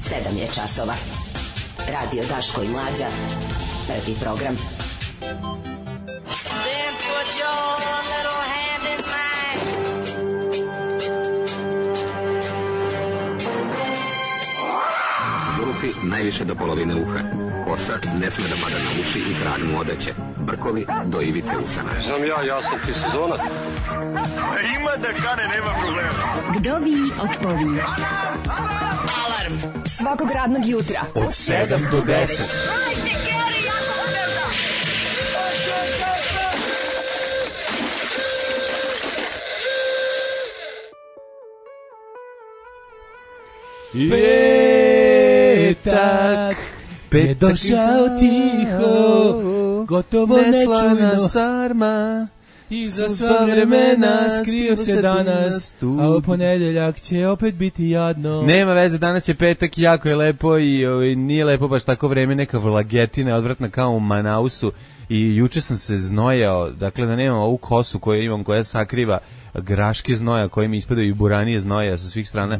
7 je časova. Radio Daško i Mlađa. Prvi program. Then put your little hand in mine. Zulufi najviše do polovine uha. Kosa ne sme da pada na uši i krag mu odeće. Brkovi do ivice usana. Znam ja sam ti sezonac. Ima da kane, nema problema. Vdovi otpovi. Alarm svakog radnog jutra od 7 do 10. Petak je došao tiho, gotovo nečujno sarma. I za sva vremena skrio se danas, a u ponedeljak će opet biti jadno. Nema veze, danas je petak, jako je lepo i nije lepo baš tako vreme, neka vlagetina, odvratna kao u Manausu. I juče sam se znojao, dakle da nemam ovu kosu koju imam, koja sakriva graške znoja koje mi ispadaju i buranije znoja sa svih strana.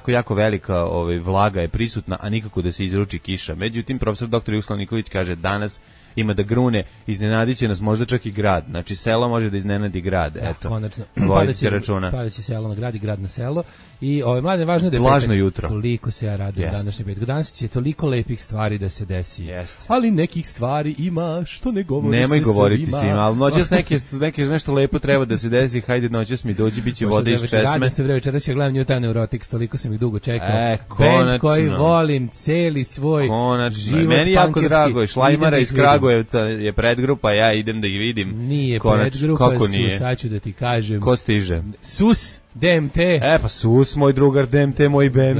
Jako velika vlaga je prisutna, a nikako da se izruči kiša. Međutim, profesor dr. Jugoslav Nikolić kaže danas ima da grune, iznenadit će nas možda čak i grad. Znači, selo može da iznenadi grad. Da, eto, konačno. Vodite računa. Pada će selo na grad i grad na selo. I mlade, važno je da je vlažno petak. Jutro. Toliko se ja radujem današnji petak. Danas će toliko lepih stvari da se desi. Jeste. Ali nekih stvari ima što ne govori. Nemoj se govoriti svima. svima, ali noćas neke nešto lepo treba da se desi. Hajde noćas mi dođi, biće vode iz česme. Radim se večeras ja gledam New Town Neurotics, toliko sam ih dugo čekao. Konačno. Band koji volim, celi svoj život. Meni jako drago, Šlajmara iz Kragujevca je predgrupa, ja idem da ih vidim. Nije predgrupa, sad ću da ti kažem. Ko stiže? Sus DMT. Pa Sus, moj drugar, DMT, moj band.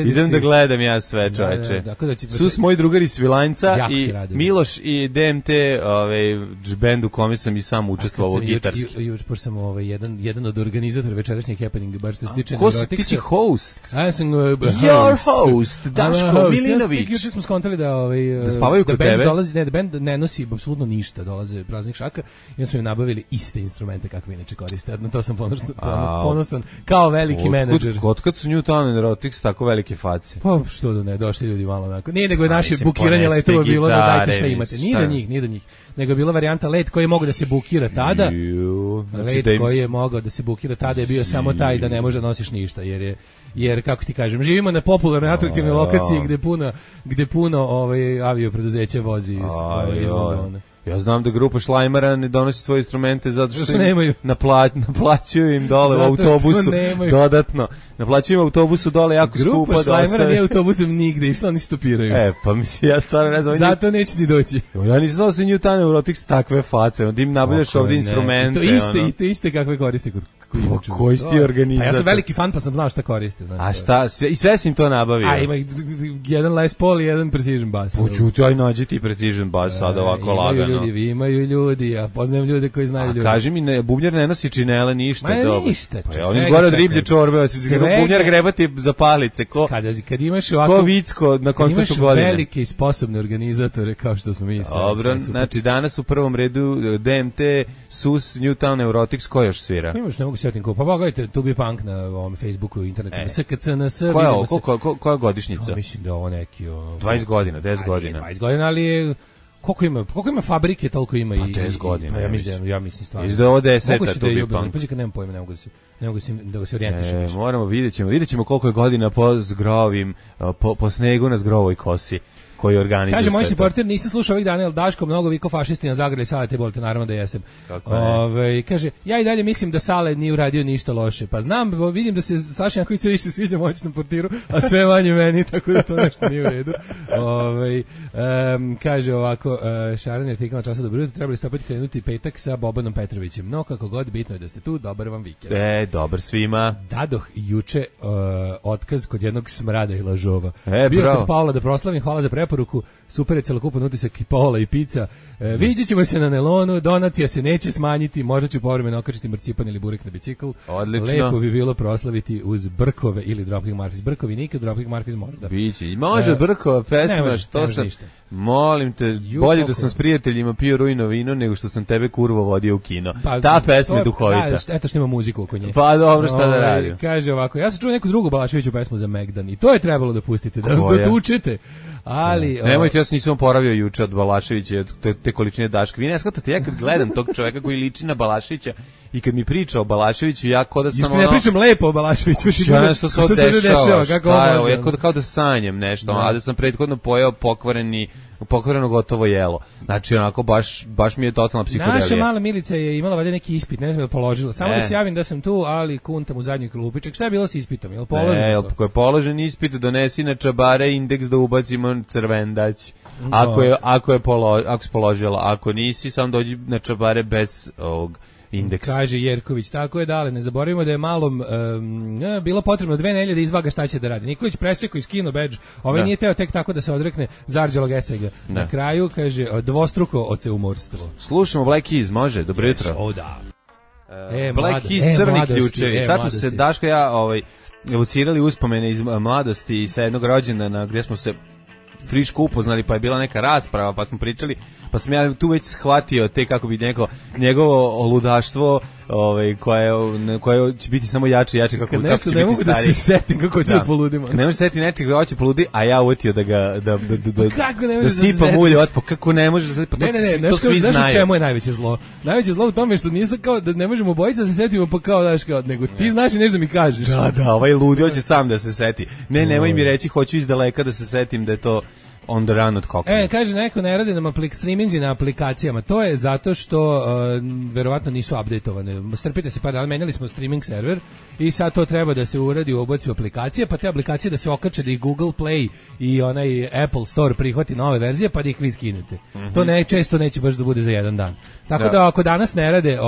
Idem da gledam ja sve, čoveče. Sus, moj drugar iz Svilajnca i Miloš i DMT, band u kome sam i sam učestvovao gitarski. Pošto sam jedan od organizatora večerašnjeg happeninga, baš što se tiče Neuroticsa. Ti si host. Ja sam Your host, Daško Milinović. Juče smo skontali da spavaju kod tebe. Da band ne nosi apsolutno ništa, dolaze praznih šaka i onda smo im nabavili iste instrumente kakve inače koriste. Na to sam ponosan kao veliki menadžer. Otkad su New Town Neurotics tako velike face? Pa što da ne, došli ljudi malo onako. Nije nego je naše bukiranje letova bilo da dajte šta imate. Nije do njih. Nego je bila varijanta let koji je mogao da se bukira tada. Let koji je mogao da se bukira tada je bio samo taj da ne može da nosiš ništa, jer kako ti kažem, živimo na popularnoj atraktivnoj lokaciji gde puno aviopreduzeća vozi iz Londona. Ja znam da grupa Šlajmara ne donosi svoje instrumente zato što nemaju. Naplaćuju im dole u autobusu dodatno. Naplaćuju im autobusu dole jako skupo. Grupa Šlajmara nije autobusom nigde išla, oni stopiraju. Pa mislim, ja stvarno ne znam. Zato neće ni doći. Ja nisam znao da se New Town Neurotics takve face, da im nabavljaš ovdje instrumente. To iste kakve koriste kod koji si ti organizator? Ja sam veliki fan pa sam znao šta koriste. A šta? I sve si im to nabavio? Ima jedan Les Paul i jedan Precision Bass. Počuti, aj nađi ti Precision Bass sad ovako lagano. Imaju ljudi, ja poznajem ljude koji znaju ljudi. A kaži mi, bubnjar ne nosi činele ništa. Ništa. Oni zgore od riblje čorbe, bubnjar grebati za palice. Kad imaš ovako... Ko Vicko na koncertu godine. Imaš velike i sposobne organizatore kao što smo mi. Dobro, znači danas u prvom redu DMT, Sus, New Town Neurotics, ko još svira? Imaš, ne mogu sjetiti ko. Pa pogledajte, tu bi punk na ovom Facebooku i internetu. SKCNS. Koja godišnjica? Mislim da je ovo neki... 20 godina, 10 godina. 20 godina, ali... Koliko ima fabrike, toliko ima i... Pa 10 godina. Pa ja mislim stvarno. Izda ovo 10, tu bi punk. Pađe kad nemam pojma, ne mogu da se orijentišem. Moramo, vidjet ćemo koliko je godina po zgrovim, po snegu na zgrovoj kosi koji organizuje. Kaže, moj supporter, nisam slušao ovih dana, jer Daško mnogo viko fašisti na zagrali salete, bolite, naravno da jesam. Kaže, ja i dalje mislim da Sale nije uradio ništa loše. Pa znam, vidim da se Saša Janković sve više sviđa moćnom portiru, a sve manje meni, tako da to nešto nije u redu. Kaže ovako, Šaran je artikal na Času dobro jutro, trebali ste opet krenuti petak sa Bobanom Petrovićem. No, kako god, bitno je da ste tu, dobar vam vikend. Dobar svima. Dadoh juče otkaz kod jednog smrada i lažova. Bio kod Paola da proslavim, hvala za preporuku, super je celokupan utisak i Paola i pizza. Vidjet ćemo se na Nelonu, donacija se neće smanjiti, možda ću povremeno okačiti marcipan ili burek na bicikl. Odlično. Lepo bi bilo proslaviti uz Brkove ili Dropkick Murphys. Brkovi nikad, Dropkick Murphys možda. Biće, može Brkova pesma, što sam... Molim te, bolje da sam s prijateljima pio rujno vino nego što sam tebe kurvo vodio u kino. Ta pesma je duhovita. Eto što ima muziku oko nje. Pa dobro, šta da radim. Kaže ovako, ja sam čuo neku drugu Balaševiću pesmu za Megdan i to je trebalo da pustite, da dotučete. Ali nemojte, ja se nisam oporavio juče od Balaševića, te količine Daška. Vi ne shvatate, ja kad gledam tog čoveka koji liči na Balaševića i kad mi priča o Balaševiću, ja kao da sam ne pričam lepo o Balaševiću, ja nešto se dešava, ja kao da sanjem nešto, a da sam prethodno pojeo pokvareno gotovo jelo. Znači onako baš mi je totalna psihodelija. Naša mala Milica je imala valjda neki ispit, ne znam da položila. Samo da se javim da sam tu, ali kuntam u zadnji klupiček. Šta je bilo sa ispitom? Jel položen? Ako je položen ispit, donesi na čabare indeks da ubacimo crvendać. Ako si položila, ako nisi, sam dođi na čabare bez ovog indeksa. Kaže Jerković, tako je, dale, ne zaboravimo da je malom bilo potrebno 2 nedelje da izvaga šta će da radi. Nikolić preseko i skino bedž, nije teo tek tako da se odrekne Zarđela Gecega. Na kraju, kaže, dvostruko oceumorstvo. Slušamo Black Keys, može? Dobro jutro. O da. Black Keys, crni ključevi. Sad smo se, Daško i ja, evocirali uspomene iz mladosti i sa jednog rođendana gdje smo se friško upoznali, pa je bila neka rasprava, pa smo pričali, pa sam ja tu već shvatio te kako bi njegovo ludaštvo koje će biti samo jače i jače kako će biti stariji. Ne mogu da se setim kako će da poludimo. Ne možeš setiti nečeg kako će poludi, a ja uvjetio da sipam ulje otpo. Kako ne možeš da se setiti? To svi znaju. Znaš čemu je najveće zlo? Najveće zlo u tome što nisam kao da ne možemo obojica da se setimo, pa kao daš kao, nego ti znaš i nešto da mi kažeš. Da, ovaj ludi hoće sam da se seti. Nemoj mi reći, hoću iz daleka da se setim da je to on the run od kokne. Kaže neko ne radi nam streaminzi na aplikacijama. To je zato što verovatno nisu updateovane. Strpite se par dana, menjali smo streaming server i sad to treba da se uradi u oboci aplikacije, pa te aplikacije da se okače da i Google Play i onaj Apple Store prihvati nove verzije, pa da ih vi skinete. To često neće baš da bude za jedan dan. Tako da ako danas ne rade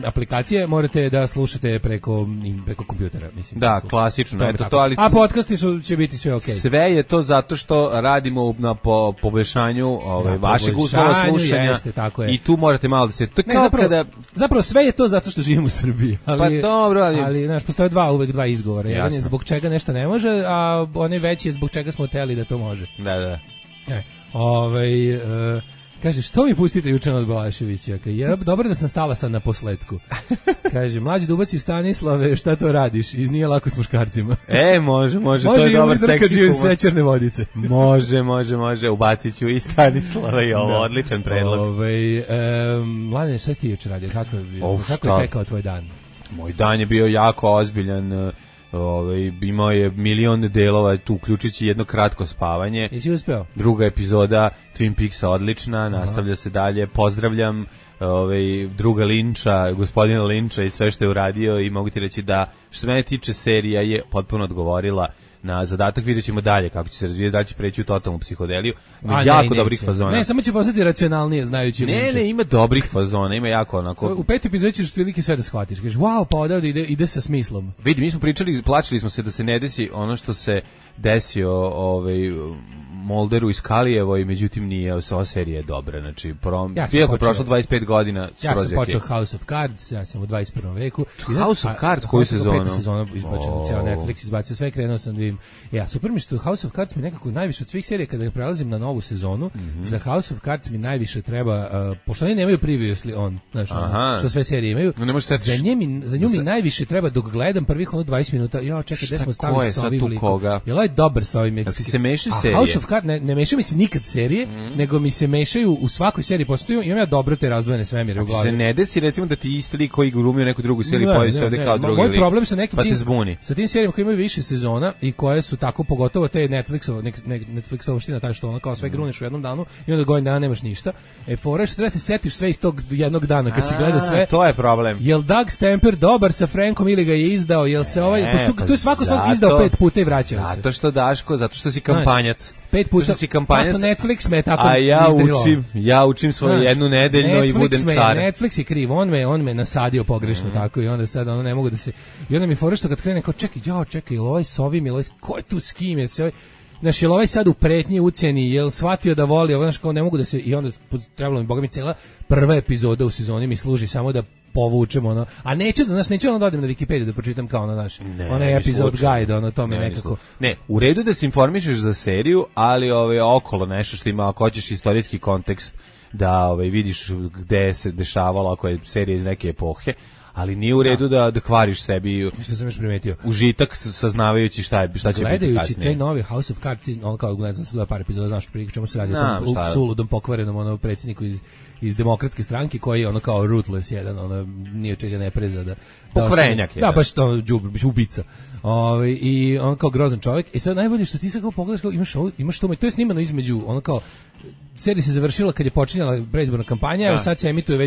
aplikacije, morate da slušate preko kompjutera, mislim. Da, klasično. A podcasti će biti sve okej. Sve je to zato što radimo na poboljšanju vašeg uslova slušanja i tu morate malo da se... Zapravo sve je to zato što živimo u Srbiji. Pa dobro, ali znaš, postoje uvek dva izgovora. Jedan je zbog čega nešto ne može, a onaj veći je zbog čega smo hteli da to može. Da. Kaže, što mi pustite juče od Balaševića? Dobro da sam stala sad na posletku. Kaže, mlađi da ubaci Stanislave, šta to radiš? Iz Nije lako s muškarcima. Može, to je dobar seksi humor. Sećerne vodice. Može, ubacit ću i Stanislava i ovo, odličan predlog. Mladine, šta si ti juče radio? Kako je tekao tvoj dan? Moj dan je bio jako ozbiljan. Imao je milion delova, uključujući jedno kratko spavanje. Jesi uspeo? Druga epizoda Twin Peaksa odlična, nastavlja se dalje. Pozdravljam druga Linča, gospodina Linča i sve što je uradio i mogu ti reći da što se mene tiče serija je potpuno odgovorila na zadatak. Vidjet ćemo dalje kako će se razvijeti, da će preći u totalnu psihodeliju. Ima jako dobrih fazona. Ne, samo će postati racionalnije znajući Linča. Ne, ima dobrih fazona, ima jako onako... U 5. epizodi ćeš veliki sve da shvatiš. Kažeš, wow, pa odavde ide sa smislom. Vidi, mi smo pričali, plačili smo se da se ne desi ono što se desio Molderu i Skalijevoj, međutim nije, ova serija je dobra, znači iako je prošlo 25 godina. Ja sam počeo House of Cards, ja sam u 21. veku. House of Cards, koju sezonu? 5. sezona izbačena, cijela Netflix izbacio sve, krenuo sam da vidim. Super mi što House of Cards mi nekako najviše od svih serija, kada prelazim na novu sezonu, za House of Cards mi najviše treba, pošto oni nemaju previously on, znaš, što sve serije imaju, za nju mi najviše treba dok gledam prvih 20 minuta, čekaj, gde smo stali sa ovim likom. Jel ovo je dobar sa ovim Meksikanom? House of Cards, ne mešaju mi se nikad serije, nego mi se mešaju u svakoj seriji postoju, imam ja dobro te razdvojene svemire u glavi. Se ne desi recimo da ti isti lik koji glumio neku drugu seriju pojavi se ovde kao drugi lik. Moj problem sa nekim sa tim serijama koji imaju više sezona i koje su tako, pogotovo te Netflixovština, taj što ono kao sve gruneš u jednom danu i onda godin dana nemaš ništa. Fora što treba se setiš sve iz tog jednog dana kad si gleda sve. To je problem. Jel Doug Stamper dobar sa Frankom ili ga je izdao? Jel se tu je svako izdao 5 puta i vraćao se. Zato što Daško, zato što si kampanjac. 5 puta si kampanjac. Netflix me tako ja učim svoju jednu nedeljno i budem car. Netflix je kriv, on me nasadio pogrešno tako i onda sad ne mogu da se... I onda mi fora što kad krene kao čekaj, jel ovaj s ovim, jel ovaj ko je tu s kim, jel se ovaj... Znaš, jel ovaj sad u pretnji ucjeni, jel shvatio da voli, znaš, kao ne mogu da se... I onda trebalo mi, boga mi, cela prva epizoda u sezoni mi služi samo da povučemo neću da odem na Wikipediju da pročitam kao onaj epizod guide, to mi nekako... Ne, u redu da se informišeš za seriju, ali okolo nešto što ima, ako hoćeš istorijski kontekst, da vidiš gde se dešavalo, ako je serija iz neke epohe, ali nije u redu da kvariš sebi. Što sam još primetio. Užitak saznavajući šta će biti kasnije. Gledajući taj novi House of Cards, on kao gledam sam par epizoda, znaš prije čemu se radi o tom suludom pokvarenom predsjedniku iz demokratske stranke koji je ono kao ruthless jedan, ono nije čega ne preza da pokvarenjak je. Da, baš to ubica. I on kao grozan čovjek. I sad najbolje što ti sad kao pogledaš kao imaš to, to je snimano između ono kao serija se završila kad je počinjala predizborna kampanja, evo sad se emituje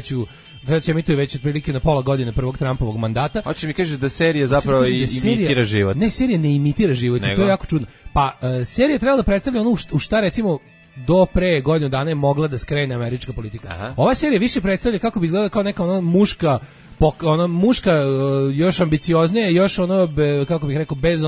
već otprilike na pola godine prvog Trumpovog mandata. Hoće mi kažeš da serija zapravo imitira život. Ne, serija ne imitira život, to je jako čudno. Pa serija treba da predstavlja ono u šta recimo do pre godinu dana je mogla da skrene američka politika. Aha. Ova serija više predstavlja kako bi izgledala kao neka muška još ambicioznija, još kako bih rekao bez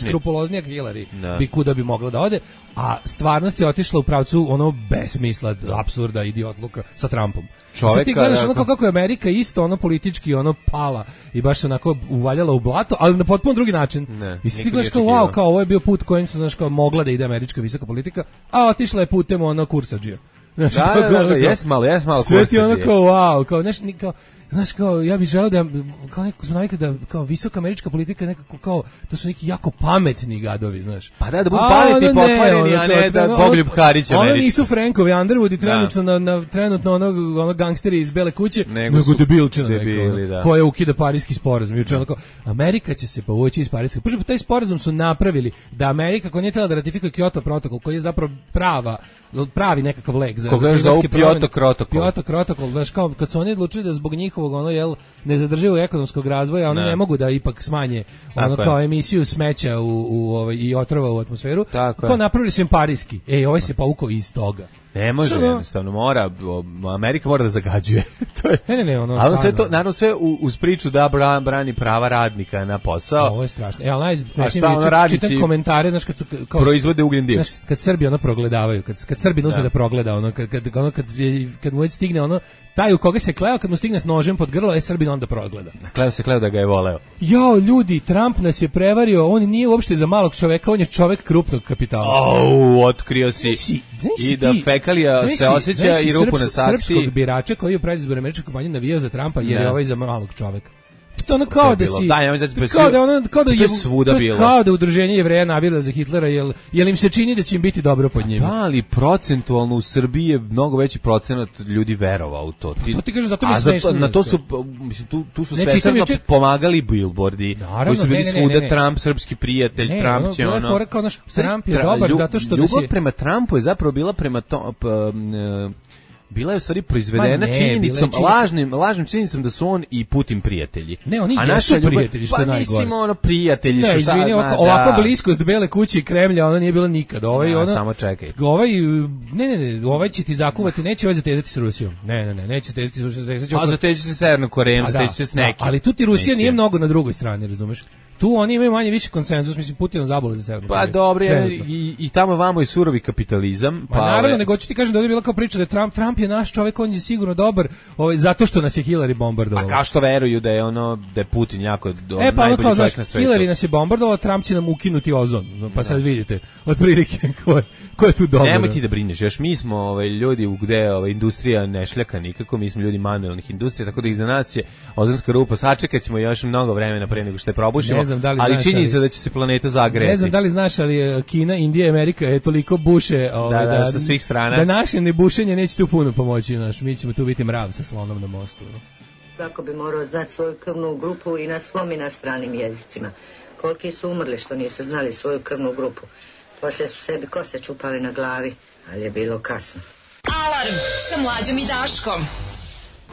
skrupuloznija Hillary bi kuda bi mogla da ode, a stvarnost je otišla u pravcu besmisla, apsurda, idiotluka sa Trumpom. Sad ti gledaš kako je Amerika isto politički pala i baš se onako uvaljala u blato, ali na potpuno drugi način. I sad ti gledaš kao ovo je bio put kojim se mogla da ide američka visoka politika, a otišla je putem kursadžija. Jes malo sve ti kao znaš, kao, ja bih želeo da, kao nekako smo navikli da, kao, visoka američka politika nekako, kao, to su neki jako pametni gadovi, znaš. Pa da budu pametni i pokvareni, a ne da Bogoljub Karić američki. Ono nisu Frankovi Underwood i trenutno ono gangsteri iz Bele kuće, nego debilčina neko, koja ukida Pariski sporazum. Juče ono kao, Amerika će se povući iz Pariskog. Pošto taj sporazum su napravili da Amerika, koja nije trebala da ratifikuje Kyoto protokol, koji je zapravo pravi nekakav lek za Kyoto protokol, znaš, kao, kad su oni odlučili da zbog njihovog nezadrživog ekonomskog razvoja oni ne mogu da ipak smanje kao emisiju smeća i otrova u atmosferu, kao napravili su im Pariski. Ovaj se povukao iz toga. Ne može, jednostavno Amerika mora da zagađuje. To je. Ne, ali sve to, naravno sve uz priču da brani prava radnika na posao. Ovo je strašno. Evo, najsmešnije čitam komentare, znaš, kad su proizvode ugljen dioksid. Kad Srbi progledavaju, kad Srbi uzme da progleda, kad mu već stigne taj u koga se kleo, kad mu stigne s nožem pod grlo, Srbin onda progleda. Kleo da ga je voleo. Jao, ljudi, Trump nas je prevario, on nije uopšte za malog čoveka, on je čovek krupnog kapitala. Otkrio si. I da fekalija se osjeća i rupu na saksiji. Srpskog birača koji je u predizbornoj američkoj kampanji navijao za Trumpa jer je ovaj za malog čoveka. To ono kao da si kao da udruženje Jevreja navila za Hitlera, jel im se čini da će im biti dobro pod njima. Da, ali procentualno u Srbiji je mnogo veći procenat ljudi verovao u to. To ti kažeš, zato mi smešno. Na to su, mislim, tu su svesrdno pomagali billboardi koji su bili svuda Trump, srpski prijatelj, Trump će Trump je dobar zato što ljubav prema Trumpu je zapravo bila prema bila je u stvari proizvedena činjenicom, lažnim činjenicom da su on i Putin prijatelji. Ne, oni jesu prijatelji, što je najgore. Pa mislim, prijatelji su šta... Ne, ovako bliskost Bele kuće i Kremlja, ona nije bila nikad. Samo čekaj. Ovaj će ti zakuvati, neće ovaj zatezati s Rusijom. Ne, neće zatezati s Rusijom. A zateći se Severnom Korejom, zateći se s nekim. Ali tu ti Rusija nije mnogo na drugoj strani, razumeš? Tu oni imaju manje više konsenzus, mislim, Putin zabole za Severnu Koreju. Pa dobro, i tamo vamo je surovi kapitalizam. Pa naravno, nego ću ti kažem da je bila kao priča da Trump je naš čovjek, on je sigurno dobar, zato što nas je Hillary bombardovao. A kao što veruju da je da je Putin jako najbolji čovjek na svetu. Hillary nas je bombardovao, Trump će nam ukinuti ozon. Pa sad vidite, otprilike ko je tu dobro. Nemoj ti da brineš, još mi smo ljudi gde industrija ne šljaka nikako, mi smo ljudi manuelnih industrija, tako da iza nas će ozonska rupa, sačekat ćemo još mnogo vremena pre nego što je probušimo. Ali činjenica da će se planeta zagrejati. Ne znam da li znaš, ali Kina, Indija i Amerika je toliko buše sa svih strana. Da naše nebušenje neće tu puno pomoći. Mi ćemo tu biti mrav sa slonom na mostu. Svako bi morao znati svoju krvnu grupu i na svom i na stranim jezicima. Koliki su umrli što nisu znali svoju krvnu grupu. Poslije su sebi kose čupali na glavi, ali je bilo kasno. Alarm sa Mlađom i Daškom.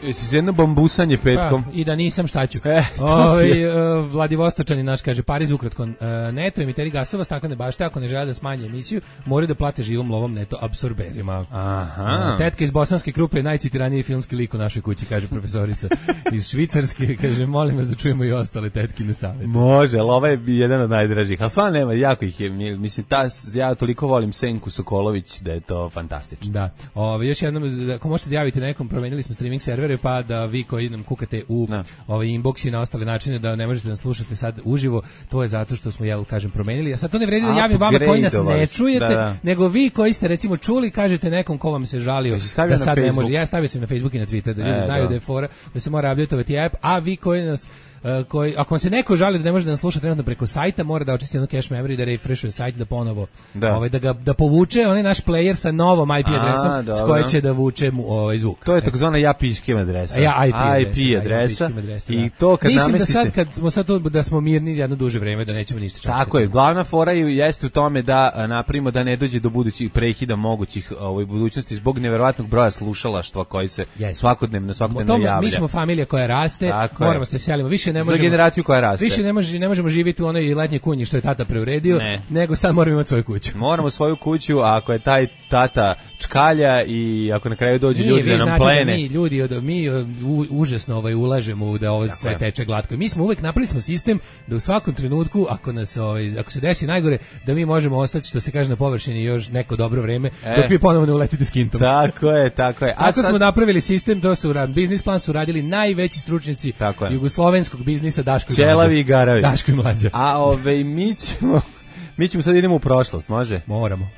Jesi se jedno bambusanje petkom? I da nisam, šta ću. Vladivostočani naš kaže, Pariz ukratko, neto emiteri gasova staklene bašte, ako ne žele da smanje emisiju, moraju da plate živom lovom neto apsorberima. Aha. Tetka iz bosanske grupe je najcitiraniji filmski lik u našoj kući, kaže profesorica. Iz Švicarske, kaže, molim vas da čujemo i ostale tetkine savjete. Može, ali ovaj je jedan od najdražih, ali stvarno nema, jako ih je, mislim, ja toliko volim Senku Sokolović da je to fantastično. Da, još jednom, ako možete da javite nekom, promenili smo streaming server, servere, pa da vi koji nam kukate u ovaj inbox i na ostale načine da ne možete da slušate sad uživo, to je zato što smo, kažem, promenili. A sad to ne vredi da javim vama koji nas ne čujete, nego vi koji ste recimo čuli, kažete nekom ko vam se žalio da sad ne može. Ja stavio sam na Facebook i na Twitter da ljudi znaju da je fora, da se mora updateovati app, a vi koji nas ako vam se neko žali da ne može da nas sluša trenutno preko sajta, mora da očisti ono cache memory, da refreshuje sajt, da ponovo da povuče onaj naš player sa novom IP adresom s koje će da vuče zvuk. To je takozvana IP adresa. IP adresa. I to kad mislim namestite... da sad kad smo sad da smo mirni jedno duže vreme, da nećemo ništa čačkati. Tako je, glavna fora jeste u tome da napravimo da ne dođe do budućih prekida mogućih budućnosti zbog neverovatnog broja slušalaštva koji se svakodnevno javlja. Mi smo familija koja raste, moramo se selimo. Više ne možemo, za generaciju koja raste. Više ne možemo živjeti u onoj letnjoj kunji što je tata preuredio, nego sad moramo imati svoju kuću. Moramo svoju kuću, a ako je taj tata čkalja i ako na kraju dođu ljudi da nam plene. Mi užasno ulažemo da ovo sve teče glatko. I mi smo uvek napravili smo sistem da u svakom trenutku ako se desi najgore, da mi možemo ostati, što se kaže, na površini još neko dobro vreme dok vi ponovo ne uletite s kintom. Tako je. Tako smo napravili sistem, to su biznis plan su radili najveći stručnjaci jugoslovenskog biznisa, Daško i Mlađa. Ćelavi i garavi. Daško i Mlađa. A mi ćemo sad idemo u prošlost, može? Moramo.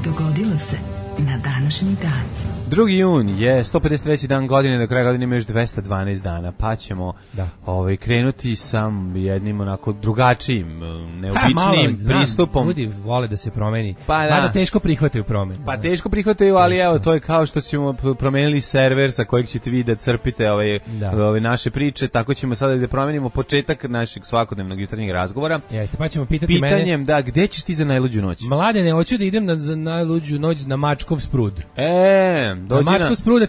Dogodilo se na današnji dan. 2. jun je 153. dan godine, do kraja godine ima još 212 dana, pa ćemo krenuti sa jednim onako drugačijim, neobičnim pristupom. Ljudi vole da se promeni, da teško prihvataju promenu. Pa teško prihvataju, ali evo, to je kao što ćemo promenili server sa kojeg ćete vi da crpite ove naše priče, tako ćemo sada da promenimo početak našeg svakodnevnog jutarnjeg razgovora. Jeste, pa ćemo pitati pitanjem, gde ćeš ti za najluđu noć? Mladene, hoću da idem za najluđu noć na Mačkov sprud.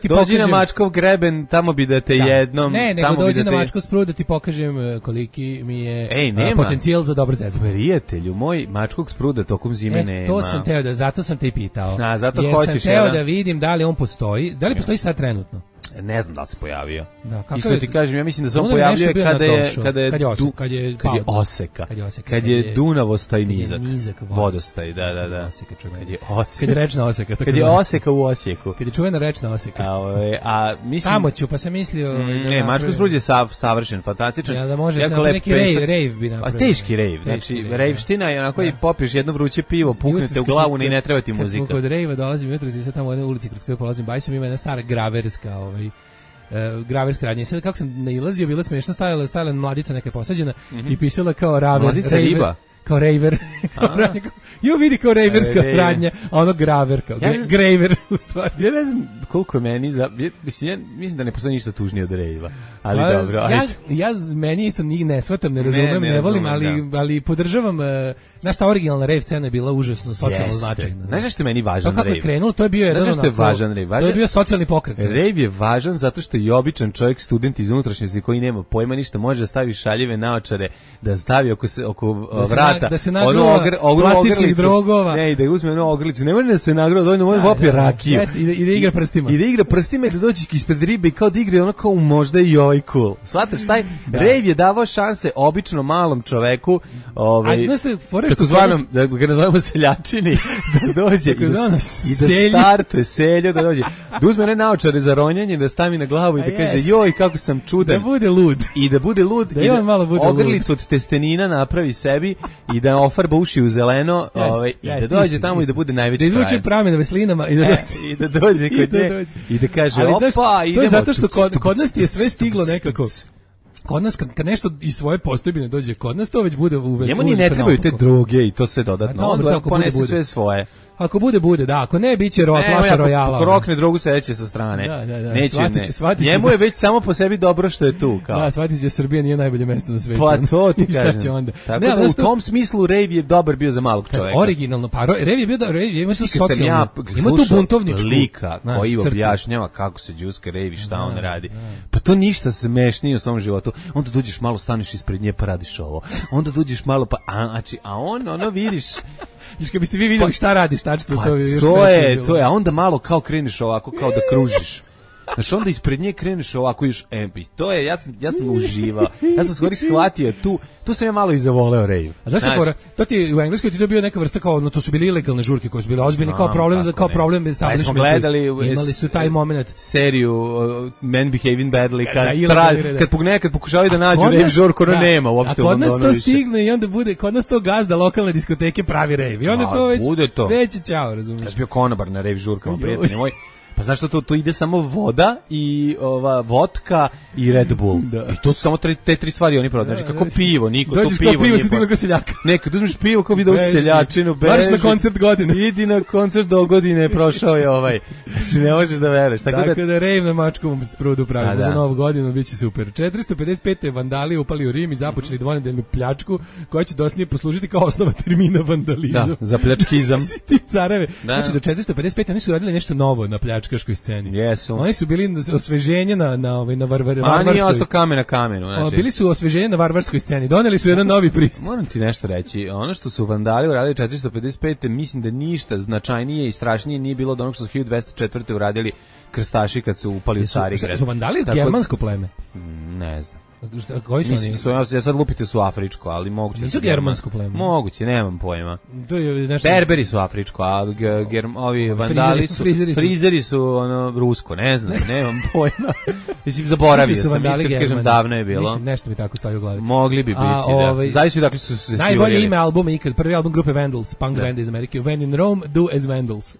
Dođi na Mačkov greben, tamo bi da te jednom... Ne, nego dođi na Mačkov sprud da ti pokažem koliki mi je potencijal za dobro zezanje. Prijatelju, moj Mačkog spruda tokom zime nema. To sam teo zato sam te i pitao. Zato hoćeš. Sam teo da vidim da li on postoji, da li postoji sad trenutno. Ne znam da li se pojavio. Isto ti kažem, ja mislim da se on pojavljuje kad je Dunavostaj nizak. Vodostaj, da. Kad je rečna oseka. Kad je oseka u Osijeku. Kad je čuvena rečna oseka. A mislim... Tamo ću, pa sam mislio... Ne, Mačko sprud je savršen, fantastičan. Ja da može sam neki rave bi napravio. Teški rave. Znači, rejvština je onako i popiješ jedno vruće pivo, puknete u glavu i ne treba ti muzika. Kod rejva dolazim jutros i sad tamo u jednoj ulici kroz koju polazim bajsom ima jedna stara graverska graverska radnja. Sad kako sam nailazio, bilo smiješno, stajala mladica neka posađena i pisala kao mladica riba. Kao raver. Jo vidi kao raverska radnja, a ono graver, kao graver u stvari. Ja ne znam koliko je meni, mislim da ne postoji ništa tužnije od rejva. Ali dobro, meni isto ne shvatam, ne razumem, ne volim, ali podržavam. Znaš, ta originalna rave scena je bila užasno socijalno značajna. Znaš što je meni važan rave? Kako je krenulo, to je bio jedan to je bio socijalni pokret. Rave je važan zato što je običan čovjek, student iz unutrašnjosti koji nema pojma ništa, može da stavi šaljive naočare, da stavi oko vrata da se nagrova plastičnih drogova. Ne, i da uzme onu ogrlicu. Ne može da se nagrova, dovoljno može popije rakiju. I da igra prstima. I da igra prstima i da dođe ispred ribe i kao da igra ono kao možda i ovaj cool. Shvataš, taj rave je davao šanse obično malom čoveku, kako zvanom, da ga nazovemo seljačini, da dođe i da startuje seljo, da dođe. Da uzme one naočare za ronjanje, da stavi na glavu i da kaže joj kako sam čudan. Da bude lud. I da bude lud, i da ogrlicu od testenina napravi sebi i da ofarba uši u zeleno, i da dođe tamo i da bude najveći frajer. Da izvuče pramen veslinama i da dođe kod nje i da kaže opa, idemo. To je zato što kod nas je sve stiglo nekako. Kod nas kad nešto iz svoje postojbine dođe kod nas, to već bude uvek. Njemu ni ne trebaju te droge i to sve dodatno. On ponese sve svoje. Ako bude, da, ako ne, bit će flaša Royala. Ako rokne drogu, sedeće sa strane. Da. Neće, njemu je već samo po sebi dobro što je tu. Da, shvatit će, Srbija nije najbolje mesto na svetu. Pa to ti kažem. Šta će onda? Tako da u tom smislu rave je dobar bio za malog čoveka. Originalno, pa rave je bio dobar, ima tu socijalno, ima tu buntovničku. Lika koji objašnjava kako se džuska rave, šta on radi. Pa to ništa smešnije u svom životu. Onda dođeš malo, staneš ispred nje pa radiš ovo. Onda dođeš malo pa, a on, ono vidiš. Kad biste vi vidjeli šta radiš, tačno to je, a onda malo kao kreneš ovako, kao da kružiš. Znaš, onda ispred nje kreneš ovako još MP. To je, ja sam uživao. Ja sam skoro shvatio, tu sam ja malo i zavoleo rave. A znaš šta, to ti u Engleskoj ti dobio neka vrsta kao, no to su bili ilegalne žurke koje su bile ozbiljne kao problem bez establishmenta. Imali su taj moment. Seriju Men Behaving Badly, kad pokušavaju da nađu rave žurku, ono nema uopšte. A kod nas to stigne i onda bude, kod nas to gazda lokalne diskoteke pravi rave. I onda to već ćao, razumiješ. Ja sam bio konobar na rave žurkama, prijatelji moji. Pa znaš što to ide samo voda i vodka i Red Bull. Da. I to su samo te tri stvari oni prodaju. Znači kako pivo, niko to pivo. Dođeš pivo, si kao seljaka. Nekad uzmeš pivo kao video seljačinu, beži na koncert godine. Idi na koncert do godine, prošao je ovaj. Si ne možeš da veruješ. Tako da rave na Mačkovom sprudu pravimo za novu godinu, biće super. 455. vandali upali u Rim i započeli dvonedeljnu pljačku koja će dosnije poslužiti kao osnova termina vandalizam. Da, za pljačkizam. Ti careve. Znači do 455. oni su radili nešto novo na pljačkaškoj sceni. Jesu. Oni su bili osveženje na varvarskoj. A nije ostao kamen na kamenu. Znači. Bili su osveženje na varvarskoj sceni. Doneli su jedan novi pristup. Moram ti nešto reći. Ono što su vandali uradili 455. mislim da ništa značajnije i strašnije nije bilo od onog što su 1204. uradili krstaši kad su upali u Carigrad. Su vandali germansko pleme? Ne znam. Koji su oni? Ja sad lupite su afričko, ali moguće. Nisu germansko pleme. Moguće, nemam pojma. To je nešto. Berberi su afričko, a ovi vandali su frizeri su ono rusko, ne znam, nemam pojma. Mislim zaboravio sam, iskreno kažem davno je bilo. Mislim nešto mi tako stoji u glavi. Mogli bi biti, da. Zavisi dakle su se najbolje ime albuma ikad, prvi album grupe Vandals, punk band iz Amerike. When in Rome, do as Vandals.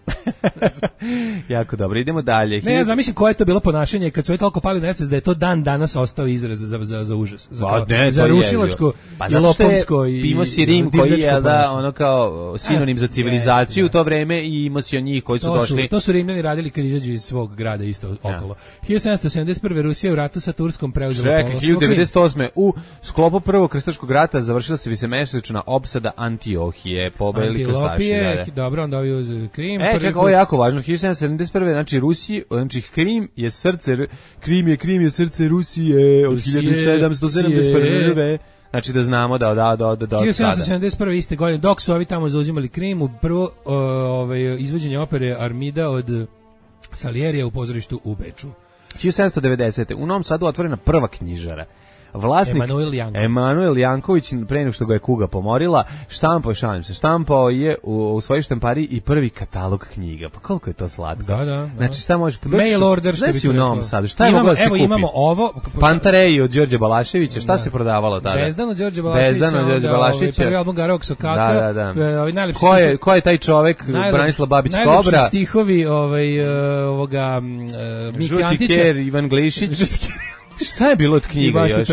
Jako dobro, idemo dalje. Ne, ja zamišljam koje je to bilo ponašanje kad su oni toliko pali na da je to dan danas ostao izraz za užas, za rušilačko i lopovsko i imao si Rim koji je ono kao sinonim za civilizaciju u to vreme i imao si njih koji su došli. To su Rimljani radili kad izađu iz svog grada isto okolo. 1771. Rusija u ratu sa Turskom preuzela poluostrvo. 1998. u sklopu prvog krstaškog rata završila se višemesečna opsada Antiohije, pobedili krstaši. Dobro, onda ovi uz Krim. Čekaj, ovo je jako važno. 1771. znači Krim je srce Rusije od 1771. Znači da znamo da 1771. iste godine, dok su ovi tamo zauzimali Krim, u prvo izvođenje opere Armida od Salierija u pozorištu u Beču. 1790. u Novom Sadu otvorena prva knjižara. Vlasnik Emanuel Janković, pre nego što ga je kuga pomorila, štampao je u svojoj štampari i prvi katalog knjiga. Pa koliko je to slatko. Da. Znači šta možeš mail order što bi se u Novom Sadu. Šta je moglo da se kupi? Imamo ovo Pantareji od Đorđe Balaševića, šta se prodavalo tada? Bezdan od Đorđe Balaševića. Prvi album Garog Sokaka. Da. Ko je taj čovek? Branislav Babić Kobra. Najlepši stihovi ovoga Miki Antića. Žuti Ker, Ivan Glišić. Šta je bilo od knjiga još?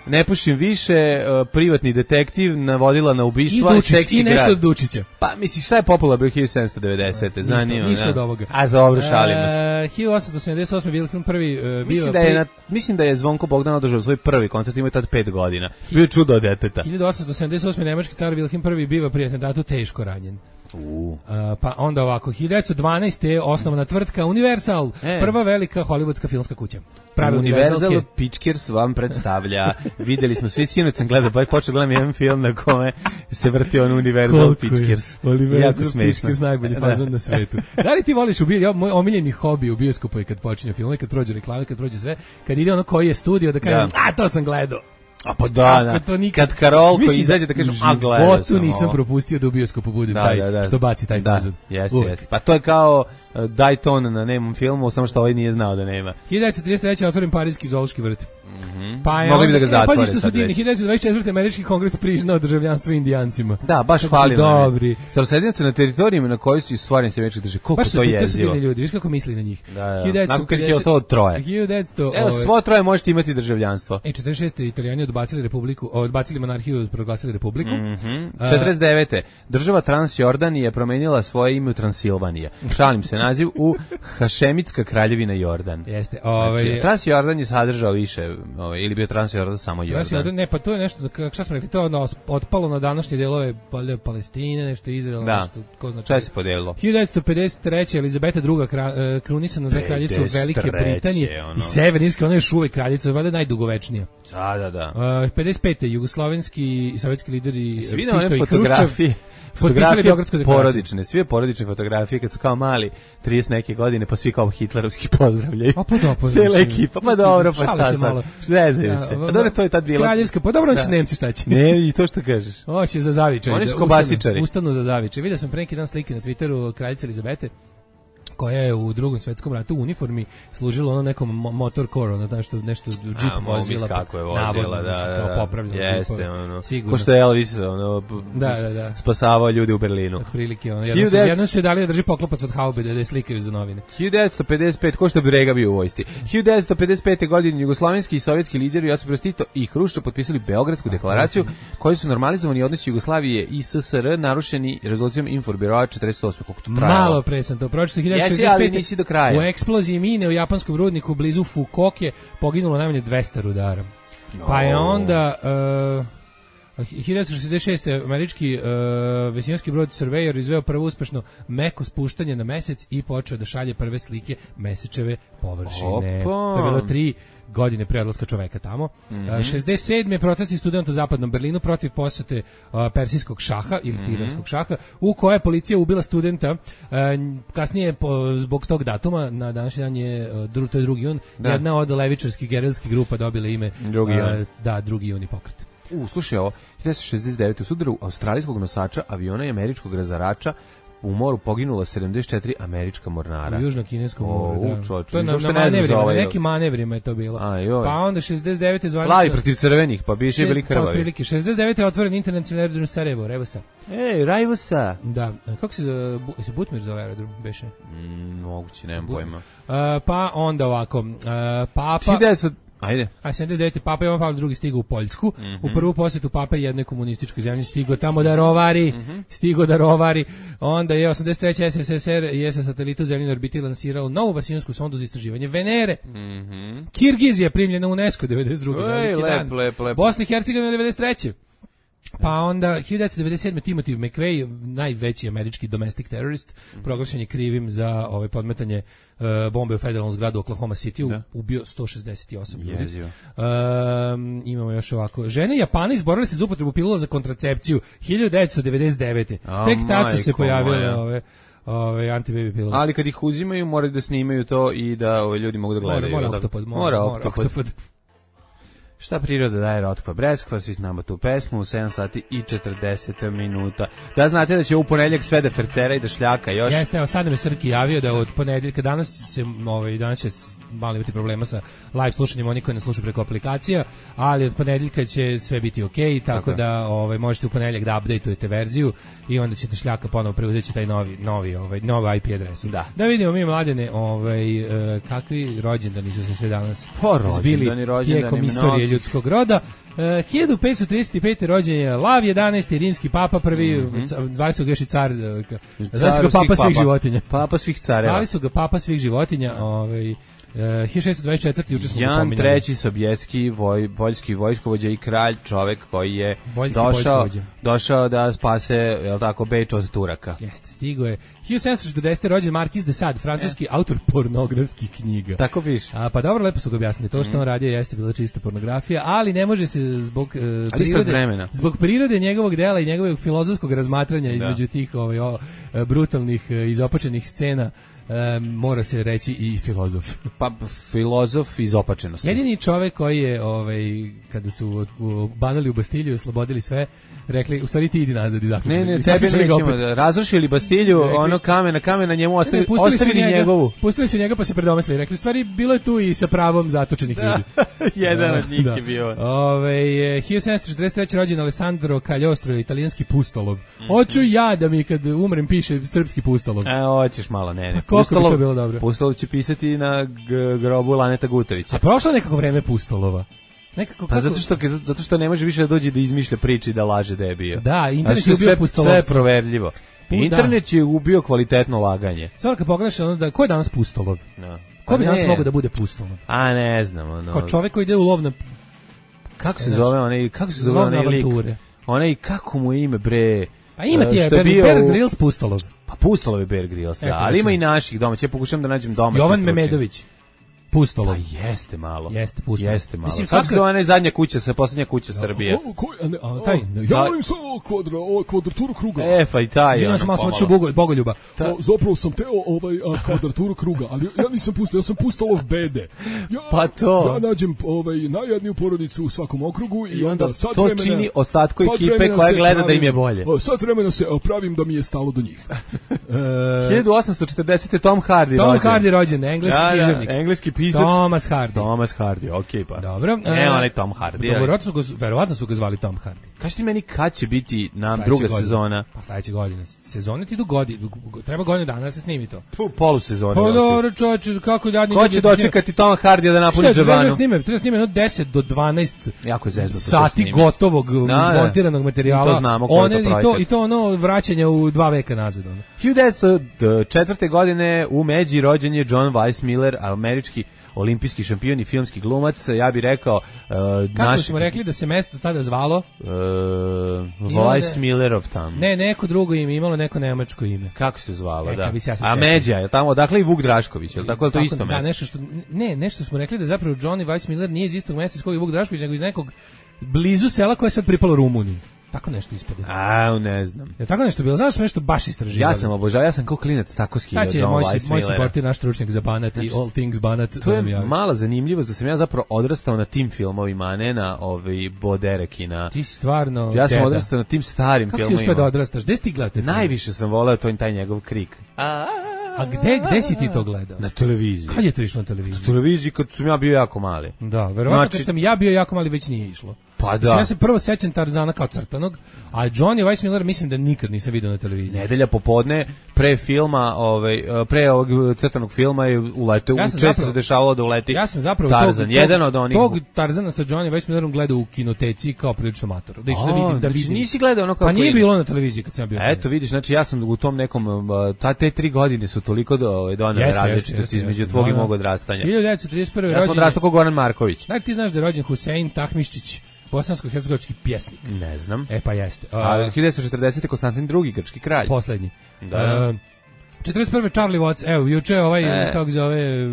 Ne pušim više, privatni detektiv, navodila na ubistva i seksi grad. I nešto od Dučića. Pa misliš, šta je popularno 1790. Zanima. Ništa od ovoga. A dobro, šalimo se. 1878. Wilhelm prvi mislim da je Zvonko Bogdan održao svoj prvi koncert, imao je tad 5 godina. Bio čudo od deteta. 1878. nemački car Wilhelm I biva pri atentatu teško ranjen. Pa onda ovako 1912. je osnovana tvrtka Universal, prva velika hollywoodska filmska kuća. Universal Pictures vam predstavlja. Videli smo svi, sinoć sam gledao, pa počeo gledam jedan film na kome se vrti on Universal Pictures. Jako smešno. Najbolji fazon na svetu. Da li ti voliš moj omiljeni hobi u bioskopu je kad počinje film, kad prođe reklame, kad prođe sve, kad ide ono koji je studio da kaže, to sam gledao. A pa da. Kad Karol koji izađe da kažem, gledao sam. Nisam propustio da u bioskopu budem taj što baci taj fazon. Jeste. Pa to je kao Dayton na nemom filmu, samo što ovaj nije znao da nema. 1933. otvoren Parijski zoološki vrt. Pa mogli bi da ga zatvore. Pazi što su divni, 1924. američki kongres priznao državljanstvo Indijancima. Da, baš hvalim. Dobri. Starosredinci na teritorijima na kojoj su stvarni se američki države. Koliko to jezivo. To su divni ljudi, viš kako misli na njih. Nakon kad je ostalo troje. Evo, svo troje možete imati državljanstvo. 46. Italijani odbacili monarhiju, proglasili republiku. 49. Država Transjordanija je promenila svoje ime u Transilvanija. Šalim se, naziv u Hašemitska kraljevina Jordan. Jeste. Transjordan je sadržao više, ili bio Transjordan samo Jordan. Ne, pa to je nešto, šta smo rekli, to je otpalo na današnje delove Palestine, nešto Izraela, nešto, ko zna šta se podelilo. 1953. Elizabeta II. Krunisana za kraljicu Velike Britanije i Severnirske, ona je još uvek kraljica, valjda najdugovečnija. Da. 55. jugoslovenski i sovjetski lideri Tito i Hruščov potpisali Beogradsku deklaraciju. Sve porodične fotografije kad su kao mali 30 neke godine, pa svi kao hitlerovski pozdravljaju. Pa dobro. Cela ekipa, pa dobro, pa šta sad? Zezaju se. Pa dobro, to je tad bilo. Kraljevska, pa dobro, će Nemci šta će. Ne, i to što kažeš. Hoće za zavičaj. Oni su kobasičari. Ustanu za zavičaj. Vidio sam pre neki dan slike na Twitteru kraljice Elizabete, koja je u Drugom svetskom ratu u uniformi služila ono nekom motor core, ono nešto džip vozila. Kako je vozila, kao popravljeno. Jeste, ono. Ko što je Elvis, ono, spasavao ljudi u Berlinu. Otprilike, ono. Jednom su je dali da drži poklopac od haube, da je slikaju za novine. 1955, ko što bi Rega bio u vojsci. 1955. godine jugoslovenski i sovjetski lideri Josip Broz Tito i Hruščov potpisali Beogradsku deklaraciju, koji su normalizovani odnosi Jugoslavije i SSR narušeni rezolucijom Informbiroa 48. Koliko to trajalo? Malo pre sam to pročitao. Ali nisi do kraja. U eksploziji mine u japanskom rudniku blizu Fukuoke poginulo najmanje 200 rudara. Pa je onda 1966. američki vesinarski brod Surveyor izveo prvo uspešno meko spuštanje na mesec i počeo da šalje prve slike mesečeve površine. To je bilo 3 godine pre odlaska čoveka tamo. 67. protesti studenta u zapadnom Berlinu protiv posete persijskog šaha ili iranskog šaha, u koje je policija ubila studenta. Kasnije, zbog tog datuma, na današnji dan je, to je 2. jun, jedna od levičarskih gerilskih grupa dobila ime 2. juni pokret. Slušaj ovo, 1969. u sudaru australijskog nosača aviona i američkog razarača u moru poginulo 74 američka mornara. U južno-kineskom moru, da. To je na manevrima, na nekim manevrima je to bilo. Pa onda 69. zvanično... Plavi protiv crvenih, pa biše bili krvavi. 69. je otvoren internacionalni aerodrom Sarajevo, Revosa. Rajvosa. Da. Kako se Butmir zove aerodrom, beše? Moguće, nemam pojma. Pa onda ovako, Papa... 79. Papa Jovan Pavle II stigao u Poljsku. U prvu posjetu Papa jednoj komunističkoj zemlji stigao tamo da rovari. Onda je 83. SSSR i SS satelitu zemljine orbiti lansirao novu vasionsku sondu za istraživanje Venere. Kirgizija primljena u UNESCO 92. Lep. Bosna i Hercegovina 93. Pa onda 1997. Timothy McVeigh, najveći američki domestic terrorist, proglašen je krivim za podmetanje bombe u federalnom zgradu Oklahoma City, ubio 168 ljudi. Imamo još ovako. Žene Japana izborile se za upotrebu pilula za kontracepciju 1999. Tek tad su se pojavile ove antibaby pilule. Ali kad ih uzimaju, moraju da snimaju to i da ljudi mogu da gledaju. Mora oktopod. Šta priroda daje Rotkva Breskva, svi znamo tu pesmu, u 7 sati i 40 minuta. Da znate da će u ponedjeljak sve da fercera i da šljaka još. Jeste, evo sad nam je Srki javio da od ponedjeljka, danas će malo imati problema sa live slušanjem, oni koji ne slušaju preko aplikacija, ali od ponedjeljka će sve biti okej, tako da možete u ponedjeljak da updateujete verziju i onda ćete šljaka ponovo preuzeći taj novi IP adresu. Da vidimo mi, Mladene, kakvi rođendani su se sve danas zbili tijekom istorije ljudskog roda. 1535. rođen je Lav 11. rimski papa, prvi, zvali su ga još i car, zvali su ga papa svih životinja. Papa svih careva. Zvali su ga papa svih životinja, 1624. juče smo Jan III. Sobieski, poljski vojskovođa i kralj, čovek koji je došao da spase, je li tako, Beč od Turaka. Jeste, stigo je. 1740. rođen Marquis de Sade, francuski autor pornografskih knjiga. Tako piše. Pa dobro, lepo su ga objasnili. To što on radio jeste bila čista pornografija, ali ne može se zbog prirode njegovog dela i njegovog filozofskog razmatranja između tih brutalnih izopačenih scena, mora se reći i filozof. Pa filozof izopačenosti. Jedini čovek koji je kada su banali u Bastilju i oslobodili sve, rekli, u stvari ti idi nazad i zaključili. Ne, tebe nećemo da razrušili Bastilju, ono kamen na njemu ostavili njegovu. Pustili su njega pa se predomislili. Rekli, u stvari bilo je tu i sa pravom zatočenih ljudi. Jedan od njih je bio. 1743. rođen Alessandro Cagliostro, italijanski pustolov. Hoću ja da mi kad umrem piše srpski pustolov. Hoćeš malo, ne. Pustolov će pisati na grobu Laneta Gutovića. A prošlo nekako vreme pustolova. Zato što ne može više da dođe da izmišlja priče i da laže da je bio. Da, internet je ubio pustolovstvo. Sve je proverljivo. Internet je ubio kvalitetno laganje. Stvarno kad pogledaš, ko je danas pustolov? Ko bi danas mogao da bude pustolov? Ne znam. Kao čovek koji ide u lov na... Kako se zove onaj lik? Onaj, kako mu je ime, bre? A ima ti je Bear Grylls pustolov. Pa pustolov je Bear Grylls, ali ima i naših domaća. Ja pokušam da nađem domaće. Jovan Memedović. Pustolo. Pa jeste malo. Jeste Pustolo. Jeste malo. Mislim, kako se zove ona zadnja kuća, posljednja kuća Srbije? Taj, ja volim samo kvadraturu kruga. Pa i taj. Živim sam malo Bogoljuba. Zapravo sam teo kvadraturu kruga, ali ja nisam pustao, ja sam pustalo bede. Pa to. Ja nađem najjedniju porodicu u svakom okrugu i onda sad to vremena, čini ostatku ekipe koja gleda da im je bolje. Sad vremena se pravim da mi je stalo do njih. 1840. Tom Hardy rođen. Tom Hardy rođen, engleski književnik. Engleski pisac. Thomas Hardy. Thomas Hardy, okej pa. Dobro. onaj Tom Hardy. Verovatno su ga zvali Tom Hardy. Kaži ti meni kad će biti druga sezona? Pa sledeće godine. Sezone ti idu treba godinu dana da se snimi to. Polusezone. Pa dobro, čoveče, kako jadni ljudi. Ko će dočekati Toma Hardija da napuni džabanu? Treba snime 10 do 12 jako je sati gotovog izmontiranog materijala. To znamo koliko I to ono vraćanje u 2 veka nazad. 1904. godine u Međi rođen je John Weissmuller, američki olimpijski šampion i filmski glumac, ja bih rekao kako smo rekli da se mesto tada zvalo? Weissmullerov tam. Ne, neko drugo ime, imalo neko nemačko ime. Kako se zvalo, da. A Međa je tamo, odakle i Vuk Drašković, je li tako, to isto mesto? Nešto smo rekli da zapravo Johnny Weissmuller nije iz istog mesta iz kog je Vuk Drašković, nego iz nekog blizu sela koje je sad pripalo Rumuniji. Tako nešto ispade. Ne znam. Je tako nešto bilo? Znaš nešto baš istraživali? Ja sam obožavao, ja sam kao klinac tako skidao John Weissmullera. Moj supporter, naš stručnjak za Banat i All Things Banat. To je mala zanimljivost da sam ja zapravo odrastao na tim filmovima, a ne na Boderek i na... Ti stvarno... Ja sam odrastao na tim starim filmovima. Kako si uspio da odrastaš? Gde si ti gledate? Najviše sam voleo taj njegov krik. A gde si ti to gledao? Na televiziji. Kad je to išlo na televiziji? Na televiziji kad sam ja bio jako mali. Da, verovatno kad sam ja bio jako mali već nije išlo. Pa da. Ja se prvo sećam Tarzana kao crtanog, a Johnny Weissmuller mislim da nikad nisam vidio na televiziji. Nedelja popodne pre filma, pre ovog crtanog filma je uleteo, često se dešavalo da uleti. Ja sam zapravo Tarzan, jedan od onih. Tog Tarzana sa Johnny Weissmullerom gledao u kinoteci kao prilično mator. Da išao da vidim. Nisi gledao ono kao. Pa nije bilo na televiziji kad sam bio. Eto vidiš, znači ja sam u tom nekom te 3 godine su toliko donele različitosti između tvog i mog odrastanja. 1931. rođen. Ja sam odrastao kao Goran Marković. Da ti znaš da je rođen Husein Tahmiščić, bosansko-hercegovački pjesnik. Ne znam. Pa jeste. 1940. Konstantin II, grčki kralj. Poslednji. Da. 41. Charlie Watts, evo, juče kako zove...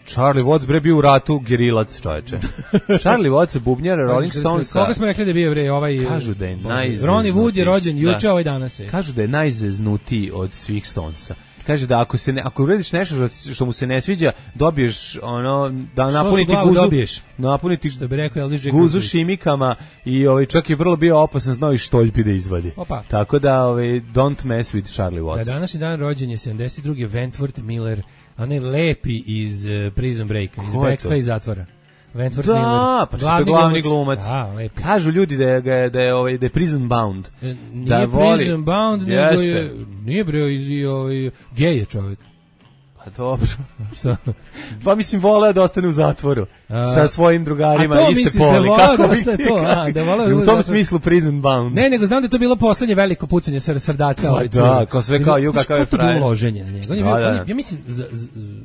Charlie Watts bre bio u ratu gerilac, čoveče. Charlie Watts, bubnjar Rolling Stones. Koga smo rekli da bio bre Kažu da je Ronnie Wood je rođen juče, danas je. Kažu da je najzeznutiji od svih Stonesa. Kaže da ako uradiš nešto što mu se ne sviđa, dobiješ da napuniti što bi rekao guzu šimikama i čak je vrlo bio opasan, znao i štoljpi da izvadi. Tako da don't mess with Charlie Watts. Da današnji dan rođen je 72. Wentworth Miller, onaj lepi iz Prison Breaka, iz Backstay zatvora. Wentworth Miller. Pa to je glavni glumac. Kažu ljudi da je prison bound. Nije prison bound, nego je... Nije bre, gej je čovjek. Pa dobro. Šta? Pa mislim, voleo da ostane u zatvoru sa svojim drugarima iste poli. U tom smislu prison bound. Ne, nego znam da je to bilo poslednje veliko pucanje srdaca. Da, kao sve kao ju kakav je frajer. To bilo loženje na njega. Ja mislim,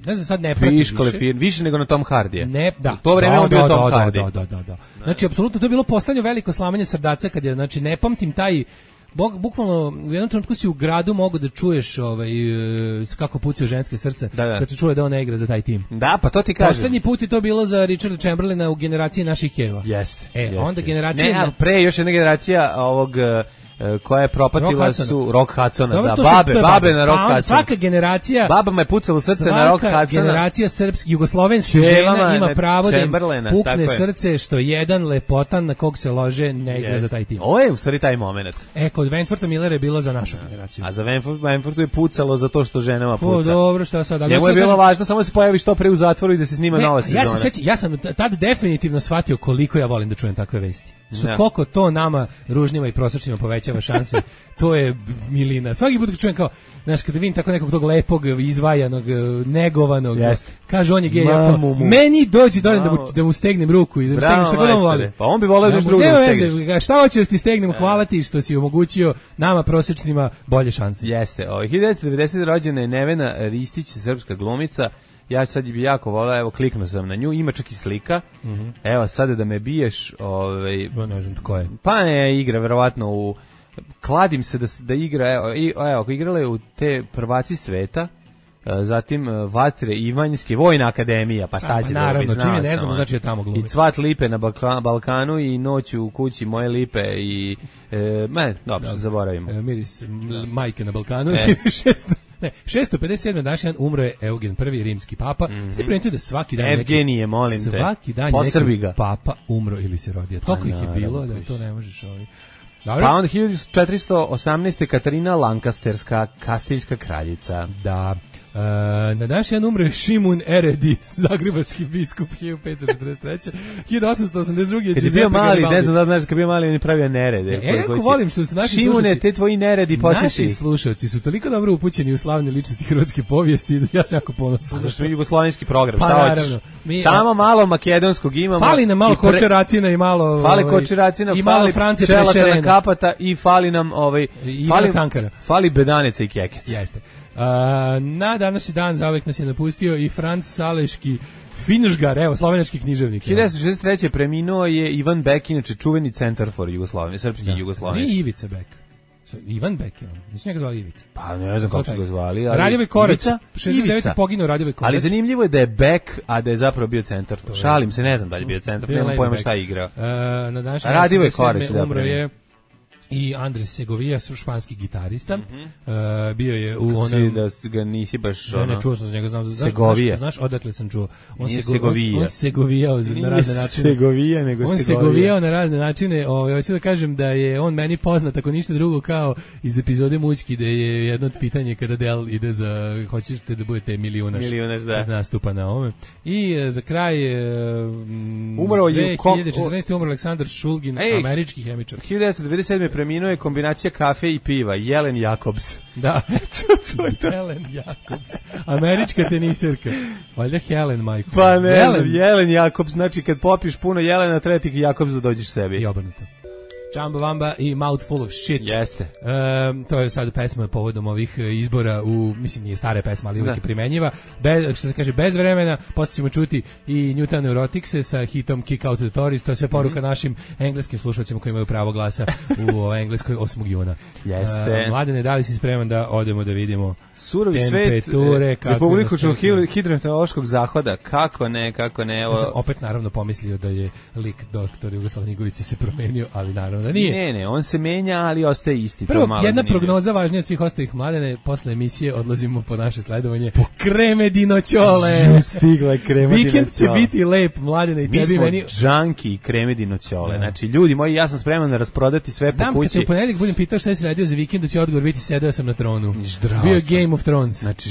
ne znam, sad ne pratim više nego na Tom Hardije. Ne, da. U to vreme on bio Tom Hardy. Da. Znači, apsolutno, to je bilo poslednje veliko slamanje srdaca kad je, znači, ne pamtim taj... Bukvalno u jednom trenutku si u gradu mogu da čuješ kako pucaju ženske srce kad su čule da ona igra za taj tim. Da, pa to ti kažem. Poslednji put je to bilo za Richarda Chamberlaina u generaciji naših Keva. Jeste. Onda generacija... Ne, ali pre još jedna generacija ovog... koja je propatila su Rock Hudsona, babe na Rock Hudsona. Svaka generacija... Babama je pucalo srce na Rock Hudsona. Svaka generacija jugoslovenskih žena ima pravo da im pukne srce što jedan lepotan na kog se lože ne igra za taj tim. Ovo je u stvari taj moment. Kod Wentwortha Millera je bilo za našu generaciju. A za Wentworthu je pucalo za to što ženama puca. Dobro, što sad... Njemu je bilo važno samo da se pojavi što pre u zatvoru i da se snima nova sezona. Ja sam tad definitivno shvatio koliko ja volim da čujem takve vesti. Koliko to nama ružnjima i prosječnima povećava šanse, to je milina. Svaki put kad čujem kao, znaš, kada vidim tako nekog tog lepog, izvajanog, negovanog, kaže on je gej, meni dođi da mu stegnem ruku i da mu stegnem što god on voli. Pa on bi voleo da još drugo stegneš. Šta hoćeš ti stegnem, hvala ti što si omogućio nama prosječnima bolje šanse. Jeste, 1990. rođena je Nevena Ristić, srpska glumica. Ja sad bi jako volao, evo kliknuo sam na nju, ima čak i slika. Evo sada da me biješ, ne znam tko je. Pa ne, igra verovatno kladim se da igra, evo igrala je u te prvaci sveta zatim Vatre Ivanjske, Vojna akademija, pa šta će naravno, čim je ne znamo, znači je tamo glumi. I Cvat lipe na Balkanu i Noć u kući moje lipe i dobro, zaboravimo. Miris majke na Balkanu. 657. današnji umro je Eugen I, rimski papa. Ste primetili da svaki dan Evgenije, molim te. Svaki dan neki papa umro ili se rodio. Toliko ih je bilo da to ne možeš Pa onda 1418. Katarina Lancasterska, kastiljska kraljica. Da. Na današnji dan umre Šimun Eredi, zagrebački biskup 1543. 1882. Kad je bio mali, ne znam da znaš, kad bio mali on je pravio nerede. Jako volim što su naši Šimune, te tvoji neredi početi. Naši slušalci su toliko dobro upućeni u slavne ličnosti hrvatske povijesti da ja sam jako ponosan. Zašto mi jugoslovenski program, pa, šta hoćeš? Samo malo makedonskog imamo. Fali nam malo kočeracina i malo... Fali kočeracina, i malo France čelata kapata i fali nam... Fali bedanica i kekec. Jeste. Na današnji dan zauvek nas je napustio i Franc Saleški Finžgar, evo, slovenački književnik. 1963. preminuo je Ivan Bek, inače čuveni centar for Jugoslavije, srpski Jugoslavije. Nije Ivica Bek. Ivan Bek je on. Mislim njega zvali Ivica. Pa ne znam kako su ga zvali. Radivoj Korać. 69. poginuo Radivoj Korać. Ali zanimljivo je da je Bek, a da je zapravo bio centar. Šalim se, ne znam da je bio centar. Nemam pojma šta je igrao. Na današnji Radivoj Korać umro je i Andres Segovia, španski gitarista. Bio je u onom... da ga nisi baš... Ne, čuo sam za njega, znam. Segovija. Znaš odakle sam čuo? On Segovijao na razne načine. Segovija, nego on Segovijao na razne načine. Hoću da kažem da je on meni poznat, ako ništa drugo, kao iz epizode Mućki, da je jedno od pitanja kada Del ide za... Hoćete da budete milijunaš da. Nastupa na ovome. I za kraj... Umro je... 2014. umro Aleksandar Šulgin, američki hemičar. 1997. preminuo je kombinacija kafe i piva, Jelen Jakobs. Da, Helen Jakobs, američka teniserka. Valjda Helen, majko. Pa ne, Jelen Jakobs, znači kad popiš puno Jelena, treba ti Jakobs da dođeš sebi. I obrnuto. Čamba Vamba i Mouthful of Shit. Jeste. To je sad pesma povodom ovih izbora mislim nije stara pesma, ali uvijek je primenjiva. Što se kaže, bez vremena, posle ćemo čuti i New Town Neuroticse sa hitom Kick Out the Tories, to je sve poruka našim engleskim slušalcima koji imaju pravo glasa u Engleskoj 8. juna. Jeste. Mladene, da li si spreman da odemo da vidimo surovi temperature, svet republičnog hidrometeorološkog zahoda, kako ne. Ja sam opet naravno pomislio da je lik doktor Jugoslav Nikolić se promenio, ali naravno da nije. Ne, on se menja, ali ostaje isti. Prvo, jedna prognoza važnija od svih ostalih, Mladene, posle emisije odlazimo po naše sledovanje po kreme dinoćole. Stigla je krema dinoćole. Vikend će biti lep, Mladene, i mi tebi meni. Mi smo džanki i kreme dinoćole. Znači, ljudi moji, ja sam spreman da rasprodati sve po kući. Znam, kad te u ponedeljak budem pitao šta si radio za vikend, da će odgovor biti sedeo sam na tronu. Bio Game of Thrones. Znači,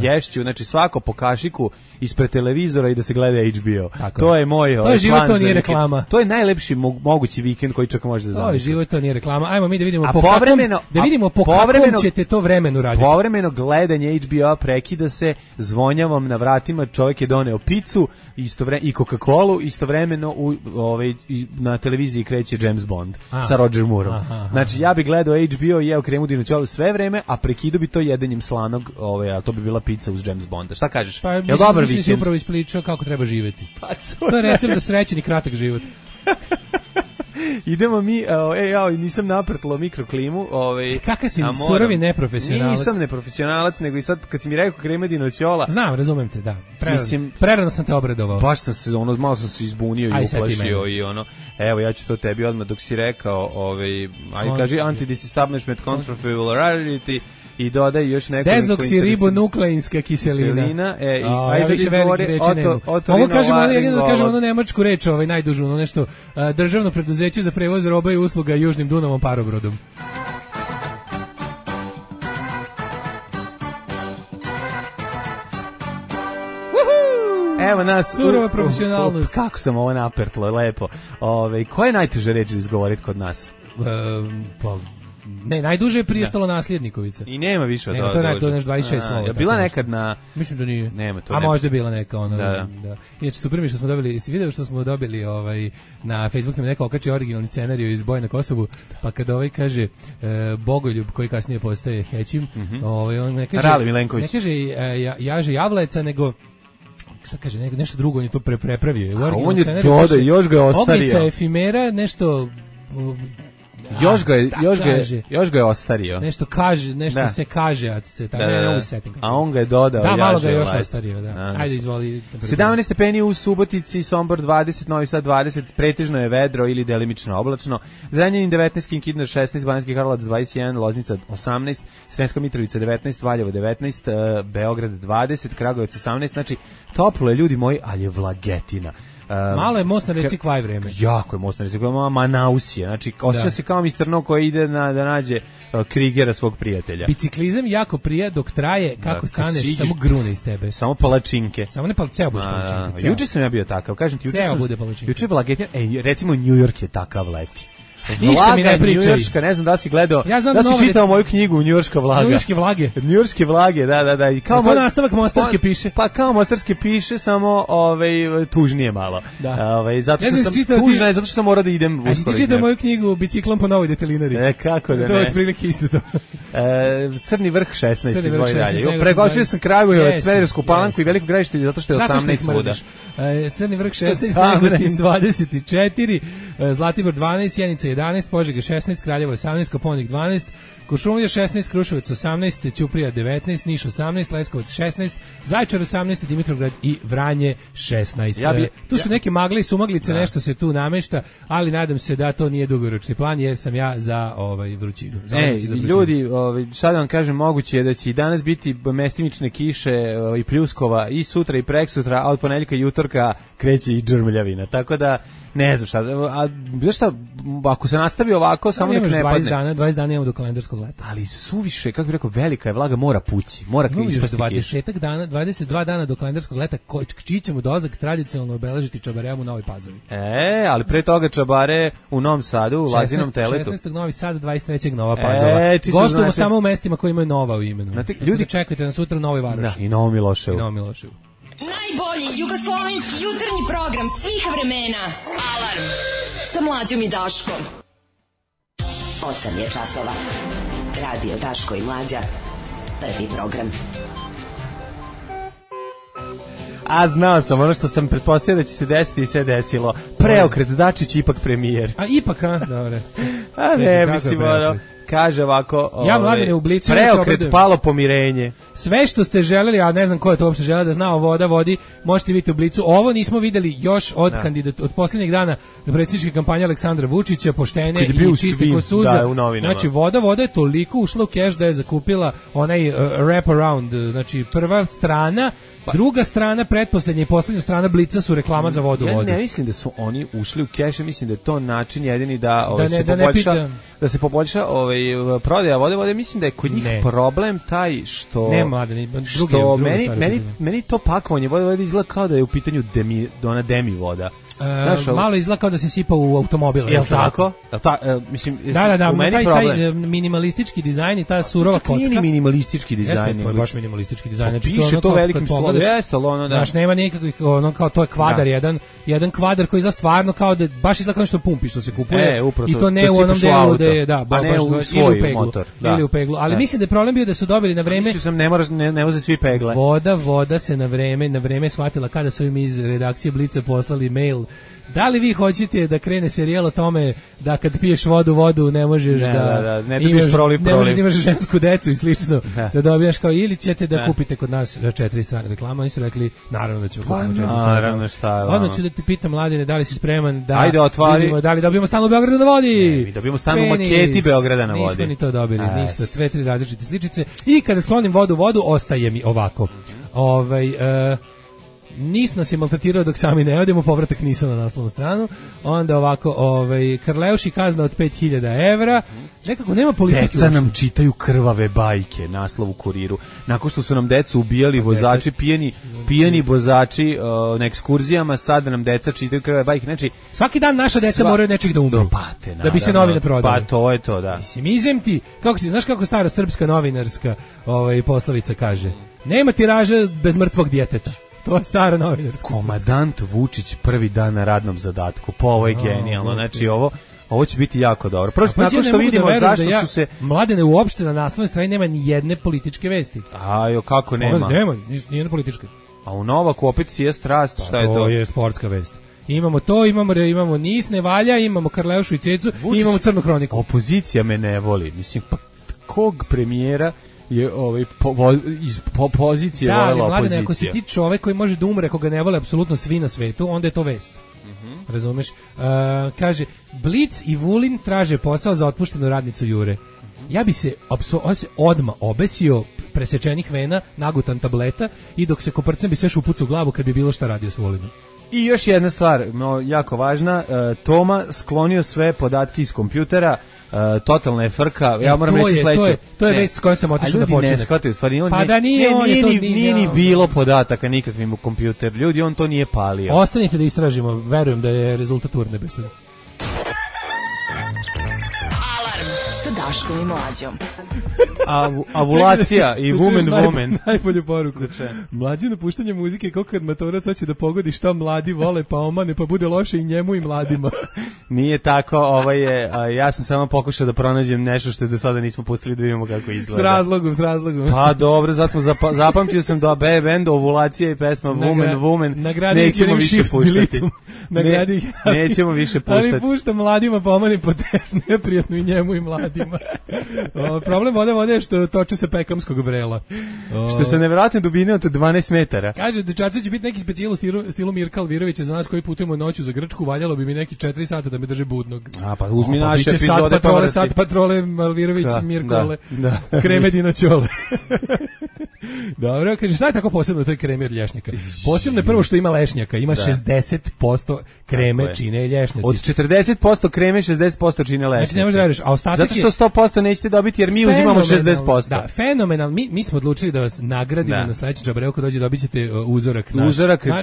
ješću, znači svako po kašiku ispred televizora i da se gleda HBO. Tako to je moj to je život, to nije reklama. To je najlepši mogući vikend koji čak može da zamisli. To je život, to nije reklama. Ajmo mi da vidimo po kakvom ćete to vremenu raditi. Povremeno gledanje HBO prekida se, zvonjavam na vratima, čovjek je doneo picu i Coca-Colu, istovremeno na televiziji kreće James Bond sa Roger Moorom. Znači ja bih gledao HBO i jeo kremu dinoćolu sve vreme, a prekidu bi to jedenjem slanog, a to bi bila pizza uz James Bonda. Šta kažeš? Pa mislim si upravo ispričao kako treba živjeti. To je recept za srećen i kratak život. Idemo mi, nisam naprtlo mikroklimu. Kakav si surovi neprofesionalac? Nisam neprofesionalac, nego i sad kad si mi rekao krema dinoćola... Znam, razumem te, da. Prerano sam te obradovao. Baš sam se, malo sam se izbunio i uplašio i evo, ja ću to tebi odmah dok si rekao, kaži anti-disestablishment controversiality i dodaj još nekoliko dezoksiribonukleinska kiselina. Više velikih reči nema. Mogu kažem onu nemačku reč, najdužu, nešto državno preduzeće za prevoz roba i usluga Južnim Dunavom parobrodom. Evo nas surova profesionalnost. Kako sam ovo napertlo, lepo. Koja je najteža reč za izgovoriti kod nas? Ne, najduže je prije stalo Nasljednikovica. I nema više od toga. To je nešto 26 slova. Je bila nekad na... Mislim da nije. Nema to. A možda je bila neka ona. Da. Inače, super mi što smo dobili, si video što smo dobili na Facebooku neko okači originalni scenariju iz Boja na Kosovu, pa kada kaže Bogoljub, koji kasnije postaje Hećim, on ne kaže... Rali Milenković. Ne kaže Jaže Javleca, nego... Šta kaže, nešto drugo on je to prepravio. On je dodao, još ga ostario. Ognjica efimera, nešto... Još ga je ostario. Nešto kaže, nešto se kaže, a se tako ne mogu setim. A on ga je dodao. Da, malo ga je još ostario, da. Ajde, izvoli. 17 stepeni u Subotici, Sombor 20, Novi Sad 20, pretežno je vedro ili delimično oblačno. Zrenjanin 19, Kikinda 16, Banatski Karlovac 21, Loznica 18, Sremska Mitrovica 19, Valjevo 19, Beograd 20, Kragujevac 18, znači toplo je, ljudi moji, ali je vlagetina. Malo je most na reci Kvaj vreme. Jako je most na reci Kvaj, Manausije. Znači, osjeća se kao Mr. No koji ide da nađe Krigera svog prijatelja. Biciklizam jako prija dok traje, kako staneš, samo grune iz tebe. Samo palačinke. Samo ne ceo budeš palačinke. Juče sam ja bio takav, kažem ti, juče je vlagetina, recimo New York je takav leti. Ništa mi ne pričaj. Njujorška, ne znam da li si gledao, ja da si čitao moju knjigu Njujorška vlaga. Njujorške vlage. Njujorške vlage, da. I kao to nastavak Mostarske piše. Pa kao Mostarske piše, samo tužnije malo. Da. Zato što sam tužna, zato što sam mora da idem u Uskoro. Ti čitao moju knjigu Biciklom po Novoj detelinari. Kako da ne. To je otprilike isto to. Crni vrh 16, izvoj dalje. Pregočio sam Kragujevac, Smederevsku Palanku i Veliko Gradište zato što je 18 svuda. Crni vrh 16, Negotin 24, Zlatibor 12, Sjenica 11, Požega 16, Kraljevo 18, Koponik 12, Kuršumlija 16, Kruševac 18, Ćuprija 19, Niš 18, Leskovac 16, Zaječar 18, Dimitrovgrad i Vranje 16. Tu su neke magle i sumaglice, nešto se tu namešta, ali nadam se da to nije dugoročni plan jer sam ja za vrućinu. Ljudi, sad vam kažem, moguće je da će i danas biti mestimične kiše i pljuskova i sutra i preksutra, a od ponedjeljka i utorka kreće i džrmljavina. Tako da ne znam šta, ako se nastavi ovako, samo nek ne padne. 20 dana imamo do kalendarskog leta. Ali suviše, kako bih rekao, velika je vlaga, mora pući, mora ispasti kiša. 22 dana do kalendarskog leta, čiji ćemo dolazak tradicionalno obeležiti Čabareom u Novoj Pazovi. Ali pre toga Čabare u Novom Sadu, u Lazinom Teletu. 16. Novi Sad, 23. Nova Pazova. Gostujemo samo u mestima koji imaju Nova u imenu. Ljudi, čekajte nas sutra u Novoj Varoši. I Novom Miloševu. Najbolji jugoslovenski jutarnji program svih vremena. Alarm sa Mlađom i Daškom. 8 je časova. Radio Daško i Mlađa. Prvi program. A znao sam, ono što sam pretpostavio da će se desiti i sve desilo. Preokret, Dačić ipak premijer. A ipak, dobro. A ne, mislim, kaže ovako, ja Mladene u Blicu preokret, palo pomirenje. Sve što ste želeli, a ne znam ko je to uopšte želeo da zna, voda vodi, možete vidjeti u Blicu. Ovo nismo videli još od posljednjeg dana predsjedničke kampanje Aleksandra Vučića, poštene i čiste ko suza. Znači, voda je toliko ušla u keš da je zakupila onaj wrap around, znači prva strana, druga strana, pretposlednja i poslednja strana Blica su reklama za vodu. Ja ne mislim da su oni ušli u keš, mislim da je to način jedini da se poboljša prodaja vode. Mislim da je kod njih problem taj što meni to pakovanje vode izgleda kao da je u pitanju demi voda. Malo izgleda kao da se sipa u automobil. Jel tako? Mislim, da, taj minimalistički dizajn i ta surova kocka. Nije minimalistički dizajn. To je baš minimalistički dizajn. Piše to velikim slovom. Znaš, nema nikakvih, kao to je kvadar, jedan kvadar koji za stvarno kao da baš izgleda kao nešto pumpi što se kupuje. I to ne u onom delu da je, baš ili u peglu. Ali mislim da je problem bio da su dobili na vreme. Mislim sam ne voze svi pegle. Voda se na vreme shvatila kada su im iz redakcije Blica poslali mail. Da li vi hoćete da krene serijal o tome da kad piješ vodu ne možeš ne možeš da imaš žensku decu i slično, da dobijaš kao, ili ćete da kupite kod nas 4 strane reklama. Oni su rekli, naravno da ćemo kupiti 4 strane reklama. Odmah ću da ti pitam, Mladine, da li si spreman da vidimo, da li dobijemo stan u Beogradu na vodi? Mi dobijemo stan u maketi Beograda na vodi. Nismo ni to dobili, ništa, 2-3 različite sličice. I kada sklonim vodu, ostaje mi ovako. Nis nas je maltretirao dok sami ne odemo, povratak Nisa na naslovnu stranu. Onda ovako, Karleuši kazna od 5.000 evra. Nekako nema politike. Deca nam čitaju krvave bajke, naslov u Kuriru. Nakon što su nam decu ubijali vozači, pijeni vozači na ekskurzijama, sada nam deca čitaju krvave bajke. Znači, svaki dan naša deca moraju nečeg da umru. Da bi se novine prodali. Pa to je to, da. Mislim, izem ti, znaš kako stara srpska novinarska poslovica kaže? Nema tiraža bez mrtvog djeteta. To je stara novinarska. Komandant Vučić prvi dan na radnom zadatku. Pa ovo je genijalno. Znači ovo će biti jako dobro. Prosto nakon što vidimo zašto su se... Mladene, uopšte na naslovnoj strani nema ni jedne političke vesti. Kako nema? Nema, ni jedne političke. A u Novaku opet sije strast, šta je to? To je sportska vest. Imamo to, imamo NIS, ne valja, imamo Karleušu i Cecu i imamo Crnu hroniku. Opozicija me ne voli. Mislim, pa kog premijera je iz pozicije volela opozicija? Da, ali ako si ti čovek koji može da umre, ako ga ne vole apsolutno svi na svetu, onda je to vest. Razumeš? Kaže, Blic i Vulin traže posao za otpuštenu radnicu Jure. Ja bi se odmah obesio, presečenih vena, nagutan tableta i dok se koprcem bi sve šupucu u glavu kad bi bilo šta radio s Vulinom. I još jedna stvar, jako važna, Toma sklonio sve podatke iz kompjutera, totalna je frka, ja moram reći sledeće. To je vest s kojom sam otišao da počinem. Ljudi ne shvataju, stvari, pa da nije ni bilo podataka nikakvim u kompjuter, ljudi, on to nije palio. Ostanite da istražimo, verujem da je rezultat urnebesan. Alarm sa Daškom i Mlađom. Avulacija i woman. Najbolju poruku. Mlađe napuštanje muzike kako kad matorac hoće da pogodi šta mladi vole pa omane pa bude loše i njemu i mladima. Nije tako, ja sam samo pokušao da pronađem nešto što do sada nismo pustili da vidimo kako izgleda. S razlogom. Pa dobro, zato smo zapamtio sam da band Ovulacija i pesma Woman nećemo više puštati. Nećemo više puštati. Ali pušta mladima pa omane po neprijatno i njemu i mladima. Problem vode je što toče se pekamskog vrela. Što se nevjerojatne dubine od 12 metara. Kaže, dečaci će biti neki specijal u stilu Mirka Alvirovića za nas koji putujemo noću za Grčku, valjalo bi mi neki 4 sata da me drže budnog. Pa uzmi naše epizode pa sat patrole Alvirović, Mirkole, Kremedina Ćole. Dobro, kaže, šta je tako posebno u toj kremi od lješnjaka? Posebno je prvo što ima lešnjaka, ima 60% kreme čine lješnjaci. Od 40% kreme 60% čine lešnjaci. Znači ne možeš da veriš, a ostatak zato što 100% nećete dobiti jer mi uzimamo 60%. Da, fenomenal. Mi smo odlučili da vas nagradimo na sledeći džabreo kad dođe dobit ćete uzorak naš.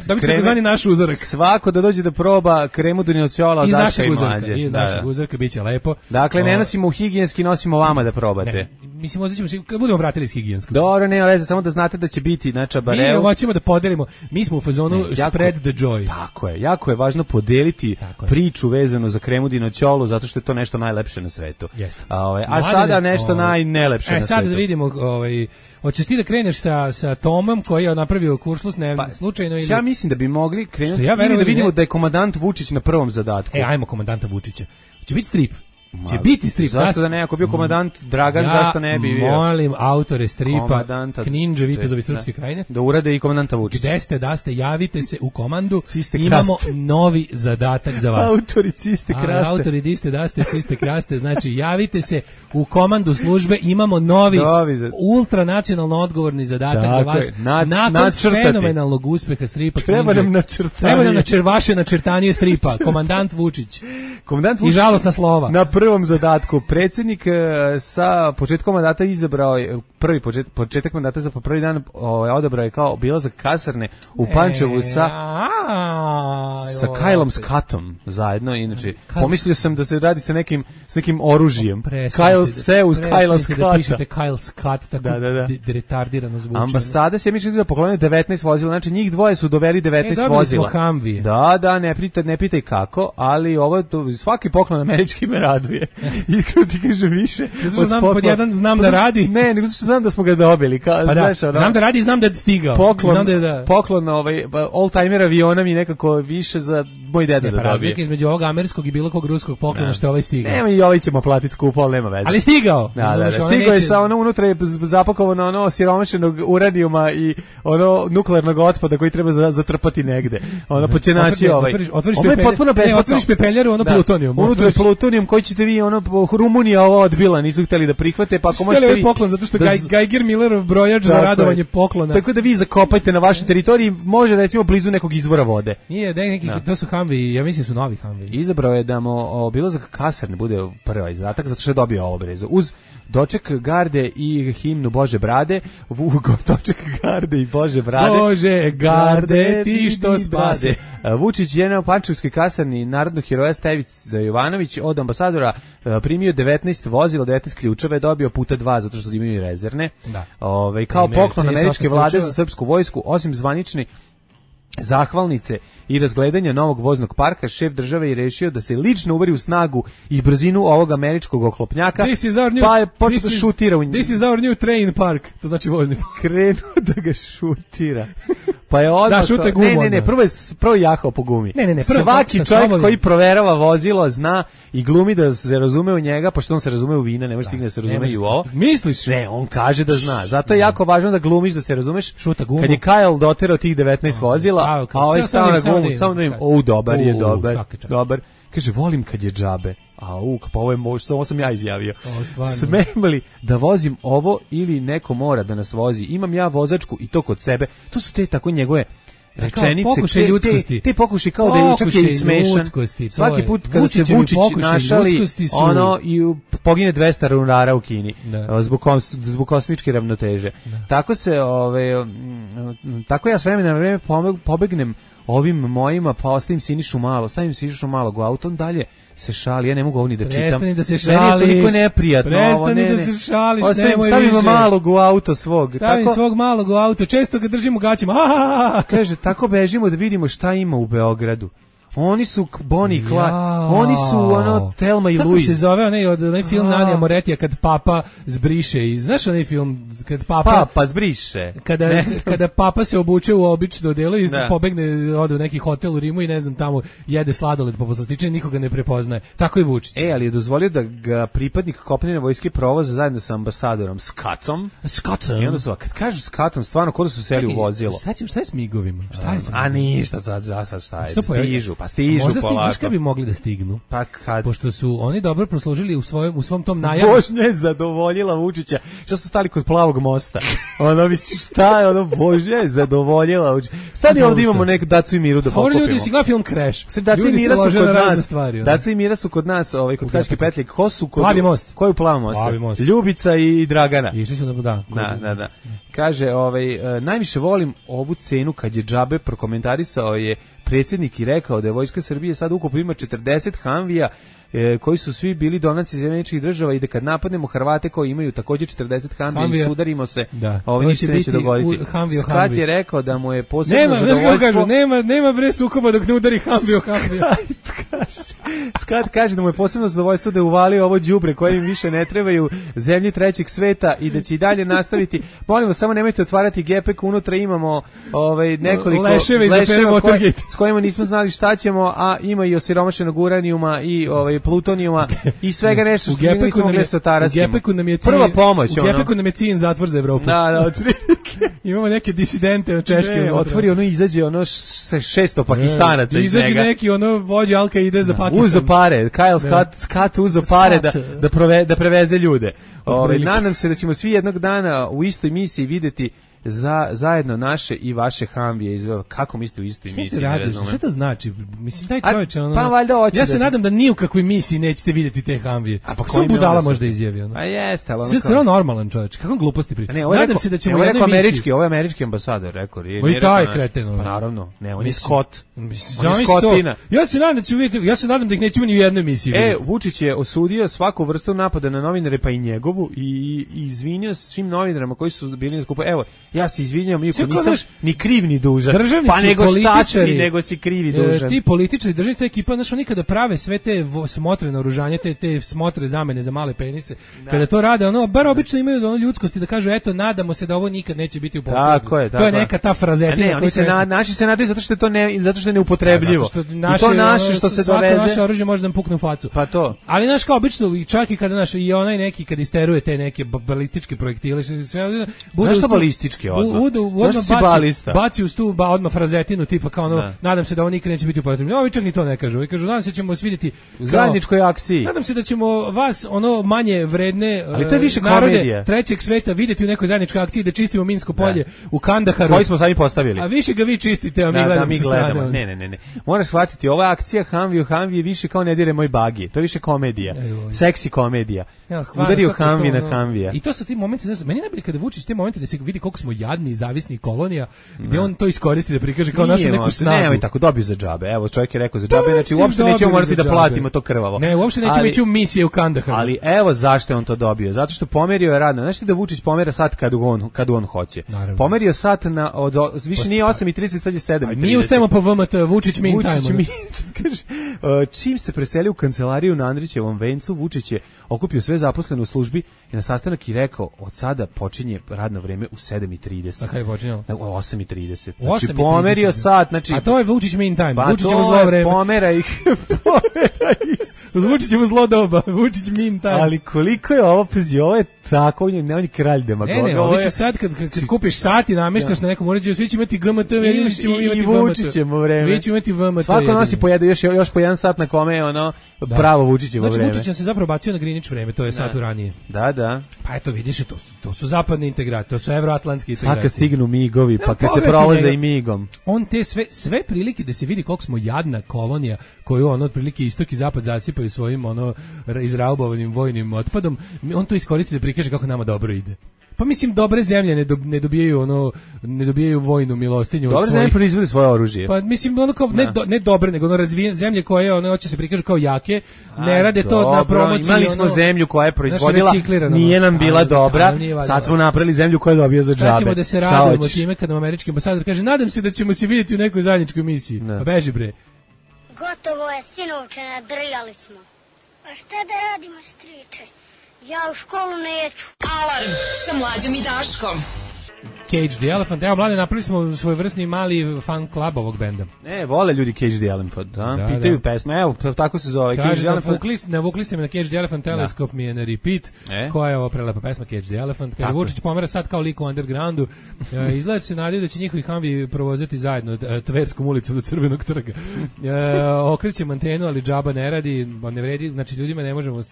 Dobit ćete zvani naš uzorak. Svako da dođe da proba kremu Dunjociola od Daška i Mlađe. Iz našeg uzorka biće lepo. Dakle, ne nosimo higijenski, nosimo vama da probate. Mislim, oznaćemo se, kad budemo vratili iz higijenskog. Dobro, nema veze, samo da znate da će biti na čabareu. Mi hoćemo da podelimo, mi smo u fazonu spread the joy. Tako je, jako je važno podeliti priču vezanu za kremu Dunjociolu, zato što je to nešto najlepše na svetu. A sada nešto najnelepše na svetu. Sada da vidimo, hoćeš ti da kreneš sa Tomom koji je napravio kuršlus slučajno ili... Ja mislim da bi mogli krenuti ili da vidimo da je komandant Vučić na prvom zadatku. Ajmo komandanta Vučića. Će biti strip. Će biti strip. Zašto da ne, ako bio komandant Dragan, zašto ne bi bio? Molim autore stripa, Kninđe, Vitezovi Srpske krajine, da urade i komandanta Vučića. Gde ste, da ste, javite se u komandu, imamo novi zadatak za vas. Autori ciste kraste. Autori diste, da ste, ciste kraste, znači javite se u komandu službe, imamo novi ultranacionalno odgovorni zadatak za vas. Nakon fenomenalnog uspeha stripa Kninđe. Treba nam vaše načrtanje stripa, komandant Vučić. I žalosna slova. Na prvom zadatku predsjednik sa početkom mandata izabrao je početak mandata za prvi dan odabrao je kao obilazak kasarne u Pančevu sa Kylom Scottom zajedno. Inače pomislio sam da se radi sa nekim oružjem. Kyle se uz Kyla Scotta. Da pišete Kyle Scott tako retardirano zvuči. Ambasada se misli da poklonio 19 vozila, znači njih dvoje su doveli 19 vozila. Da, ne pitaj kako, ali ovo svaki poklon američki me raduje. Iskreno ti kažem više. Znam da radi. Ne, nego znam da smo ga dobili. Znam da radi i znam da je stigao. Poklon old-timer aviona mi nekako više za moj deda da dobije. Razlika između ovog američkog i bilo kog ruskog poklona što je ovaj stigao. Nema i ovaj ćemo platiti skupo, ali nema veze. Ali stigao. Stigao je sa unutra je zapakovano siromašenog uranijuma i nuklearnog otpada koji treba zatrpati negde. Počenači otvoriš pepeljaru, plutonijum. Unutra je plutonijum koji ćete vi, Rumunija ovo odbila, nisu hteli da prihvate, pa ako možete vi... poklon, zato što Geiger Millerov brojač za radovanje poklona. Tako da vi zakopajte na vašoj teritoriji, može recimo blizu nekog izvora vode. Nije, to su Humvee, ja mislim su novi Humvee. Izabrao je da mu obilazak kasarne bude prvi zadatak, zato što je dobio ovo brezo. Uz doček garde i himnu Bože brade, doček garde i Bože brade. Bože garde, ti što spase. Vučić je na Pančevskoj kasarni narodnog heroja Stevica Jovanović od ambasadora primio 19 vozila, 19 ključeva, je dobio puta 2 zato što imaju rezervne. Kao poklon američke vlade za srpsku vojsku, osim zvanični zahvalnice i razgledanja novog voznog parka, šef države je rešio da se lično uveri u snagu i brzinu ovog američkog oklopnjaka, pa je počeo da šutira u njih. This is our new train park, to znači vozni park. Krenuo da ga šutira. Pa je odmah... Da, šute gumu. Ne, prvo je jahao po gumi. Ne, svaki čovjek koji proverava vozilo zna i glumi da se razume u njega, pošto on se razume u vina, ne može stigne da se razume i u ovo. Misliš? Ne, on kaže da zna. Zato je jako važno da glumiš da se razumeš. Šuta gumu. Kad je Kyle doterao tih 19 vozila, a ovaj stao na gumu, samo da im, dobar. Kaže, volim kad je džabe. Pa ovo je ovo sam ja izjavio. Smem li da vozim ovo ili neko mora da nas vozi? Imam ja vozačku i to kod sebe. To su te tako njegove rečenice, pokušaj ljudskosti. Te pokuši kao da je čak i smešan. Svaki put kada se Vučić našali, ono i pogine 200 runara u Kini zbog kosmičke ravnoteže. Tako se, tako ja s vremena na vreme pobegnem ovim mojima, pa stavim Sinišu Malog u auto, on dalje se šali, ja ne mogu ovo ni da čitam. Prestani da se šališ. Toliko neprijatno. Prestani da se šališ, nemoj više. Stavimo Malog u auto svog. Stavim svog Malog u auto, često ga držim u gaćima. Kaže, tako bežimo da vidimo šta ima u Beogradu. Oni su Bonnie i Clyde, oni su ono Thelma i Louise. Kako se zove onaj film Nanija Moretija kad papa zbriše i znaš onaj film kad papa zbriše. Kada papa se obuče u obično odelo i pobegne, ode u neki hotel u Rimu i ne znam tamo jede sladoled po poslastičini, nikoga ne prepoznaje. Tako je Vučić. Ali je dozvolio da ga pripadnik kopnene vojske provoza zajedno sa ambasadorom Skatom. I onda su, kad kažu Skatom, stvarno kod su seli u vozilo. Šta je s migovima? Šta je a ništa sad šta je? Stižu. Možda znaš kada bi mogli da stignu? Pa kad? Pošto su oni dobro proslužili u svom tom najavu. Vožnja je zadovoljila Vučića. Što su stali kod Plavog mosta? Ono misli šta je ono, vožnja je zadovoljila Vučića. Stani ovdje imamo neku Dacu i Miru da pokupimo. Ljudi si gleda film Crash. Daca i Mira su kod nas. Daca i Mira su kod nas, kod Kačke petlje. Ko su kod? Plavi most. Ko je u Plavom mostu? Ljubica i Dragana. Išli su da. Kaže, najviše volim ovu cenu kad je džabe, prokomentarisao je predsjednik i rekao da je Vojska Srbije sad ukupno ima 40 Humveeja koji su svi bili donaci iz Američkih država i da kad napadnemo Hrvate koji imaju također 40 Humveeja i sudarimo se, ništa neće dogoditi. Skat je rekao da mu je posebno zadovoljstvo... Nema bre sukoba dok ne udari Humveo. Skat kaže da mu je posebno zadovoljstvo da je uvalio ovo đubre koje im više ne trebaju, zemlji trećeg sveta i da će i dalje nastaviti. Molimo, samo nemojte otvarati gepek, unutra imamo nekoliko leševe s kojima nismo znali šta ćemo, a ima i osiromašenog uranijuma i plutonijuma i svega nešto što nismo mogli se otarasimo. Prva pomoć. U Gepeku nam je ciljen zatvor za Evropu. Da, imamo neke disidente od Češke. Otvori izađe sa 600 Pakistanaca iz njega. Izađe neki vođa Alka ide za Pakistan. Uzo pare, Kyle Scott uzo pare da preveze ljude. Nadam se da ćemo svi jednog dana u istoj misiji vidjeti zajedno naše i vaše Humveeje izveo. Kako mislite u istoj misiji? Šta to znači? Mislim, taj čovječ, ja se nadam da ni u kakvoj misiji nećete vidjeti te Humveeje. Sve budala možda izjavi. A jeste, ali sve stvarno normalan čovječ. Kako gluposti priča? Nadam se da ćemo u jednoj misiji... Ovo je američki ambasador, rekao. I taj kreten. Pa naravno, ne, on je Scott. On je Scottina. Ja se nadam da ih nećemo ni u jednoj misiji. Vučić je osudio svaku vrstu napada na novinare, pa i njegovu, i izvinio svim novinarima koji su bili na skupu. Evo, ja se izvinjavam, iako nisam ni kriv ni dužan. Pa nego šta si, nego si kriv i dužan. Ti političari, državni, ta ekipa, znaš, oni kada prave sve te smotre naoružanje, te smotre zamene za male penise, kada to rade, bar obično imaju ljudskosti da kažu, eto, nadamo se da ovo nikad neće biti upotrebljivo. To je neka ta frazetina. Naši se nadaju zato što je neupotrebljivo. I to naše što se doveze. Svako naše oružje može da nam pukne u facu. Pa to. Ali znaš, kao obično, čak i kada i onaj neki kad isteruje te neke balističke projektile, sve bude što balističke baci uz tu odmah frazetinu tipa kao nadam se da ovo nikad neće biti upotrebljeno. Ovi čak ni to ne kažu. Ovi kažu, nadam se da ćemo vas vidjeti u zajedničkoj akciji. Nadam se da ćemo vas manje vredne ali to je više narode komedija. Trećeg sveta vidjeti u nekoj zajedničkoj akciji da čistimo minsko polje u Kandaharu. Koji smo sami postavili. A više ga vi čistite, a mi gledamo. Ne. Moraš shvatiti, ova akcija Humvee više kao ne dire moj bagi. To je više komedija. Seksi komedija. Udario Hamvi na Hamvija. I to su ti momenti, znači, meni najbolje kada Vučić te momente da se vidi koliko smo jadni i zavisni kolonija, gde on to iskoristi da prikaže kao našu neku snagu. Nemoj tako, dobio za džabe. Evo, čovjek je rekao za džabe, znači uopšte nećemo morati da platimo to krvavo. Ne, uopšte nećemo ići u misije u Kandahar. Ali evo zašto je on to dobio. Zato što pomerio je radno. Znaš ti da Vučić pomera sat kad on hoće. Naravno. Pomerio sat više nije 8:30, sad je 7:30. Mi ustajemo po VMT, Vučić mean time. Kaže, čim se preselio u kancelariju na Andrićevom vencu, Vučić je okupio sve zaposlene u službi i na sastanak i rekao, od sada počinje radno vreme u 7:30. A kada je počinjalo? U 8:30. Znači, pomerio sat. Znači, a to je Vučić mean time. Pa Vučić je u zlo vreme. Pomera ih. Vučić je u zlo doba. Vučić mean time. Ali koliko je ovo, pazi, ovo je tako, on je kralj demagoga. Ne, ovo će sad kad kupiš sat i nameštaš na nekom uređaju, svi će imati GMT, i Vučićevo vreme. Vi će imati VMT. Svako nosi pojede još po jedan sat na kome je ono pravo Vučićevo vreme. Znači Vučić se zapravo bacio na Greenwich vreme, to je sat ranije. Da. Pa eto vidiš, to su zapadni integracije, to su evroatlantski integracije. Kad stignu migovi, pa kad se provoze i migom. On te sve prilike da se vidi koliko smo jadna kolonija koju on otprilike istok i zapad zasipaju svojim izraubovanim vojnim otpadom, on to iskoristi da prikaže kako nama dobro ide. Pa mislim, dobre zemlje ne dobijaju vojnu milostinju. Dobre zemlje proizvode svoje oružje. Pa mislim, kao, ne dobre, nego razvijene zemlje koje hoće se prikažu kao jake, ne rade to na promociji. Imali smo zemlju koja je proizvodila, nije nam bila dobra, sad smo napravili zemlju koja dobija za džabe. Sad ćemo da se radujemo time kad nam američki ambasador kaže, nadam se da ćemo se vidjeti u nekoj zajedničkoj misiji. Pa beži bre. Gotovo je, sinovče, nadrljali smo. A šta da radimo, striče? Ja u školu neću. Alarm sa Mlađom i Daškom. Cage the Elephant. Evo, mlade, napravili smo svojevrsni mali fan club ovog benda. Vole ljudi Cage the Elephant, da? Pitaju pesma. Evo, tako se zove. Cage the Elephant. Navukli ste me na Cage the Elephant, Teleskop mi je na repeat. Koja je ovo prelepa pesma Cage the Elephant. Kada Vučić pomera sad kao lik u undergroundu, izgleda se nadaju da će njihovi Humvi provozati zajedno Tverskom ulicom do Crvenog trga. Okrećem antenu, ali džaba ne radi, ne vredi. Znači, ljudima ne možemo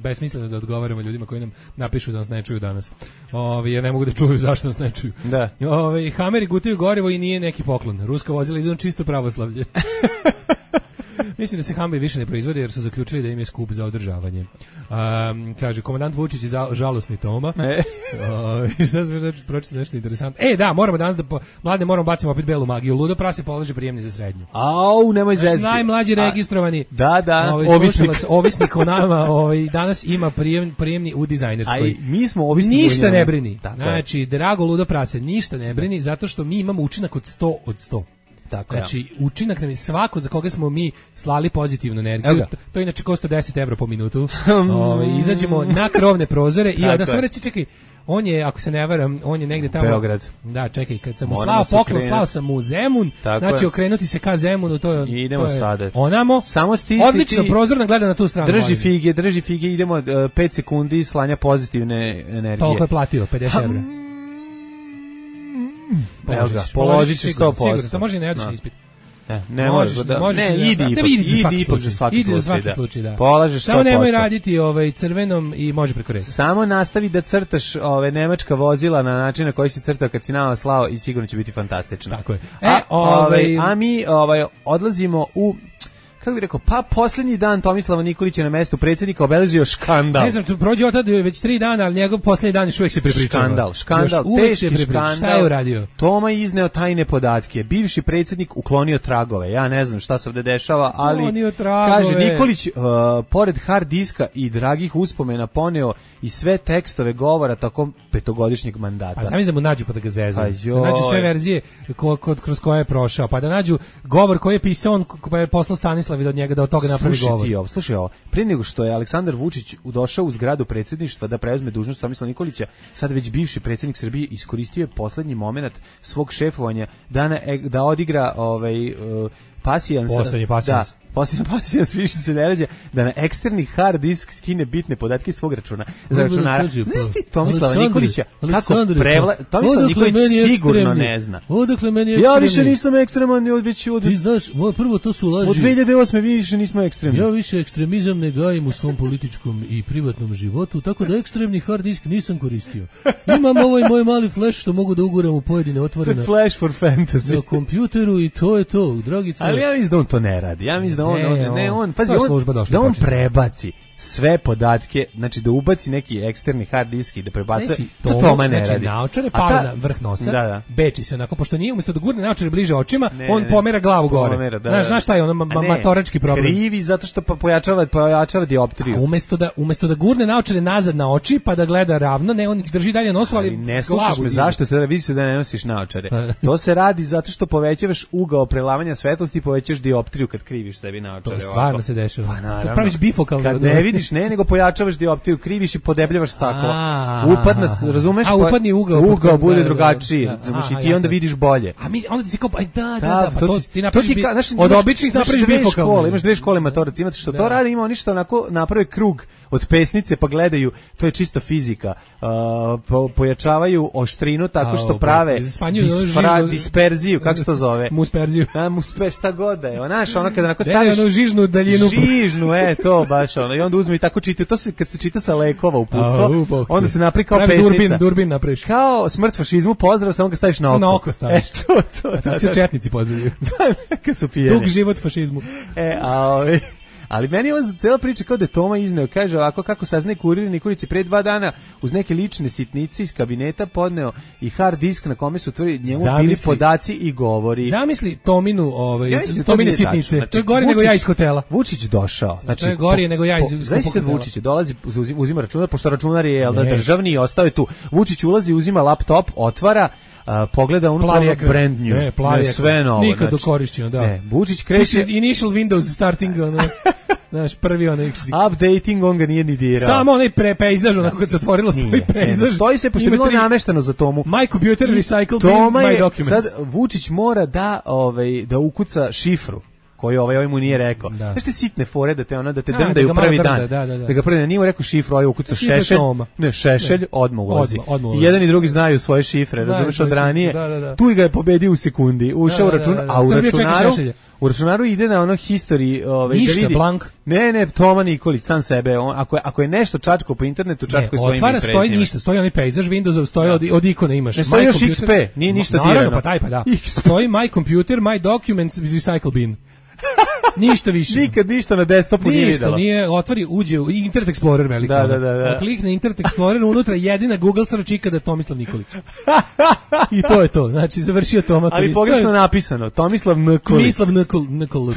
besmisleno da odgovaramo ljudima koji nam napišu da nas ne čuju danas. Jer ne mogu da čuju zašto nas ne čuju. Da. Hameri gutaju gorivo i nije neki poklon. Ruska vozila idu na čisto pravoslavlje. Mislim da se Humvee više ne proizvode jer su zaključili da im je skup za održavanje. Kaže, komandant Vučić je žalosni Toma. Šta smo pročitali nešto interesantno? Da, moramo danas mlade moramo bacimo opet belu magiju. Ludo prase polaže prijemni za srednju. Nemoj zezati. Najmlađi registrovani. Da. Ovisnik o nama danas ima prijemni u dizajnerskoj. Mi smo ovisni. Ništa ne brini. Znači, drago Ludo prase, ništa ne brini zato što mi imamo učinak od 100 od 100. Tako, znači, učinak nam je svako za koga smo mi slali pozitivnu energiju. To inače košta 10 € po minutu. Izađemo na krovne prozore i onda sve reci, čekaj, on je, ako se ne varam, on je negde tamo... Beograd. Da, čekaj, kad sam mu slao poklon, slao sam mu Zemun, znači okrenuti se ka Zemunu, to je... Idemo sada. Onamo, odlično, prozorno gleda na tu stranu. Drži fige, idemo 5 sekundi slanja pozitivne energije. Toliko je platio, 50 €. Položit ću 100%. Sigurno, samo može i neodlični ispit. Ne možeš da... idi ipak za svaki slučaj, da. Polažeš 100%. Samo nemoj raditi crvenom i može preko reda. Samo nastavi da crtaš nemačka vozila na način na koji si crtao kad si nama slao i sigurno će biti fantastično. Tako je. A mi odlazimo u... Kako bih rekao, pa posljednji dan Tomislava Nikolića na mestu predsjednika obeležio škandal. Ne znam, prođe od tada već 3 dana, ali njegov posljednji dan još uvijek se prepričava. Škandal, teški škandal. Šta je uradio? Toma je izneo tajne podatke. Bivši predsjednik uklonio tragove. Ja ne znam šta se ovdje dešava, ali kaže Nikolić, pored hard diska i dragih uspomena poneo i sve tekstove govora tokom 5-godišnjeg mandata. Pa sam da mu nađu pa da ga zezu. Da nađu sve verzije kroz koje je prošao, pa da nađu govor koji je pisao on, pa je poslao Stanislav od njega da od toga napravi govor. Slušaj ovo, prije nego što je Aleksandar Vučić došao u zgradu predsjedništva da preuzme dužnost Tomislava Nikolića, sad već bivši predsjednik Srbije iskoristio je poslednji momenat svog šefovanja da odigra pasijans. Poslednji pasijans. Posljedno pasijans više se ne rađa da na eksterni hard disk skine bitne podatke iz svog računa. Za računara. Znaš ti Tomislava Nikolića kako Tomislav Nikolić sigurno ne zna. Odakle meni ekstremni? Ja više nisam ekstreman. Ti znaš, prvo to su laži. Od 2008. mi više nismo ekstremni. Ja više ekstremizam ne gajim u svom političkom i privatnom životu, tako da ekstremni hard disk nisam koristio. Imam ovaj moj mali flash što mogu da uguram u pojedine otvorene. Flash for fantasy. Na kompjuteru i to je to, Dragica. Ali ja mislim da on to ne radi. Ja mislim da on prebaci sve podatke, znači da ubaci neki eksterni hard disk i da prebacuje, to Toma ne radi. Naočare pala na vrh nosa, beči se onako, pošto nije umjesto da gurne naočare bliže očima, on pomera glavu gore. Znaš šta je ono matorački problem? Krivi zato što pojačava dioptriju. Umesto da gurne naočare nazad na oči pa da gleda ravno, ne, on drži dalje nosu, ali ne slušaš me, zašto se vidi se da ne nosiš naočare? To se radi zato što povećavaš ugao prelavanja svetlosti i povećaš dioptriju kad kriviš sebi naočare. To stvarno se dešava. Pa praviš bifokal. Kad ne vidiš, nego pojačavaš dioptriju, kriviš i podebljavaš staklo. Razumeš? Upadni ugao bude drugačiji. I ti onda vidiš bolje. A mi onda ti se kao pa to ti napraviš od običnih napraviš bifokal. Imaš dve škole matoraca, imate što to radi, ima oni što onako naprave krug od pesnice pa gledaju, to je čista fizika. Pojačavaju oštrinu tako što prave disperziju, kako se to zove? Musperziju. Šta god da je. Znaš, ono kada onako staviš žižnu daljinu. Žižnu, to baš ono. I onda uzme i tako čitaju. To se kad se čita sa lekova uputstvo, onda se napravi kao pesnica. Durbin napraviš. Kao smrt fašizmu, pozdrav, samo ga staviš na oko. Na oko staviš. Tako se četnici pozdravljaju. Kad su pijeni. Dug život fašizmu. Ali meni je ova cela priča kao da je Toma izneo, kaže ovako kako saznaje Kurir Nikolić je pre 2 dana uz neke lične sitnice iz kabineta podneo i hard disk na kome su njemu bili podaci i govori. Zamisli Tominu, Tomine sitnice. Znači, to je gore nego ja iz hotela. Vučić došao. Znači, to je gore nego ja iz hotela. Znači sad Vučić dolazi, uzima računar, pošto računar je državni i ostao je tu. Vučić ulazi, uzima laptop, otvara, pogleda unutra brand new, sve novo. Nikad dokorišćeno, da. Vučić kreće initial Windows starting, znaš, prvi onaj updating, on ga nije ni dirao. Samo onaj pejzaž, onako kad se otvorilo stoji pejzaž. Stoji se, pošto je bilo namešteno za Tomu. My computer recycled my documents. Sad Vučić mora da ukuca šifru koji ovaj mu nije rekao. Znaš te sitne fore da te drndaju prvi dan. Da ga prvi dan nije mu rekao šifru, ovaj ukuca Šešelj. Ne, Šešelj, odmah ulazi. I jedan i drugi znaju svoje šifre, razumeš, od ranije. Tu ga je pobedio u sekundi. Ušao u račun, a u računaru ide na ono history, ništa, da vidi. Blank. Ne, Toma Nikolić, sam sebe. Ako je nešto čačko po internetu, čačko je svojim ime i prezimenom. Stoji ništa, stoji onaj pejzaž Windowsov, stoji od ikone imaš. Ne stoji još XP, nije ništa dirano. Pa taj, pa da. Stoji my computer, my documents, recycle bin. Ništa više. Nikad ništa na desktopu nije videla. Ništa, nije, otvori, uđe u Internet Explorer veliki. Da. Klikne Internet Explorer, unutra jedina Google search ikada je Tomislav Nikolić. I to je to, znači završio Toma. Ali pogrešno napisano, Tomislav Nikolić. Mislav Nikolić.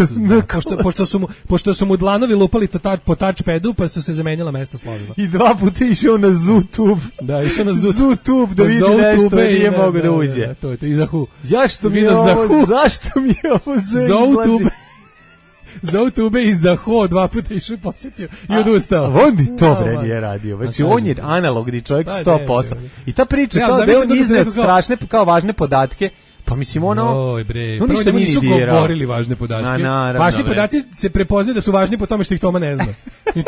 Pošto su mu dlanovi lupali po touchpadu, pa su se zamenjala mesta slovima. I 2 puta išao na ZooTube. Da, išao na ZooTube da vidi nešto, nije mogao da uđe. To je to, i Zahu. Zašto mi je ovo ZooTube? ZooTube i Zaho 2 puta išao posjetio i odustao. On ni to bre nije radio. Znači on je analogni čovjek 100%. I ta priča kao da on izneo strašne kao važne podatke. Pa mislim Oj bre, prvo da nisu govorili važne podatke. Važni podaci se prepoznaju da su važni po tome što ih Toma ne zna.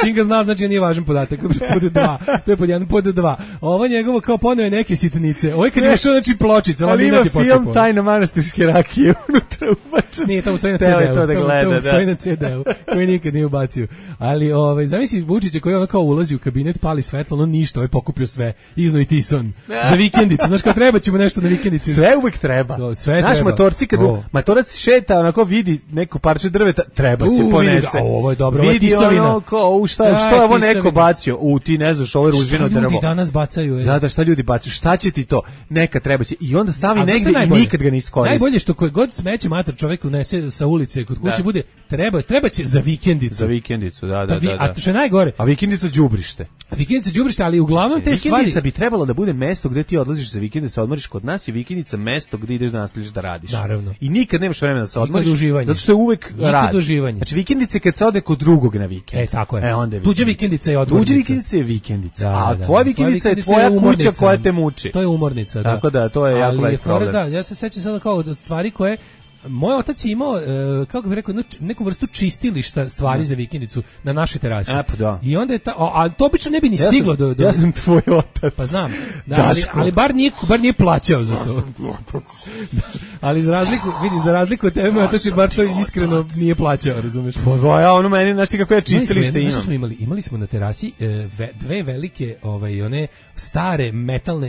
Čim ga zna, znači nije važan podatak. Pod 2. To je pod 1, pod 2. Ovo njegovo kao poneo neke sitnice. Ovo je kad je išao, znači pločica. Ali ima film Tajna manastirske rakije unutra ubačen. Nije, tamo stoji na CD-u. Tamo stoji na CD-u, koji nikad nije ubacio. Ali zamisli Vučića koji ono kao ulazi u kabinet, pali svetlo, ono ništa, ovaj pokupio sve. Izno i Tison. Za vikendicu. Znaš kao treba ćemo nešto na vikendici. Sve uvek treba. Naš motorci kad motorac šeta, onako vidi neko parče drveta, treba će ponese. Ovo je dobro, ovo je tisovina. Što je ovo neko bacio? Ti ne znaš, ovo je ružino drvo. Šta ljudi danas bacaju? Da, šta ljudi bacaju? Šta će ti to? Neka treba će. I onda stavi negdje i nikad ga ne iskoristi. Najbolje što koji god smeće mater čovjek unese sa ulice kod kuće bude, treba će za vikendicu. Za vikendicu, da. A što je najgore? A vikendica đubrište. Ali uglavnom te stvari. Vikendica bi trebalo da bude mesto gde ti odlaziš za vikend da se odmoriš. Kod nas je vikendica mesto gde ideš da nastaviš da radiš. Naravno. I nikad nemaš vremena da se odmoriš. Zato što je uvek rad. Znači vikendice kad se ode kod drugog na vikend. Tako je. Tuđa vikendica je odmornica. Tuđa vikendica je vikendica. A tvoja vikendica je tvoja kuća koja te muči. To je umornica, da. Tako da, to je jako veliki problem. Da, ja se sećam sada kao od stvari koje moj otac je imao, kako bih rekao, neku vrstu čistilišta stvari za vikendicu na našoj terasi. Da. I onda je a to obično ne bi ni stiglo do... Ja sam tvoj otac. Pa znam, ali bar nije plaćao za to. Ali za razliku od tebe, moj otac je bar to iskreno nije plaćao, razumeš? Pa ja ono meni, znaš ti kako je čistilište imam. Znaš smo imali smo na terasi dve velike, one stare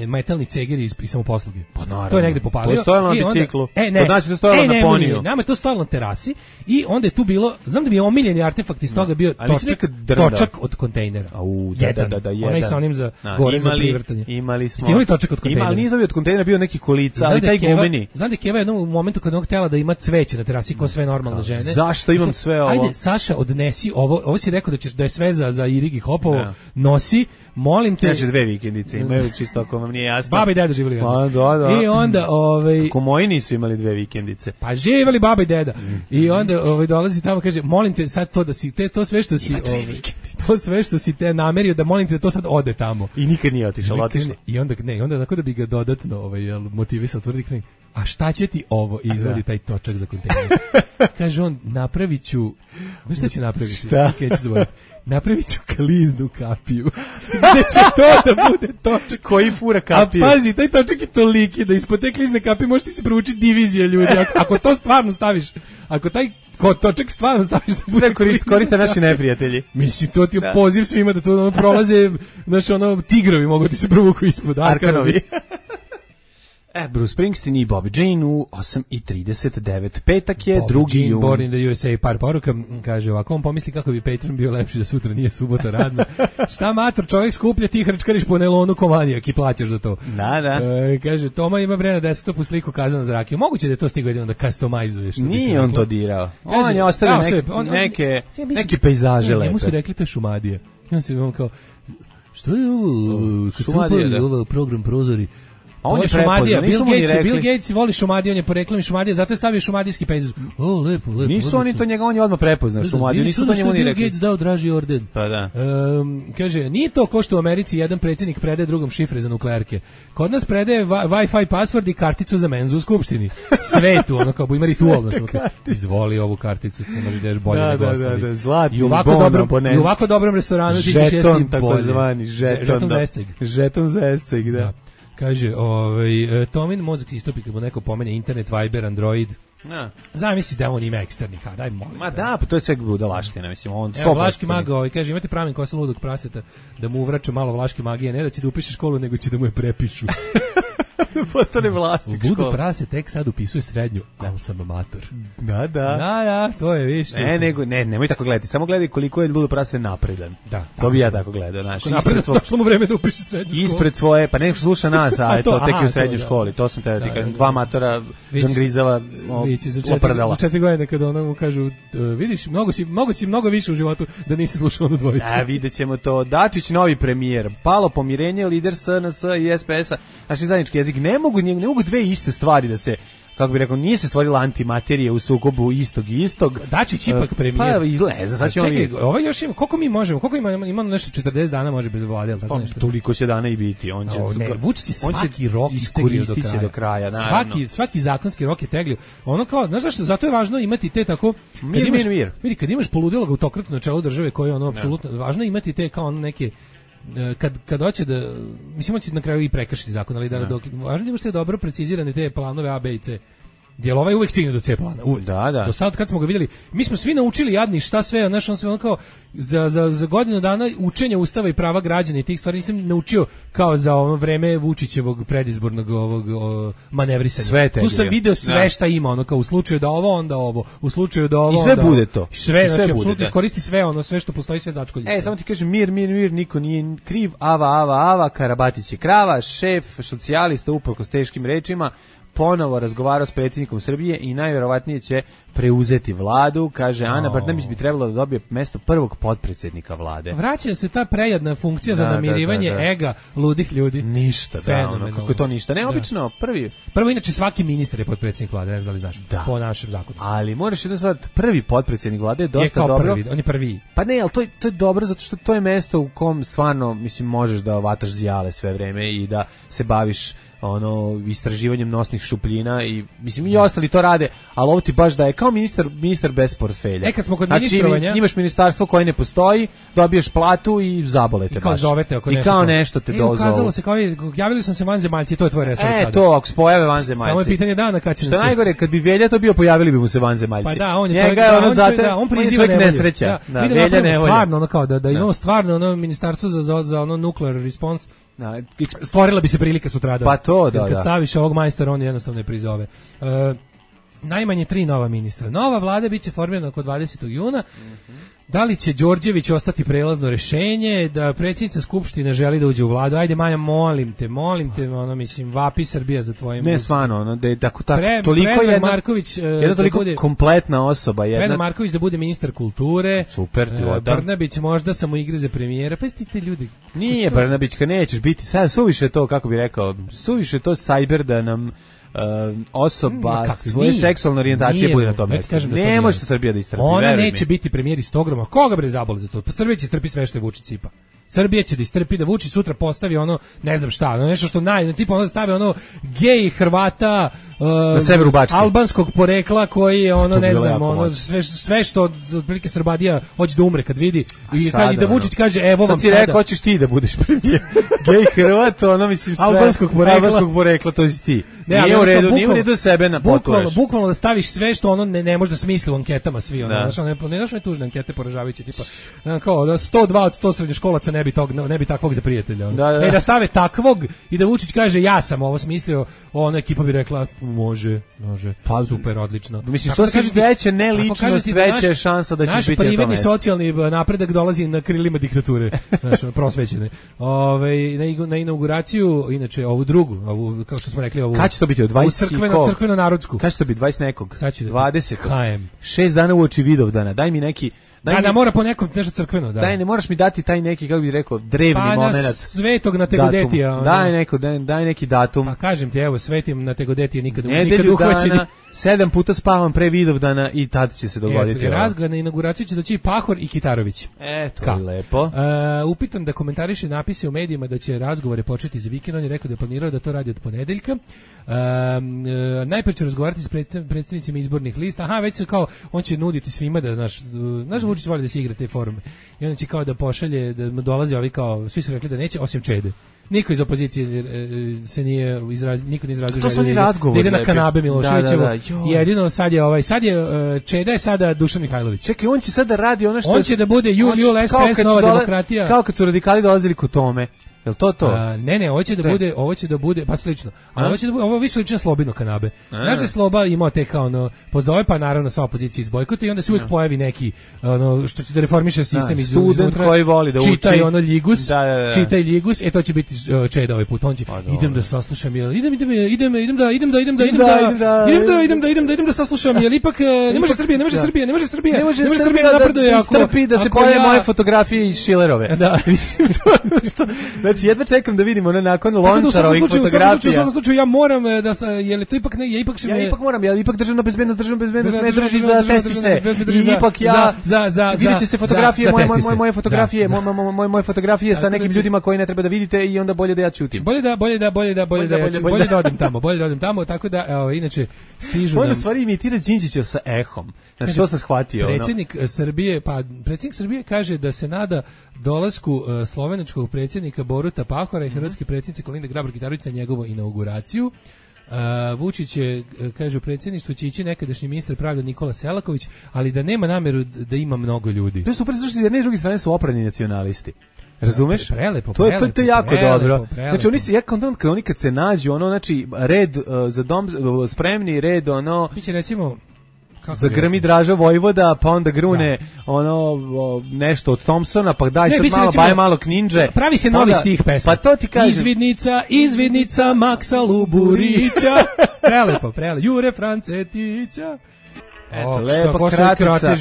metalni cegeri iz samoposluge. Pa naravno. To je negde popalio. To je stojalo na biciklu. Ne, deponiju. Nama je to stajalo na terasi i onda je tu bilo, znam da mi je omiljeni artefakt iz toga bio točak od kontejnera. Jedan. Onaj sa onim za gore za privrtanje. Imali smo. Ste imali točak od kontejnera? Ali nije od kontejnera, bio neki kolica, ali taj gumeni. Znam da je Keva jednom u momentu kad on htjela da ima cveće na terasi kao sve normalne žene. Zašto imam sve ovo? Ajde, Saša, odnesi ovo si rekao da je sve za Irigi Hopovo, nosi, molim te. Znači 2 vikendice imaju, čisto ako vam nije jasno. Baba i deda živjeli. Da. I onda ako moji nisu imali 2 vikendice. Pa živjeli baba i deda. I onda dolazi tamo, kaže, molim te sad to da si to sve što si to sve što si te namerio, da molim te da to sad ode tamo. I nikad nije otišao. I onda onako da bi ga dodatno motivisao, tvrdi, a šta će ti ovo? I izvodi taj točak za kontejner. Kaže on, napravit ću, znaš šta će napraviti? Šta? Napravit ću kliznu kapiju. Gde će to da bude točak? Koji fura kapiju? A pazi, taj točak je toliki da ispod te klizne kapije možete se provući divizija ljudi. Ako to stvarno staviš, ako taj točak stvarno staviš da bude koriste naši neprijatelji. Mislim, to ti je poziv svima da to prolaze, znači tigrovi mogu ti se provuku ispod. Arkanovi. Bruce Springsteen i Bobby Jean u 8:39. Petak je, 2. jun. Born in the USA, par poruka, kaže ovako, on pomisli kako bi Patreon bio lepši da sutra nije subota radna. Šta mator, čovjek skuplja, ti hrčkariš po nelonu komanijak i plaćaš za to. Da. Kaže, Toma ima vremena desktopu sliku Kazana za rakiju. Moguće da je to stigo jedino da customizuješ. Nije on to dirao. On je ostavio neke pejzaže lepe. Njemu su rekli to je Šumadija. I on se imam kao, što je ovo? Šumadija, ovo program Prozori. On je Šumadija, Bill Gates voli Šumadiju, on je po reklami Šumadija, zato je stavio šumadijski pejzaž. Lepo. Nisu oni to njega, on je odmah prepoznao Šumadiju, nisu to njemu ni rekli. Bill Gates dao draži orden. Pa da. Kaže, nije to ko što u Americi jedan predsjednik predaje drugom šifre za nuklearke. Kod nas predaje Wi-Fi password i karticu za menzu u skupštini. Sve tu, ono kao ima ritual. Izvoli ovu karticu, ti možeš da ješ bolje nego ostali. Da, zlatni I u ovako dobrom restoranu ti ćeš jesti bolje. Žeton, takozvani, žeton za esceg, da. Kaže, Tomin mozak istopi kad mu neko pomene internet, Viber, Android. Zamisli da on ima eksterni hard, daj molim. Ma da, pa to je sve budalaština, mislim, on Evo, Vlaški mag, kaže, imate pravilnik kosa ludog praseta da mu uvraća malo vlaške magije, ne da će da upiše školu, nego će da mu je prepišu. Postane vlasnik škole. Ludo prase tek sad upisuje srednju, ali sam amator. Da, to je više. Nemoj tako gledati, samo gledaj koliko je Ludo prase napredan. Da. To bi ja tako gledao, znaš. Napredan, došlo mu vreme da upiše srednju školu. Ispred svoje, pa neko sluša nas, a to tek je u srednjoj školi, to sam te rekao, 2 matora, John Grizava, oprdala. Za 4 godine kada ono mu kažu, vidiš, mnogo više u životu da nisi slušao onu dvojicu. Vidjet ćemo to. Dačić, novi premijer, palo pomirenje, lider SNS i SPS-a, naši zajednički jezik, ne mogu dve iste stvari da se, kako bi rekao, nije se stvorila antimaterija u sukobu istog. Dačić ipak premijer. Pa izleza, sad će on vidjeti. Ovo još ima, koliko mi možemo, imamo nešto 40 dana može bez vlade, ali tako nešto. Toliko će dana i biti, on će Vučić svaki rok iskoristiti do kraja, naravno. Svaki zakonski rok je teglio. Ono kao, znaš zašto, zato je važno imati te tako mir. Vidi, kad imaš poludjelog autokrata na čelu države koji je ono apsolutno važno imati te kao ono neke kad hoće da, mislim, hoće na kraju i prekršiti zakon, ali važno je da imaš te dobro precizirane te planove A, B i C. Jer ovaj uvek stigne do C plana, uvek. Da. Do sad kad smo ga vidjeli, mi smo svi naučili jadni šta sve, znaš, on sve ono kao za godinu dana učenja ustava i prava građana i tih stvari nisam naučio kao za ono vreme Vučićevog predizbornog manevrisanja. Tu sam video sve šta ima, ono kao u slučaju da ovo, onda ovo, u slučaju da ovo, i sve bude to. Sve, znači apsolutno iskoristi sve ono, sve što postoji, sve začkoljice. Samo ti kažem, mir, niko nije kriv, ava, Karabatić je krava, šef socijalista uprkos teškim rečima ponovo razgovarao s predsjednikom Srbije i najvjerovatnije će preuzeti vladu, kaže Ana Brnabić bi trebalo da dobije mesto prvog potpredsjednika vlade. Vraća se ta prejadna funkcija za namirivanje ega ludih ljudi. Ništa, kako je to ništa. Neobično, Prvo, inače, svaki ministar je potpredsjednik vlade, ne znam da li znaš, po našem zakonu. Ali moraš jedno stvar, prvi potpredsjednik vlade je dosta dobro. On je prvi. Pa ne, ali to je dobro zato što to je mesto u kom stvarno, mislim, možeš da vataš zijale sve vreme i da se baviš istraživanjem nosnih šupljina i mislim i ostali to rade, ali ovo ti baš da je kao ministar bez portfelja. Kad smo kod ministrovanja, imaš ministarstvo koje ne postoji, dobiješ platu i zabole te baš. I kao nešto te dozovu. Ukazalo se kao javili su se vanzemaljci, to je tvoj resor sada. To ako se pojave vanzemaljci. Samo je pitanje dana kad će. Što najgore, kad bi Velja to bio, pojavili bi mu se vanzemaljci. Pa da, on je čovjek, on priziva nesreća. Velja ne volja. Stvarno ono kao da imamo stvarno ministarstvo za nuclear response. Stvorila bi se prilika sutradan. Pa to, Kad staviš ovog majstora, on jednostavno ne prizove. najmanje 3 nova ministra. Nova vlada biće formirana oko 20. juna. Da li će Đorđević ostati prelazno rešenje, da predsjednica Skupštine želi da uđe u vladu? Ajde Maja, molim te, ono, mislim, vapi Srbija za tvojim... Ne, stvarno, ono, da je tako toliko jedna toliko bude, kompletna osoba. Predrag Marković da bude ministar kulture. Super, Brnabić možda samo igre za premijera. Pa ste ljudi... Nije Brnabićka, nećeš biti, sad suviše to, kako bi rekao, suviše to sajber da nam... osoba svoje seksualne orijentacije bude na tom mjestu. Ne može to Srbija da istrpi. Ona neće biti premijer istogroma. Koga bre zaboli za to? Pa Srbija će istrpi sve što je Vučić sipa. Srbija će da istrpi da Vučić sutra postavi ono, ne znam šta, ono nešto što tipa ono stave ono gej Hrvata na severu Bačke, albanskog porekla koji je ono ne znam ono sve što otprilike Srbadija hoće da umre kad vidi i kad da Vučić kaže evo vam sada. Sad ti rekao hoćeš ti da budeš premijer. Gej Hrvat, ono mislim sve albanskog porekla to si ti. Nije u redu, nije u redu sebe na potuješ. Bukvalno da staviš sve što ono ne može da smisli u anketama svi ono, znači ne tužne ankete poražavajuće tipa kao da 102 od 100 srednjoškolaca ne bi takvog za prijatelja. Da stave takvog i da Vučić kaže ja sam ovo smislio, ona ekipa bi rekla može, pa super, odlično. Mislim što si veće ne ličnost, veća je šansa da ćeš biti na tome. Naš privredni socijalni napredak dolazi na krilima diktature, znači prosvećene. Na inauguraciju, inače ovu drugu, kao što smo rekli, ovu kad će to biti od 20 crkveno narodsku. Kad će to biti 20 nekog? 20. KM. 6 dana uoči Vidovdana. Daj mi neki da mora po nekom nešto crkveno, da. Daj, ne moraš mi dati taj neki, kako bih rekao, drevni momenat. Pa na Svetog na Tegodetija. Daj neki datum. Pa kažem ti, evo, Svetim na Tegodetija nikad uhvaćeni. 7 puta spavam pre Vidovdana i tad će se dogoditi. Razgovor na inauguraciju će doći Pahor i Kitarović. To je lepo. Upitan da komentariše napise u medijima da će razgovore početi za vikend, on je rekao da je planirao da to radi od ponedeljka. Najprije ću razgovarati s predstavnicima izbornih lista. Već se kao, on će nuditi svima da naš Vučić voli da se igra te forume. I on će kao da pošalje, da mu dolazi ovi kao, svi su rekli da neće, osim Čede. Niko iz opozicije se nije niko ne izrazio želju da ide na kanabe Miloševićevu. Jedino sad je Čeda je sada Dušan Mihajlović. Čekaj, on će sad da radi ono što on će da bude Jul SPS Nova demokratija. Kao kad su radikali dolazili kod Tome. Jel to? Ne, ovo će da bude pa slično. Ali ovo će da bude, ovo više liči na Slobino kanabe. Znaš da Sloba imao te kao ono pozove, pa naravno sva opozicija izbojkotuje i onda se uvijek pojavi neki ono što će da reformiše sistem student koji voli da uči. Čitaj ono Ljigus, čitaj Ljigus, to će biti Čeda ovaj put. On će idem da saslušam, idem da saslušam, jer ipak ne može Srbija napreduje ako strpi da se pojavi moje fotografije iz Šilerove. Da. Znači, jedva čekam da vidimo nakon Lončarovih fotografija. U svakom slučaju ja moram da je li to ipak ne, ja ipak moram, ja ipak državna bezbednost ne drži za testi se. I ipak ja vidjet će se fotografije, moje fotografije sa nekim ljudima koji ne treba da vidite i onda bolje da ja ćutim. Bolje da odim tamo, tako da inače stižu nam. On u stvari imitira Đinđića sa ehom. Znači, to sam shvatio. Predsjednik Srbije kaže da se nada dolasku slovenačkog predsjednika Boruta Pahora i hrvatske predsjednice Kolinde Grabar-Kitarović na njegovu inauguraciju. Vučić je, kaže, u predsjedništvu će ići nekadašnji ministar pravde Nikola Selaković, ali da nema nameru da ima mnogo ljudi. To je super, zato što s jedne i druge strane su oprani nacionalisti. Razumeš? Prelepo. To je jako dobro. Znači oni kad se nađu, ono, znači red za dom spremni, red ono. Biće recimo zagrmi Draža Vojvoda, pa onda grune ono nešto od Thompsona, pa daj sad malo, baje malo Kninđe. Pravi se novi stih pesma. Pa to ti kažem. Izvidnica Maksa Luburića. Prelepo. Jure Francetića. Eto, lepa kratica.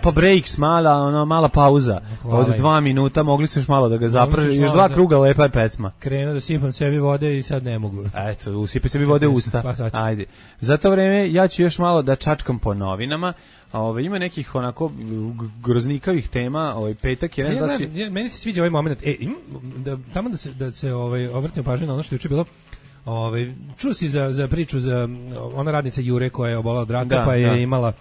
Pa breaks, mala pauza. Od 2 minuta, mogli su još malo da ga zaprži. Još 2 kruga, lepa je pesma. Krenuo da sipam sebi vode i sad ne mogu. Eto, usipi sebi vode u usta. Ajde. Za to vreme ja ću još malo da čačkam po novinama. Ima nekih onako groznikavih tema, petak je. Meni se sviđa ovaj moment. Tamo da se obratimo pažnju na ono što je juče bilo. Čuo si za priču za ona radnica Jure koja je obolela od raka, pa je imala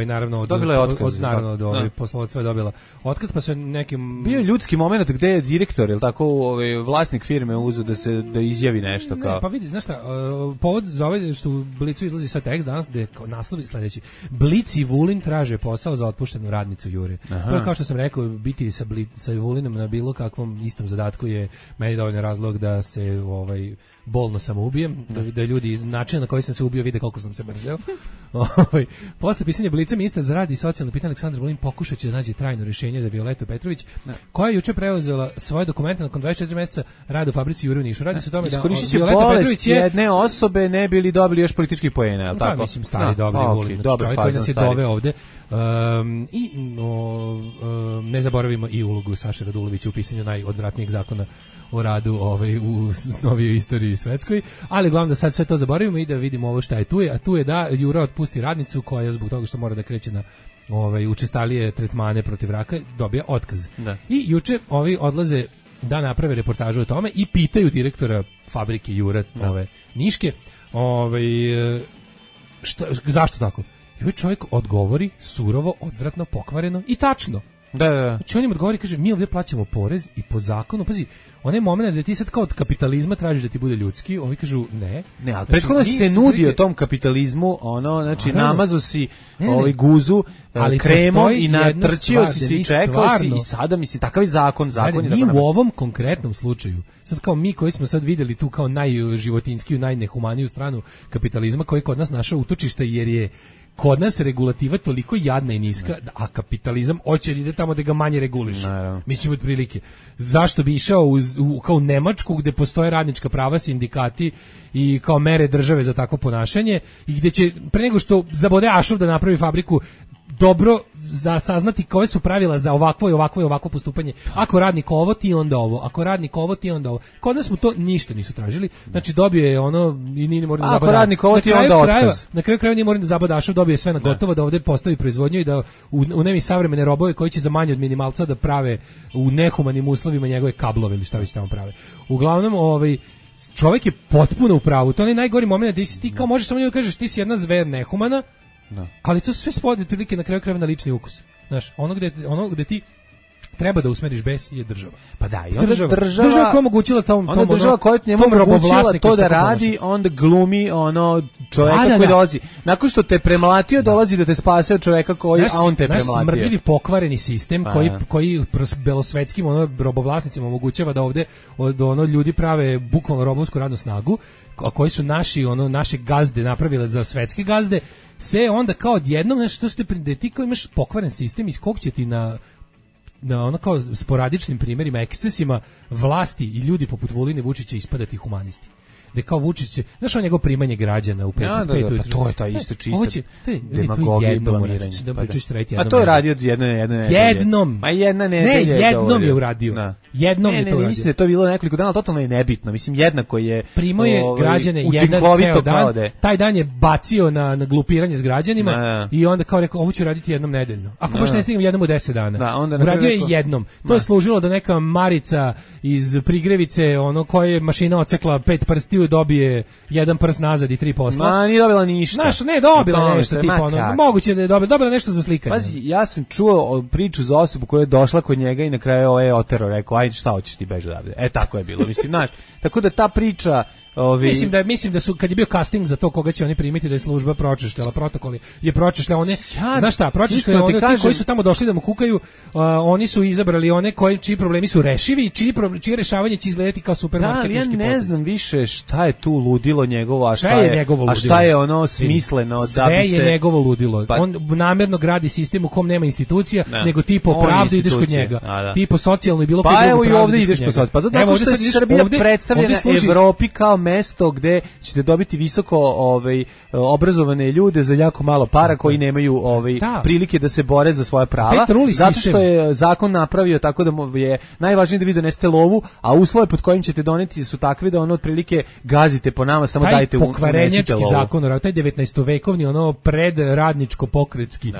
naravno dobila je otkaz, naravno poslovodstva je dobila otkaz, pa se nekim bio ljudski momenat gde je direktor, je l' tako, vlasnik firme uzeo da izjavi nešto kao. Ne, pa vidi, znaš šta, povod za ovaj što u Blicu izlazi sad tekst danas gde kao naslovi sledeći: Blic i Vulin traže posao za otpuštenu radnicu Jure. Prvo, kao što sam rekao, biti sa Vulinom na bilo kakvom istom zadatku je meni dovoljno razlog da se bolno samoubijem, da ljudi iz načina na koji sam se ubio vide koliko sam se mrzeo. Posle pisanja Blica ministar za rad i socijalno pitanje Aleksandar Vulin pokušat će da nađe trajno rješenje za Violetu Petrović, koja je juče preuzela svoje dokumente nakon 24 meseca rada u fabrici Jure u Nišu. Radi se o tome da Violeta Petrović je jedne osobe ne bili dobili još političkih poena, je li tako? Pa mislim stari dobri Vulin, čovjek koji nas je doveo ovde. Ne zaboravimo i ulogu Saše Radulovića u pisanju najodvratnijeg zakona o radu u novijoj istoriji svetskoj, ali glavno da sad sve to zaboravimo i da vidimo ovo šta je tu je, a tu je da Jura otpusti radnicu koja zbog toga što mora da kreće na učestalije tretmane protiv raka dobija otkaz. Da. I juče ovi odlaze da naprave reportažu o tome i pitaju direktora fabrike Jura Niške zašto tako? I ovaj čovjek odgovori surovo, odvratno, pokvareno i tačno. Da. Znači on im odgovori, kaže, mi ovdje plaćamo porez i po zakonu, pazi, onaj moment da ti sad kao od kapitalizma tražiš da ti bude ljudski, ovi kažu ne. Ne, ali prethodno se nudio tom kapitalizmu, znači namazo si guzu kremom i natrčio si i čekao si i sada, mislim, takav je zakon je mi u ovom konkretnom slučaju, sad kao mi koji smo sad vidjeli tu kao najživotinskiju, najnehumaniju stranu kapitalizma koji kod nas našao utočište jer je kod nas regulativa toliko jadna i niska, a kapitalizam hoće da ide tamo da ga manje reguliše. Mislim, otprilike. Zašto bi išao kao u Nemačku gde postoje radnička prava, sindikati i kao mere države za takvo ponašanje i gde će, pre nego što zabode Ašov da napravi fabriku, dobro za saznati koje su pravila za ovakvo postupanje. Ako radnik ovo, ti onda ovo. Ako radnik ovo, ti onda ovo. Kod nas smo to ništa nisu tražili. Znači dobio je i nije morao da zabada. Ako radnik ovo, ti onda otkaz. Na kraju krajeva nije morao da zabada Ašov, dobio je sve na gotovo, da ovdje postavi proizvodnju i da unemi savremene robove koji će za manje od minimalca da prave u nehumanim uslovima njegove kablove ili šta već tamo prave. Uglavnom, čovjek je potpuno u pravu. To je najgori moment da ti kao možeš samo njemu kažeš ti si jedna zver nehumana. No. Ali to sve spodi otprilike na kraju krajeva na lični ukus. Znaš, ono gde ti treba da usmeriš bes je država. Pa da, i onda država koja je omogućila država koja njemu omogućila to da radi, onda glumi čoveka koji dolazi. Nakon što te premlatio, dolazi da te spase od čoveka koji, a on te premlatio. Naš smrdljivi pokvareni sistem koji belosvetskim robovlasnicima omogućava da ovde ljudi prave bukvalno robovsku radnu snagu, a koji su naše gazde napravile za svetske gazde, se onda kao odjednom nešto što da ti kao imaš pokvaren sistem iz kog će ti na kao sporadičnim primjerima, ekscesima vlasti i ljudi poput Vuline Vučića ispadati humanisti. Da kao Vučić, znaš njegov primanje građana u 5 pa to je ta isto čista demagogija i blamiranje. A to je radio jednom. Ma jedna nedelja. Jednom je uradio. Jednom je to uradio. Mislim da je to bilo nekoliko dana, totalno je nebitno. Mislim, jednako je primao je građane jedan ceo dan. Taj dan je bacio na glupiranje s građanima i onda kao rekao, ovo ću raditi jednom nedeljno. Ako baš ne stignem jednom u 10 dana. Uradio je jednom. To je služilo da neka Marica iz Prigrevice, koja je mašina ocekla 5 prstiju, dobije jedan prst nazad i 3 posla. Ma, nije dobila ništa. Znaš, ne, dobila nešto, tipa moguće da je dobila nešto za slikanje. Pazi, ja sam čuo priču za osobu koja je došla kod njega i na kraju otero, rekao, ajde šta hoćeš ti beži odavde. Tako je bilo, mislim, znaš. Tako da ta priča Mislim da su kad je bio casting za to koga će oni primiti, da je služba pročešljala protokoli, je pročešljala one, znaš šta, pročešljala one ti koji su tamo došli da mu kukaju, oni su izabrali one čiji problemi su rešivi i čije rešavanje će izgledati kao supermarketički potez. Ja ne znam više šta je tu ludilo njegovo, a šta je ono smisleno da bi se... Sve je njegovo ludilo. On namjerno gradi sistem u kom nema institucija, nego ti po pravdu ideš kod njega. Ti po socijalno i bilo koje drugo pravdu ideš kod njega. Pa zato što je Srbija predstavljena Evropi kao mesto gde ćete dobiti visoko obrazovane ljude za jako malo para koji nemaju prilike da se bore za svoja prava, zato što je zakon napravio tako da je najvažnije da vi donesete lovu, a uslove pod kojim ćete doneti su takve da ono otprilike gazite po nama, samo dajte unesite lovu. Zakon o radu, taj 19-vekovni predradničko pokretski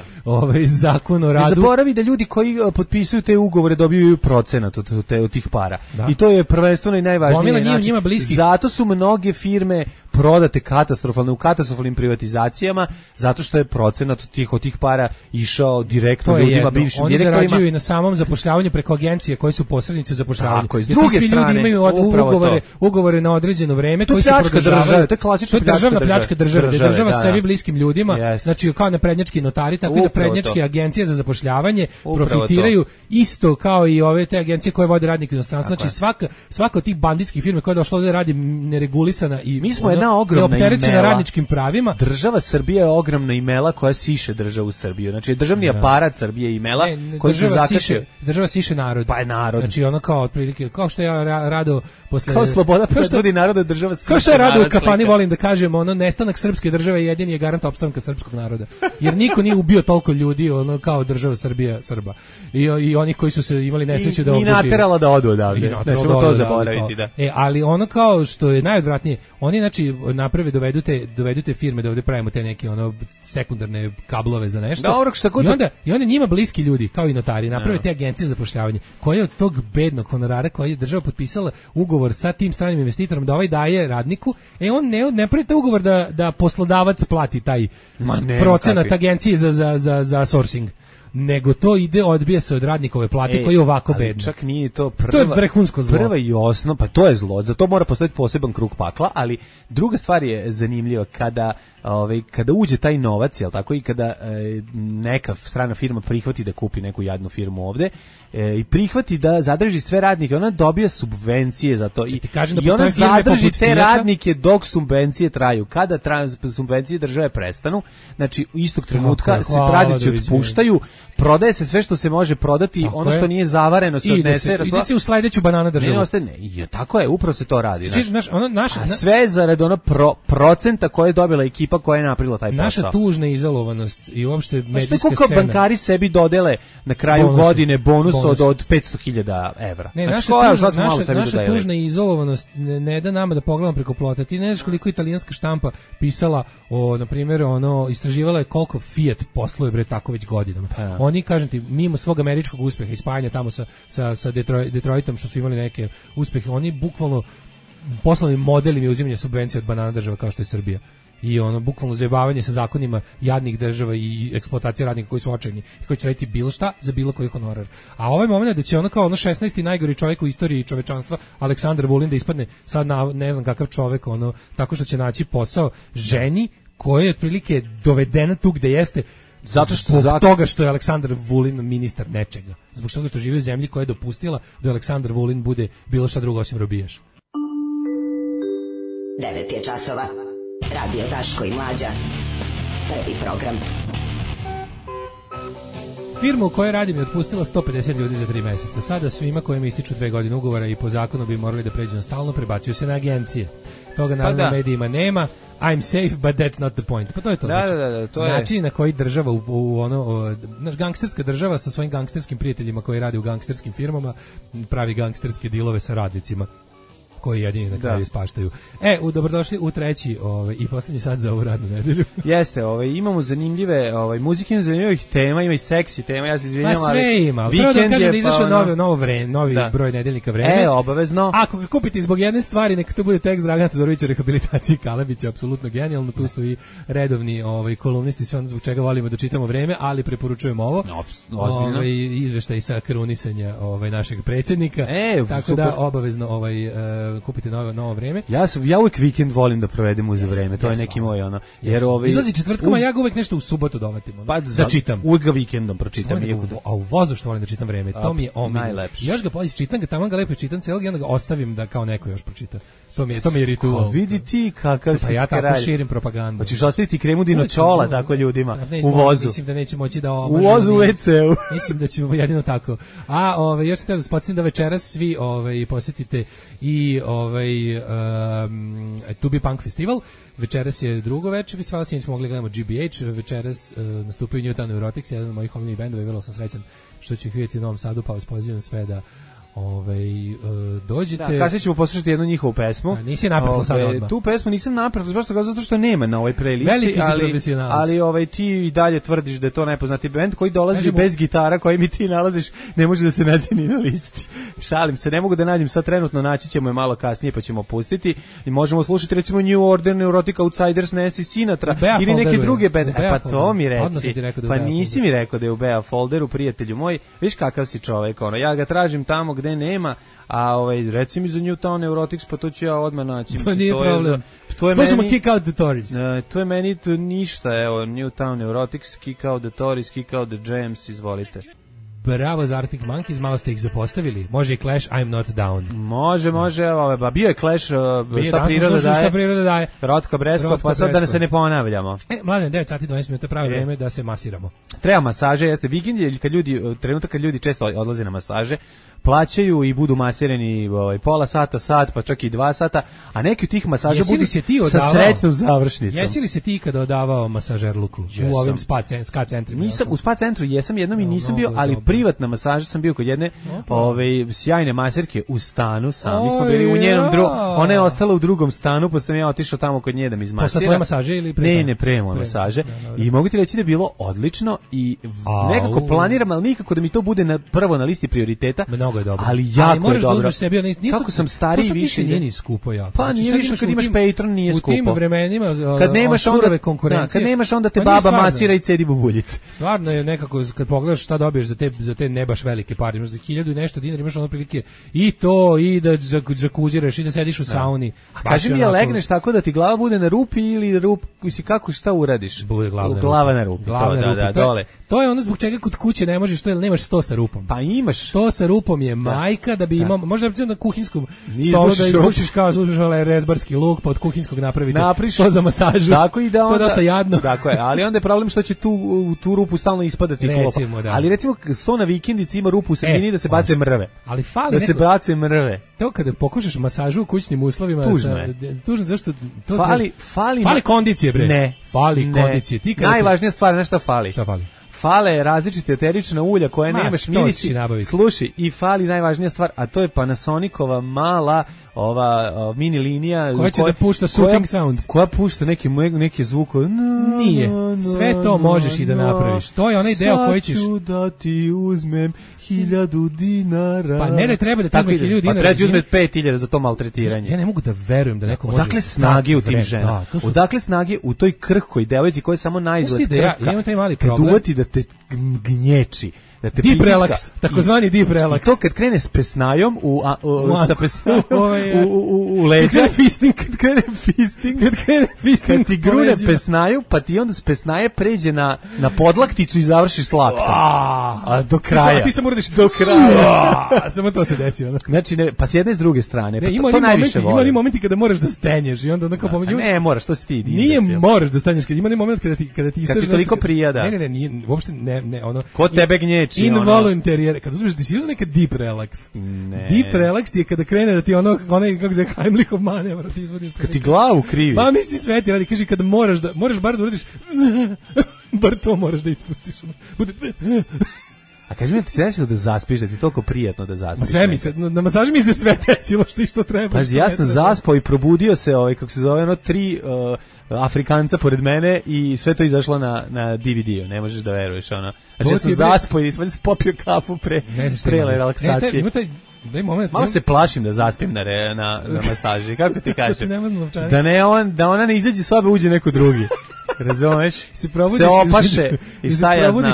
zakon o radu. Ne zaboravi da ljudi koji potpisuju te ugovore dobiju procenat od tih para. I to je prvenstveno i najvažnije. Njima bliski. Zato su mnoge firme prodate katastrofalne u katastrofalnim privatizacijama zato što je procenat od tih para išao direktno ljudima, bivšim direktorima. Oni zarađuju i na samom zapošljavanju preko agencije koje su posrednici u zapošljavanju. Tako, s druge strane, ljudi imaju ugovore na određeno vreme koji se produžavaju. To je klasična pljačka države. Država sebi bliskim ljudima, znači kao naprednjački notari, tako i naprednjačke agencije za zapošljavanje profitiraju isto kao i ove te agencije koje vode radnike u inostranstvu. Znači svaka od tih banditskih firmi koja je došla ovde radi neregulisana i mi smo jedna ogromna opterećena radničkim pravima. Država Srbija je ogromna imela koja siše državu Srbiju. Znači državni aparat Srbije imela koji se zakače. Država siše narod. Pa je narod. Znači ono kao otprilike kao što ja rado posle kao sloboda predvodi naroda država siše. Kao što je rado u kafani volim da kažem, ono nestanak srpske države jedini je garant opstanka srpskog naroda. Jer niko nije ubio toliko ljudi ono kao država Srbija Srba. I oni koji su se imali nesreću da obuži. I naterala da odu odavde. Ne smemo to zaboraviti, da. Ali ono kao što je najodvratnije, oni znači naprave dovedu te firme da ovde pravimo te neke ono sekundarne kablove za nešto. Dobro, šta god. I onda njima bliski ljudi kao i notari naprave te agencije za zapošljavanje koje od tog bednog honorara koji je država potpisala ugovor sa tim stranim investitorom da ovaj daje radniku, on ne pravi taj ugovor da poslodavac plati taj procenat agencije za sourcing. Nego to odbija se od radnikove plate koji je ovako bedna. Čak nije to to je vrhunsko zlo. Prva i osnova, pa to je zlo, za to mora postojati poseban krug pakla, ali druga stvar je zanimljiva kada uđe taj novac, jel tako, i kada neka strana firma prihvati da kupi neku jadnu firmu ovde i prihvati da zadrži sve radnike, ona dobija subvencije za to i ona zadrži te radnike dok subvencije traju. Kada subvencije države prestanu, znači istog trenutka se radnici otpuštaju, prodaje se sve što se može prodati, ono što nije zavareno se odnese. Ide se u sledeću banana državu. Tako je, upravo se to radi. Znači, sve zarad procenta koje je dobila ekipa koja je napravila taj posao. Naša tužna izolovanost i uopšte medijska scena. Koliko bankari sebi dodele na kraju godine bonus od 500.000 evra. Naša tužna izolovanost ne da nama da pogledamo preko plota. Ti ne znaš koliko italijanska štampa pisala na primjer, istraživala je koliko Fiat posluje bre tako već godinama. Oni, kažem ti, mimo svog američkog uspeha i spajanja tamo sa Detroitom što su imali neke uspehe, oni bukvalno poslovni model im je uzimanje subvencija od banana država kao što je Srbija. I bukvalno zajebavanje sa zakonima jadnih država i eksploatacija radnika koji su očajni i koji će raditi bilo šta za bilo koji honorar. A ovaj moment da će kao 16. najgori čovjek u istoriji čovečanstva Aleksandar Vulin da ispadne sad ne znam kakav čovjek tako što će naći posao ženi koja je otprilike dovedena tu gde jeste zbog toga što je Aleksandar Vulin ministar nečega. Zbog toga što živi u zemlji koja je dopustila da Aleksandar Vulin bude bilo šta drugo osim robijaš. 9 je časova. Radio Daško i Mlađa. Prvi program. Firma u kojoj radim je otpustila 150 ljudi za 3 meseca. Sada svima kojima ističu 2 godine ugovora i po zakonu bi morali da pređu na stalno, prebacuju se na agencije. Toga naravno u medijima nema. I'm safe, but that's not the point. Pa to je to. Da, to je način na koji država gangsterska država sa svojim gangsterskim prijateljima koji rade u gangsterskim firmama pravi gangsterske dilove sa radnicima koji jedini na kraju ispaštaju. Dobrodošli u treći i poslednji sat za ovu radnu nedelju. Jeste, imamo zanimljive muzike, imamo zanimljivih tema, ima i seksi tema, ja se izvinjam, ali sve ima. Prvo da kažem da izašao novi broj nedeljnika Vreme. Obavezno. Ako ga kupite zbog jedne stvari, neka to bude tekst Dragana Todorovića o rehabilitaciji Kalabića, apsolutno genijalno, tu su i redovni kolumnisti, sve ono zbog čega volimo da čitamo Vreme, ali preporučujemo ovo. Izveštaj sa krunisanja našeg predsjednika. Tako da obavezno kupite novo Vreme. Ja uvijek vikend volim da provedem uz Vreme, to je neki moj jer izlazi četvrtkom, a ja ga uvijek nešto u subotu dovatim. Da čitam. Uvijek ga vikendom pročitam. A u vozu što volim da čitam Vreme, to mi je najlepše. Još ga čitam ga, tamo ga lepo čitam celog i onda ga ostavim da kao neko još pročita. To mi je ritual. Vidi ti kakav si kralj. Ja tako širim propagandu. Hoćeš ostaviti kremu dinočola tako ljudima u vozu. Mislim da neće moći da u vozu u WC-u. Mislim da ćemo jedino tako. A još se da spomenem da večeras svi posjetite i Tubi Punk Festival. Večeras je drugo večer festivala, sinoć smo mogli gledamo GBH, večeras nastupaju Newtown Neurotics, jedan od mojih omiljenih bendova i vrlo sam srećan što ću ih vidjeti u Novom Sadu, pa vas pozivam sve da Dođite... Da, kasnije ćemo poslušati jednu njihovu pesmu. Nisi napretno sad odmah. Tu pesmu nisam napretno, baš zato što nema na ovoj playlisti, ali ti i dalje tvrdiš da je to najpoznati bend koji dolazi bez gitara koji mi ti nalaziš, ne može da se nađe ni na listi. Šalim se, ne mogu da nađem sad trenutno, naći ćemo je malo kasnije pa ćemo pustiti i možemo slušati recimo New Order, Neurotic Outsiders, Nancy Sinatra ili neke druge bende. Pa to mi reci. Pa nisi mi rekao da je u Bea folderu, prijatelju moj. Viš kakav si čovek, ono, ja ga tražim tamo gde nema, a reci mi za Newtown Neurotics, pa to ću ja odmah naći. Pa nije problem. Slušamo Kick Out the Tories. To je meni ništa, evo, Newtown Neurotics, Kick Out the Tories, Kick Out the Jams, izvolite. Bravo za Arctic Monkeys, malo ste ih zapostavili. Može i Clash, I'm Not Down. Može, bio je Clash, šta priroda daje. Rotka Breskot, pa sad da se ne ponavljamo. Mladen, 9 sati 12 minuta, pravi vreme da se masiramo. Treba masaže, jeste vikend, trenutak kad ljudi često odlaze na masaže, plaćaju i budu masirani pola sata, sat, pa čak i 2 sata, a neki od tih masaža budu sa srećnom završnicom. Jesi li se ti kada odavao masažerluku u ovim ska centrima? Nisam, u spa centru jesam jednom i nisam bio, ali privatna masaža sam bio kod jedne sjajne maserke u stanu sam. Mi smo bili u njenom ona je ostala u drugom stanu, pa sam ja otišao tamo kod nje da mi izmasira. Posle tvoje masaže ili pre? Ne, pre moje masaže. I mogu ti reći da je bilo odlično i nekako planiram, ali nikako da mi to bude prvo na listi prioriteta. Mnogo je dobro. Ali jako je dobro. Kako sam stariji više nije ni skupo jako. Pa nije više kad imaš Patreon, nije skupo. U tim vremenima kad nemaš surove konkurencije. Kad nemaš onda te baba masira i cedi bubuljice. Stvarno je nekako kad pogledaš šta dobiješ za te ne baš velike pare, imaš za 1000 i nešto dinara, imaš ono prilike i to i da džakuziraš i da sediš u sauni. A kaži mi, je legneš tako da ti glava bude na rupi ili rup, misli kako šta uradiš? Bude glava na rupi. Da, dole. To je ono zbog čega kod kuće ne možeš to, jer nemaš sto sa rupom. Pa imaš. Sto sa rupom je majka da bi imao, možda na kuhinskom stolu da izbušiš kao rezbarski luk, pa od kuhinskog napravite sto za masažu. Tako i da onda. To je dosta jadno. Tako je, ali onda je problem što će tu rupu stalno ispadati klopa. Ali recimo sto na vikendici ima rupu u sredini da se bace mrve. Ali fali da se bace mrve. To kada pokušaš masažu u kućnim uslovima, tužno zašto to fali kondicije bre. Ne, fali kondicije. Najvažnija stvar, nešto fali. Šta fali? Fale različite eterična ulja koje nemaš mirisi. Slušaj, i fali najvažnija stvar, a to je Panasonicova mala mini linija koja će da pušta soothing sound. Koja pušta neki zvuk. Nije. Sve to možeš i da napraviš. To je onaj deo koji ćeš... Sad ću da ti uzmem 1000 dinara. Pa ne treba da ti uzme 1000 dinara. Pa treba ti uzme 5000 za to maltretiranje. Ja ne mogu da verujem da neko može... Odakle snage u tim ženama? Odakle snage u toj krhkoj devojci koja je samo naizgled krhka? Ja imam taj mali problem. Kad uvati da te gnječi. Deep relax, takozvani deep relax. I to kad krene s pesnajom sa pesnajom u leđa, kad krene fisting, kad ti grune pesnaju, pa ti onda s pesnaje pređe na podlakticu i završi slatko. A do kraja. Ti samo uradiš do kraja. Samo to se desi. Znači, pa s jedne i s druge strane. To najviše volim. Ima momenti kada moraš da stenješ i onda onako pomoći. Ne, moraš, to si ti. Nije moraš da stenješ, kad ima moment kada ti kad ti toliko prija, Ne, nije, uopšte ne, ono. Ko tebe gnječi? Involuntary, kad uzmeš da si uzeo neka deep relax. Ne. Deep relax ti je kada krene da ti onaj kako se Heimlichov manevra ti izvodi. Kad ti glavu krivi. Pa misli sve ti radi, kaže kada moraš bar da uradiš, bar to moraš da ispustiš. A kaži mi, ti se desilo da zaspiš, da ti je toliko prijatno da zaspiš? Sve mi se, na masaži mi se sve desilo što treba. Pazi, ja sam zaspao i probudio se, kako se zove, 3 Afrikanca pored mene i sve to izašlo na DVD-u, ne možeš da veruješ, Znači, ja sam zaspao i sam popio kafu pre relaksacije. Malo se plašim da zaspim na masaži, kako ti kažem? Da ona ne izađe sobe, uđe neko drugi. Razumeš? Se opaše i šta ja znam.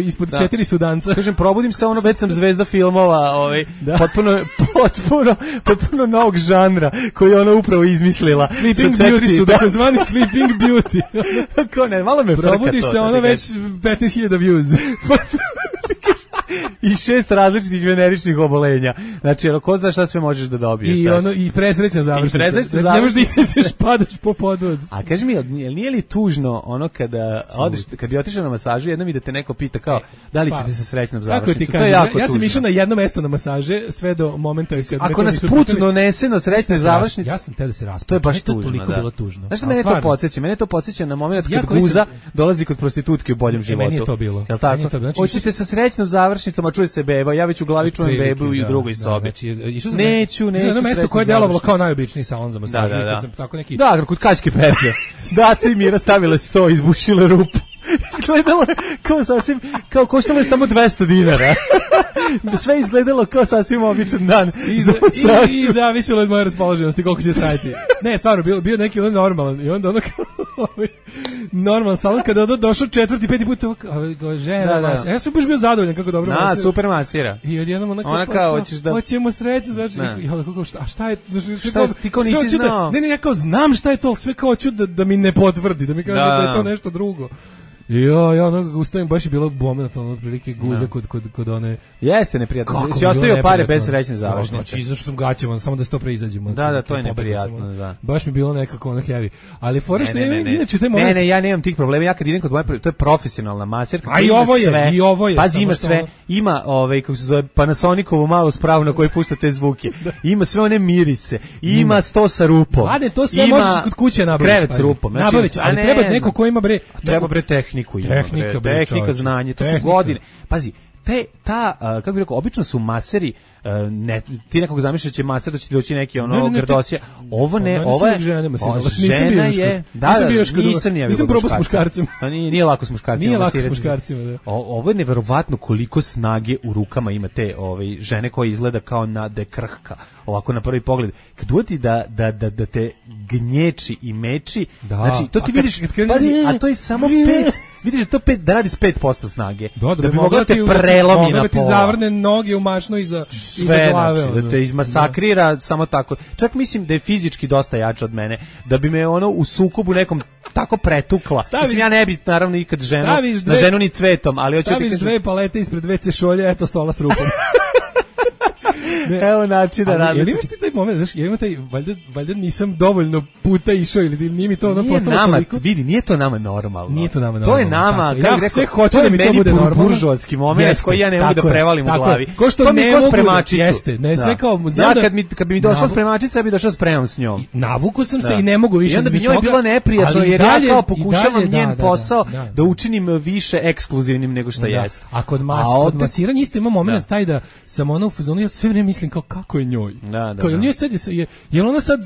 Ispod 4 sudanca. Kažem, probudim se, već sam zvezda filmova, potpuno novog žanra koji je ona upravo izmislila. Sleeping Beauty, takozvani Sleeping Beauty. Kako ne, malo me frka to. Probudiš se, već 15.000 views. I 6 različitih veneričnih obolenja. Znači, ko zna šta sve možeš da dobiješ. I presrećna završnica. Znači, ne možeš da isneseš, padaš po podvod. A kaži mi, nije li tužno kad bi otišao na masažu, jednom i da te neko pita kao, da li ćete se srećnom završnicom? To je jako tužno. Ja sam išao na jedno mesto na masaže, sve do momenta i se... Ako nas put donese na srećne završnice... Ja sam te da se raspada. To je baš tužno, toliko bilo tužno. Znaš što mene to podsjeća? Mene to podsjeća na moment kad guza dolazi kod prostitutke u boljem životu. Meni je to bilo. Jel tako? Hoćete sa srećnom završnicom sprečnicom, a čuje se beba, ja već u glavi čujem bebu i u drugoj sobi. Neću. Na mesto koje je delovalo kao najobičniji salon za masaž. Tako neki. Da, kod Kaćke Petlje. Daca i Mira stavile 100, izbušile rupu. Izgledalo je kao sasvim, kao koštalo je samo 200 dinara. Sve izgledalo kao sasvim običan dan. I zavisilo od moje raspoloženosti koliko će trajati. Ne, stvarno, bio neki ono normalan. I onda ono kao normalan salon, kada je došao 4. 5. put, žena masira. Ja sam baš bio zadovoljan kako dobro masira. Super masira. I odjednom ona kao, hoćeš da... Hoćemo sreću, znači, a šta je... Ti kao nisi znao? Ne, ja kao znam šta je to, sve kao hoću da mi ne potvrdi, da mi kaže da je to nešto drugo. Ja ono kako ustavim, baš je bilo moment, ono otprilike guza kod one... Jeste neprijatno, si ostavio pare bez srećne završnice. Znači, izašao sam gaćama, samo da se to preizađemo. Da, to je neprijatno, da. Baš mi bilo nekako ono heavy. Ali fora što je, inače taj moment... Ne, ja nemam tih problema, ja kad idem kod moje, to je profesionalna masirka. A i ovo je. Pazi, ima sve, ima, kako se zove, Panasonicovu malu spravu na kojoj pušta te zvuke, ima sve one mirise, ima 100 sa rupom. Mlade, to sve možeš kod kuće nabaviti. Krevet sa rupom. Ali treba neko ko ima bre... Treba bre tehnika, znanje, to su godine. Pazi, kako bih rekao, obično su maseri, ti nekog zamišljaš će maser, da će ti doći neki grdosija. Ovo ne, ovo je žena je, nisam probao s muškarcima. Nije lako s muškarcima. Da. Ovo je neverovatno koliko snage u rukama ima te žene koja izgleda kao na dekrhka, ovako na prvi pogled. Kad uvati da te gnječi i meči, znači to ti vidiš, pazi, a to je samo 5. Vidiš da radi s 5% snage. Da bi mogla te prelomi na pola. Da ti zavrne noge u mašno iza glave. Znači, da te izmasakrira samo tako. Čak mislim da je fizički dosta jače od mene. Da bi me u sukobu nekom tako pretukla. Mislim, ja ne bi naravno ikad na ženu ni cvetom. Ali staviš 2 palete ispred WC šolje, eto stola s rupom. Evo načina radi. Jel imaš ti taj moment, znaš, ja imam taj, valjda nisam dovoljno puta išao ili nije mi to ono postalo toliko. Vidi, nije to nama normalno. Nije to nama normalno. To je nama, kako rekao, to je meni buržoatski moment koji ja ne mogu da prevalim u glavi. To mi je ko spremačicu. Jeste, ne, sve kao, znam da... Kad bi mi došla spremačica, ja bi došao spremam s njom. Navuku sam se i ne mogu više. I onda bi njoj bilo neprijatno, jer ja kao pokušavam njen posao da učinim više ekskluzivnim nego što jeste. A kod masiranja isto ima moment taj da sam ono u fazonu, ja sve vreme mislim kao kako je njoj. Kao njoj sad je ona sad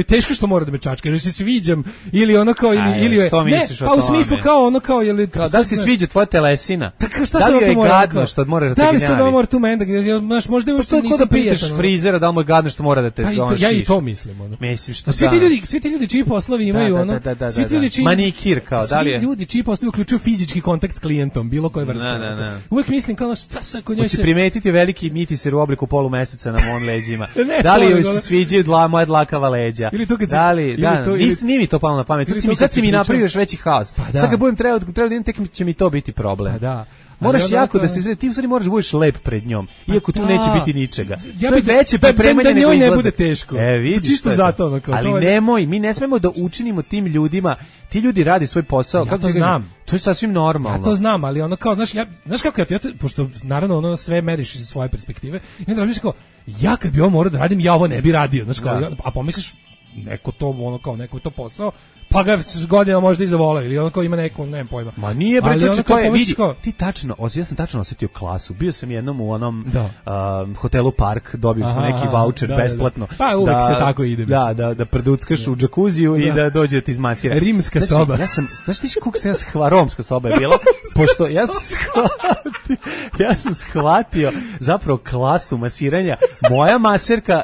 teško što mora da me čačka, jer se sviđam ili ono kao ili je ne, pa u smislu kao ono kao je li da li se sviđa tvoja telesina? Da li je gadno što mora da te gnjavi? Da li se mora tu menda, znaš, možda uopšte nisam prijatan. Frizera da li mu je gadno što mora da te šiš. Ja i to mislim, ono. Mislim što svi ti ljudi čiji poslovi imaju ono, svi ti ljudi čiji manikir kao, da li je? Svi ljudi čiji poslovi uključuju fizički kontakt s klijentom, bilo koje vrste. Uvek mislim kao šta sa kod njoj se primetiti veliki mitiser u obliku polumeseca na mom leđima. Da li joj se sviđaju moja dlakava leđa? Da li, nije mi to palo na pamet. Sad si mi napravio još veći haos. Sad kad budem trebao da idem, tek će mi to biti problem. Moraš jako da se izgleda, ti u stvari moraš da budeš lep pred njom, iako tu neće biti ničega. To je veće pripremanje nego izlazak. Da ne bude teško. Čisto zato. Ali nemoj, mi ne smemo da učinimo tim ljudima, ti ljudi radi svoj posao. Ja to znam. To je sasvim normalno. Ja to znam, ali ono kao, znaš kako ja, pošto naravno ono sve meriš iz svoje perspektive, i onda razmišljaš kao, ja kad bi ovo morao da radim, ja ovo ne bi radio, znaš kao, a pomisliš, neko to, ono kao, neko je to posao, pa ga godina možda i zavolao, ili ono kao ima neko, nemam pojma. Ma nije bre, to je, vidi, ti tačno, ja sam tačno osetio klasu, bio sam jednom u onom hotelu Park, dobio smo neki voucher besplatno. Pa uvek se tako ide. Da preduckaš u džakuziju i da dođe da ti izmasira. Rimska soba. Ja sam, znaš ti kako se romska soba je bila, pošto ja sam shvatio zapravo klasu masiranja. Moja maserka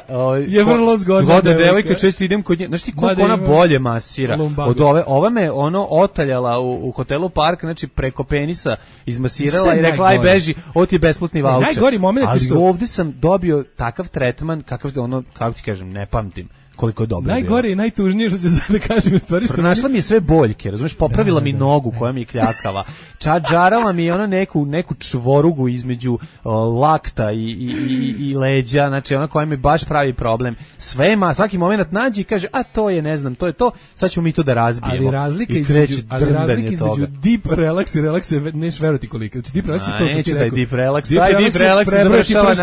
je vrlo zgodna devojka, često idem kod nje, znaš ti koliko ona bolje masira. Od ova me otaljala u hotelu Park, znači preko penisa izmasirala i rekla aj beži, ovo ti je besplatni vaučer. Najgori moment je što ovdje sam dobio takav tretman kakav kako ti kažem, ne pamtim koliko je dobro. Najgore i najtužnije što ću da kažem u stvari što pronašla mi je sve boljke, razumeš, popravila mi nogu koja mi je kljakava. Čađarala mi je ona neku čvorugu između lakta i leđa, znači ona koja mi baš pravi problem. Svaki moment nađe i kaže, a to je, ne znam, to je to, sad ćemo mi to da razbijemo. Ali razlika između deep relax i relax je neš verovati koliko. Znači deep relax je to što ti rekao. Deep relax završava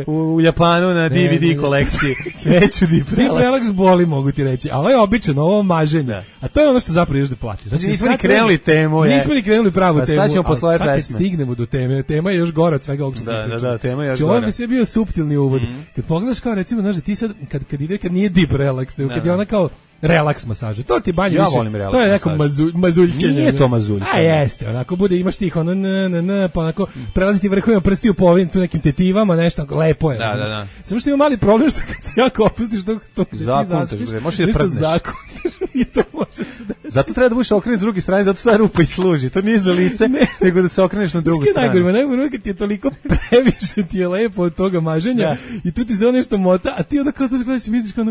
u Japanu na DVD kolekciji. Neću deep relax. Deep relax botoks boli, mogu ti reći, ali ovo je obično, ovo maženje. Da. A to je ono što zapravo ideš da platiš. Znači, nismo ni krenuli temu. Nismo ni krenuli pravu temu. Sad ćemo posle ove pesme. Sad kad stignemo do teme, tema je još gora od svega ovog što Da, tema je još gora. Ovo bi sve bio suptilni uvod. Kad pogledaš kao recimo, znaš, ti sad, kad nije deep relax, nego kad je ona kao relaks masaža. To ti banje više. To je neko mazuljkenje. Nije to mazuljkenje. A jeste, onako bude, imaš tih ono pa onako prelaziti vrhovima prstiju po ovim tu nekim tetivama, nešto lepo je. Da. Samo što ima mali problem što kad se jako opustiš to zakontaš, možeš da prdneš. I to može se desiti. Zato treba da budeš okrenut s druge strane, zato ta rupa i služi. To nije za lice, nego da se okreneš na drugu stranu. Najgore kad ti je toliko previše ti je lepo od toga maženja i tu ti se nešto mota, a ti onda kao gledaš i misliš kao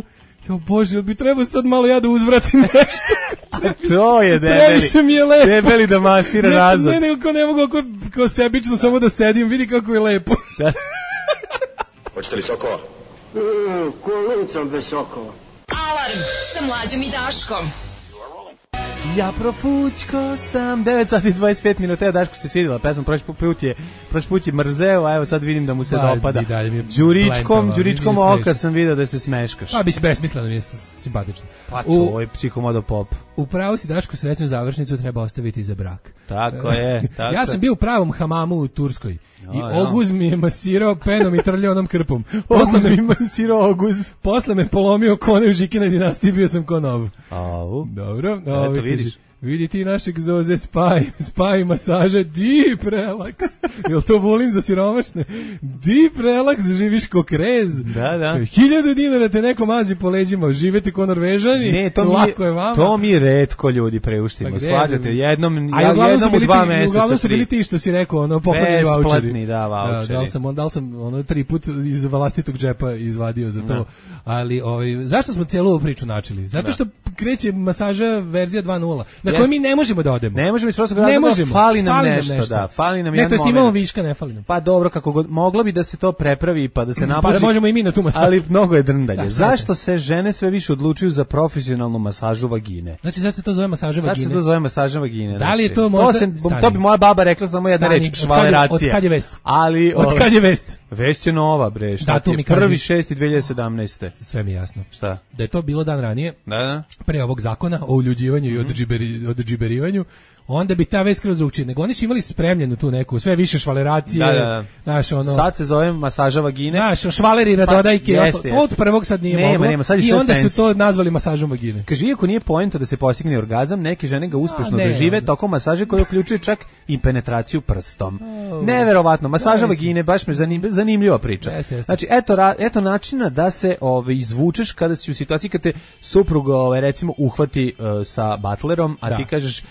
jo Bože, bi trebao sad malo ja da uzvratim nešto. A to je debeli. Previše mi je lepo. Debeli da masira nazad. Ne, nego ne mogu kao sebično samo da sedim, vidi kako je lepo. Hoćete li sokova? Kolicom bez sokova. Alarm sa Mlađom i Daškom. Ja profućko sam 9 sati 25 minuta. Ja Daško se svidjela pesma, prošli put je mrzeo, a evo sad vidim da mu se dopada. Đuričkom oka sam vidio da se smeškaš. Pa bi se besmisleno, mi je simpatično. Pa to, ovo je psihomodo pop. Upravo si Daško, srećnu završnicu treba ostaviti za brak. Tako je. Ja sam bio u pravom hamamu u Turskoj. I Oguz mi je masirao penom i trljao onom krpom. Posle me polomio kone u Žikina dinastiji, bio sam ko nov. Dobro. Eto vidiš. Vidi ti našeg Zoze spaj masaže, deep relax. Jel to volim za siromašne? Deep relax, živiš ko krez. Da. 1000 dinara te neko mazi po leđima, živeti ko Norvežani. Ne, lako je vama. To mi retko ljudi preuštimo. Shvatate, jednom u 2 meseca. Uglavnom su bili ti što si rekao, ono poklonjeni vaučeri. Besplatni, vaučeri. Da sam 3 put iz vlastitog džepa izvadio za to. Ali zašto smo cijelu ovu priču načeli? Zato što kreće masaža verzija 2.0. Na koju mi ne možemo da odemo. Ne možemo iz prostog razloga, fali nam nešto. Fali nam jedan moment. Ne, to imamo viška, ne fali nam. Pa dobro, kako god, moglo bi da se to prepravi pa da se napuči. Pa da možemo i mi na tu masažu. Ali mnogo je drndanje. Zašto se žene sve više odlučuju za profesionalnu masažu vagine? Znači, sad se to zove masaža vagine. Da li je to možda... To bi moja baba rekla samo jedna reč, švaleracija. Od kad je vest? Od kad je vest? Vest je nova, bre. Šta ti je? 1.6.2017. Sve mi jasno. Šta? Da je to bilo dan ranije. Da. Pre ovog zakona o uljuđivanju i odžiberivanju, onda bi ta vez kroz drugčije. Nego oni su imali spremljenu tu neku, sve više švaleracije. Naš, sad se zove masaža vagine. Naš, švaleri, radodajke. Od prvog sad nije moglo. I onda su to nazvali masažom vagine. Kaže, iako nije poenta da se postigne orgazam, neke žene ga uspešno dožive tokom masaže koja uključuje čak i penetraciju prstom. Neverovatno. Masaža vagine, baš me zanimljiva priča. Znači, eto načina da se izvučeš kada si u situaciji kad te suprug recimo uhvati sa batlerom, a ti kažeš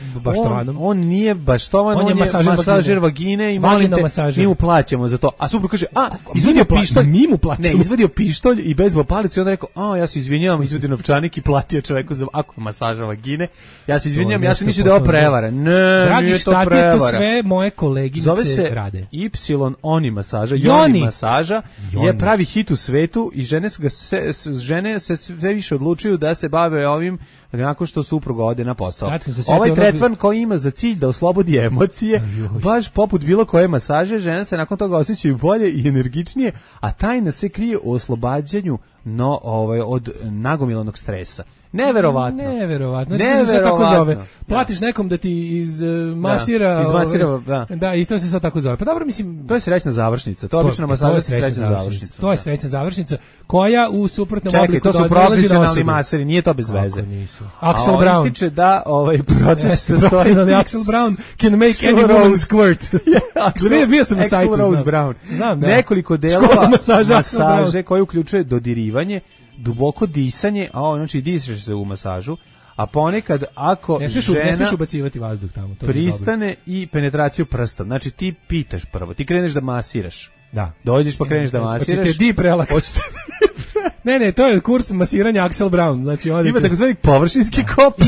on nije baštovan, on je masažer vagine i molim te, mi mu plaćamo za to. A suprug kaže, izvadio pištolj, mi mu plaćamo. Ne, izvadio pištolj i bezbol palicu i onda rekao, ja se izvinjavam, izvadio novčanik i platio čoveku za ako masaža vagine. Ja se izvinjavam, ja sam mislio da je ovo prevara. Ne, dragi nije to prevara. To sve moje koleginice rade. Y Oni masaža, Joni masaža je pravi hit u svetu i žene se sve više odlučuju da se bave ovim nakon što supruga ode na posao. Ovaj tretman koji ima za cilj da oslobodi emocije, baš poput bilo koje masaže, žene se nakon toga osjećaju bolje i energičnije, a tajna se krije u oslobađanju od nagomilanog stresa. Neverovatno. Znači, se tako zove. Platiš nekom da ti izmasira. Da, i to se sad tako zove. Pa dobro, mislim, to je srećna završnica. To je obično masaža srećna završnica. To je srećna završnica koja u suprotnom obliku to su profesionalni maseri, nije to bez veze. Axel Brown ističe da proces se stoji. Profesionalni Axel Brown can make any woman squirt. Bio sam na sajtu. Axel Rose Brown. Nekoliko delova masaže koje uključuje dodirivanje, duboko disanje, znači dišeš se u masažu, a ponekad ako ne smiješ ubacivati vazduh tamo, to pristane i penetraciju prstom. Znači ti pitaš prvo, ti kreneš da masiraš. Da. Dođeš pa kreneš da masiraš. Hoćete deep relax. Ne, to je kurs masiranja Axel Brown. Znači, ima takozvani površinski kop.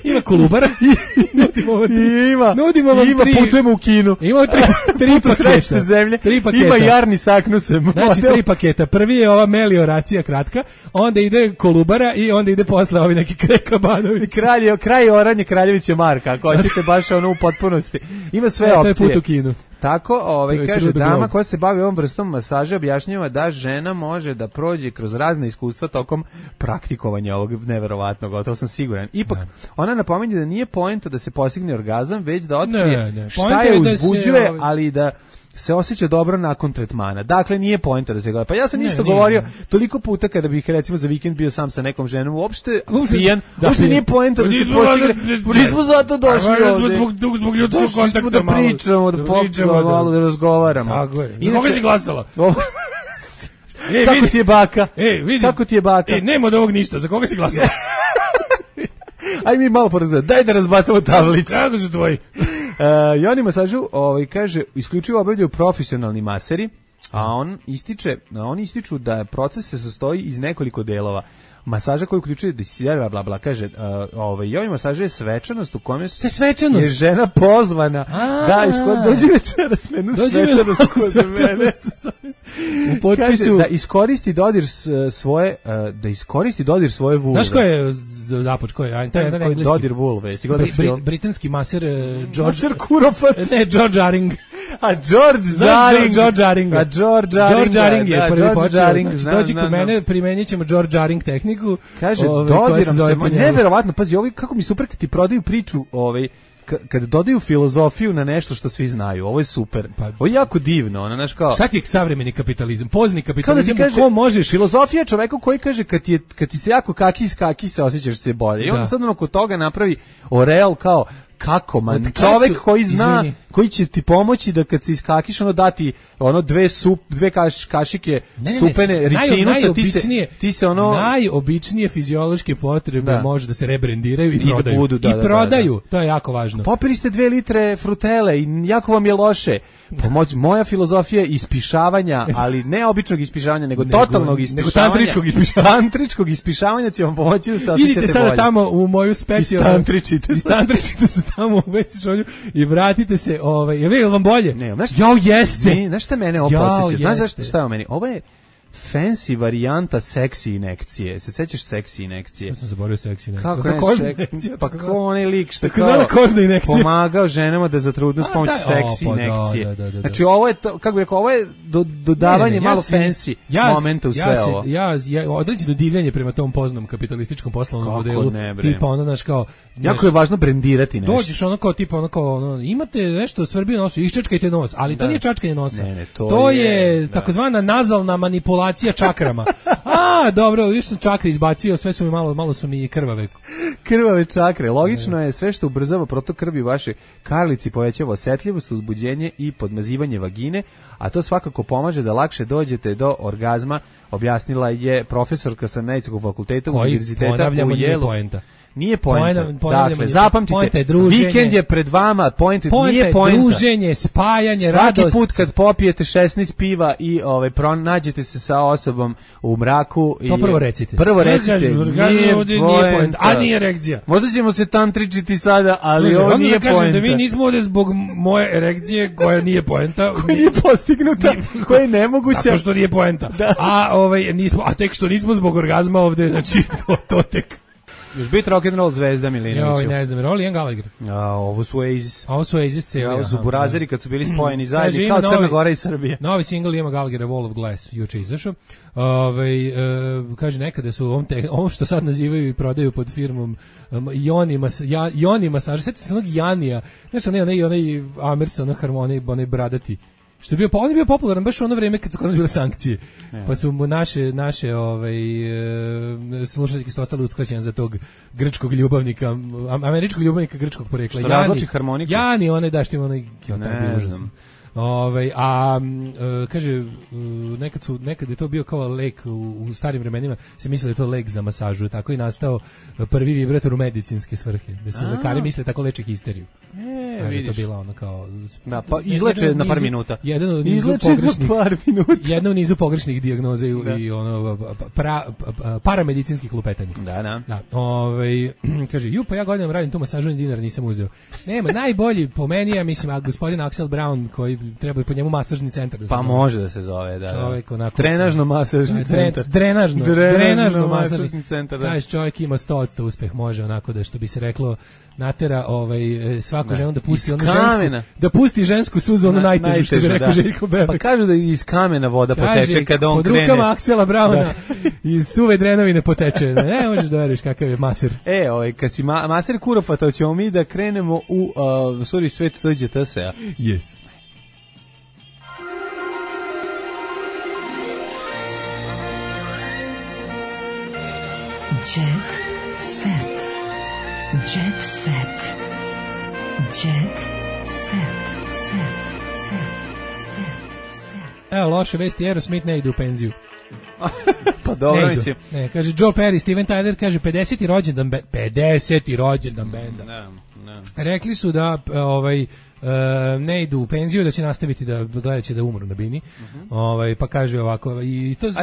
Ima kolubara. Ima putujemo u Kinu. Ima 3 paketa. Zemlje. Ima jarni saknusem. Znači 3 paketa. Prvi je ova melioracija kratka, onda ide kolubara i onda ide posle ovi neki Krekabanović. Kraj Oranje Kraljevića Marka, ako hoćete baš u potpunosti. Ima sve opcije. To je put u Kinu. tako, kaže, dama koja se bavi ovom vrstom masaža objašnjava da žena može da prođe kroz razne iskustva tokom praktikovanja ovog neverovatnog, to sam siguran. Ipak, ona napominje da nije poenta da se postigne orgazam, već da otkrije šta je uzbuđuje, ali da se osjeća dobro nakon tretmana. Dakle, nije poenta da se gleda. Pa ja sam isto govorio toliko puta kada bih recimo za vikend bio sam sa nekom ženom, uopšte pijan, uopšte nije poenta da se postigne. Nismo zato došli ovde. Zbog ljudskog kontakta da pričamo, da popijemo, malo da razgovaramo. Tako je. Za koga si glasala? Kako ti je baka? Kako ti je baka? Nema od ovog ništa. Za koga si glasala? Aj mi malo porazgledamo. Daj da razbacamo tablić. Kako su tvoji? I oni masažu, kaže, isključivo obavljaju profesionalni maseri, a oni ističu da proces se sastoji iz nekoliko delova. Masaža koji uključuje bla bla, kaže, i ovaj masaž je svečanost u kome je žena pozvana da dođi večeras na jednu svečanost kod mene. U potpisu kaže, da iskoristi dodir svoje vulve. Znaš ko je započ, ko je? To je jedan engleski. Dodir vulve. Britanski maser George Aring. George Aring je prvi počeo. Dođi kod mene, primenit ćemo George Aring tehniku. Kaže, dodiram se, neverovatno, pazi, kako mi super kad ti prodaju priču, kad dodaju filozofiju na nešto što svi znaju, ovo je super. Ovo je jako divno, znaš kao. Šta ti je savremeni kapitalizam, pozni kapitalizam, ko možeš? Filozofija je čoveku koji kaže kad ti se jako kaki se osjećaš se bolje. I onda sad kod toga napravi oreal kao kako man, čovek koji zna, koji će ti pomoći da kad se iskakiš dati dve kašike supene ricinusa, ti se najobičnije fiziološke potrebe može da se rebrendiraju i prodaju. I prodaju, to je jako važno. Popili ste 2 litre frutele i jako vam je loše. Moja filozofija je ispišavanja, ali ne običnog ispišavanja, nego totalnog ispišavanja. Nego tantričkog ispišavanja će vam pomoći da se osjećate bolje. Idite sada tamo u moju specijalnu. Istantričite se tamo u veći šolju i vratite se, je vam bolje? Ne, jeste. Znaš šta mene ovo podsjeća? Znaš šta je o meni? Ovo je fancy varijanta seksi inekcije. Se sećaš seksi inekcije? Ja sam zaboravio seksi inekcije. Kako je kožna inekcija? Pa kako onaj lik što kao pomagao ženama da zatrudnu s pomoću seksi inekcije. Znači ovo je, kako bih rekao, ovo je dodavanje malo fancy momenta u sve ovo. Ja određeno divljenje prema tom poznatom kapitalističkom poslovnom modelu. Tipa ono, znaš kao... Jako je važno brendirati nešto. Dođeš ono kao, tipa ono kao, imate nešto svrbio nosu, iščačkajte nos, ali to nije čačkanje nosa. To je takozvana nazalna manipulacija čakrama. Dobro, još sam čakre izbacio, sve su mi malo su mi krvave. Krvave čakre. Logično je sve što ubrzava protok krvi u vašoj karlici, povećava osetljivost, uzbuđenje i podmazivanje vagine, a to svakako pomaže da lakše dođete do orgazma, objasnila je profesorka sa Medicinskog fakulteta Univerziteta u Yale. Nije poenta. Dakle, zapamtite, vikend je pred vama, nije poenta. Druženje, spajanje, radost. Svaki put kad popijete 16 piva i nađete se sa osobom u mraku. To prvo recite. Nije poenta. A nije erekcija. Možda ćemo se tantričiti sada, ali ovo nije poenta. Da mi nismo ovdje zbog moje erekcije koja nije poenta. Koja nije postignuta, koja je nemoguća. Zato što nije poenta. A tek što nismo zbog orgazma ovdje, znači to tek. Još biti rock'n'roll zvezda Milinoviću. Ne znam, Rolly and Gallagher. Ovo su Oasis. Ovo su Oasis cijeli. Ovo su burazeri kad su bili spojeni zajedno, kao Crna Gora i Srbija. Novi single ima Gallagher, Wall of Glass, juče izašao. Kaže, nekada su ovo što sad nazivaju i prodaju pod firmom Joni masaž. Sjetite se onog Janija. Znaš, onaj Amerson, onaj bradati. Što je bio, on je bio popularan baš u ono vrijeme kad su kod nas bile sankcije. Pa su mu naše slušateljke su ostale uskraćene za tog grčkog ljubavnika, američkog ljubavnika grčkog porekla. Što razloči harmoniku? Jani, što ima tako užasno. Kaže, nekad je to bio kao lek u starim vremenima, se misle da je to lek za masažu, tako i nastao prvi vibrator u medicinske svrhe, da se lekari misle tako leče histeriju. Kaže, to bila ono kao... Da, pa izleče na par minuta. Jedno u nizu pogrešnih dijagnoza i paramedicinskih lupetanja. Da. Kaže, pa ja godinama radim tu masažu, ni dinar nisam uzeo. Nema, najbolji po meni je, mislim, gospodin Axel Brown, koji treba i po njemu masažni centar da se zove. može da se zove, da. Čovjek onako... Trenažno masažni centar. Drenažno masažni centar, da. Čovjek ima 100% uspeh, može onako da, što bi se reklo, natera svaku ženu da pusti onu žensku, da pusti žensku suzu, ono najteže, što bi rekao Željko Bebek. Pa kažu da iz kamena voda poteče kada on krene. Pod rukama Aksela Brauna iz suve drenovine poteče. Ne možeš da veriš kakav je maser. Kad si maser Kurova, to ćemo mi da krenemo u Suri svet tuđe TSA. Yes. Jet set. Jet set. Jet set. Evo, loše vesti, Aerosmith ne ide u penziju. Pa dobro, mislim. Ne, kaže Joe Perry, Steven Tyler kaže 50. rođendan benda. Rekli su da ne idu u penziju, da će nastaviti da gledat će da umru na bini. Pa kaže ovako,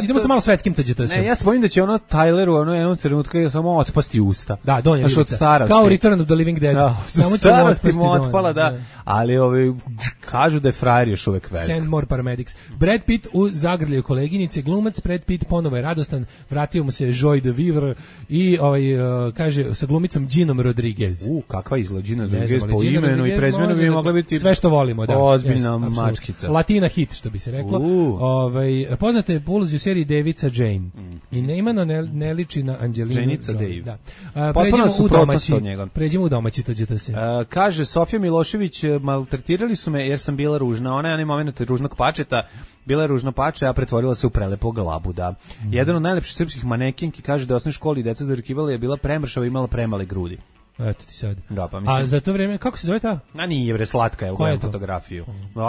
idemo sa malo svetskim TGTS. Ne, ja se bojim da će Tyleru jednom trenutku samo otpasti usta. Da, donja vidica. Kao Return of the Living Dead. Da, samo će mu otpala, da. Ali kažu da je frajer još uvek velik. Send more paramedics. Brad Pitt u zagrljaju koleginice, glumac Brad Pitt ponovo je radostan, vratio mu se Joy de Vivre i kaže sa glumicom Ginom Rodriguez. Kakva izgleda Gina Rodriguez po imenu i prezimenu bi mogla biti sve što volimo, da. Ozbiljna mačkica. Latina hit, što bi se reklo. Poznate je po ulozi u seriji Davica Jane. I neimano ne liči na Angelinu. Janica Dave. Da. Pređemo u domaći TGTS. Kaže Sofija Milošević, maltretirali su me jer sam bila ružna. Ona je onaj moment ružnog pačeta. Bila je ružno pače, a pretvorila se u prelepog labuda. Jedan od najlepših srpskih manekinki kaže da u osnovnoj školi deca zarkivala je bila premršava i imala premale grudi. Eto ti sad. Da, pa mislim. A za to vreme, kako se zove ta? Nije bre, slatka je, ugledam fotografiju.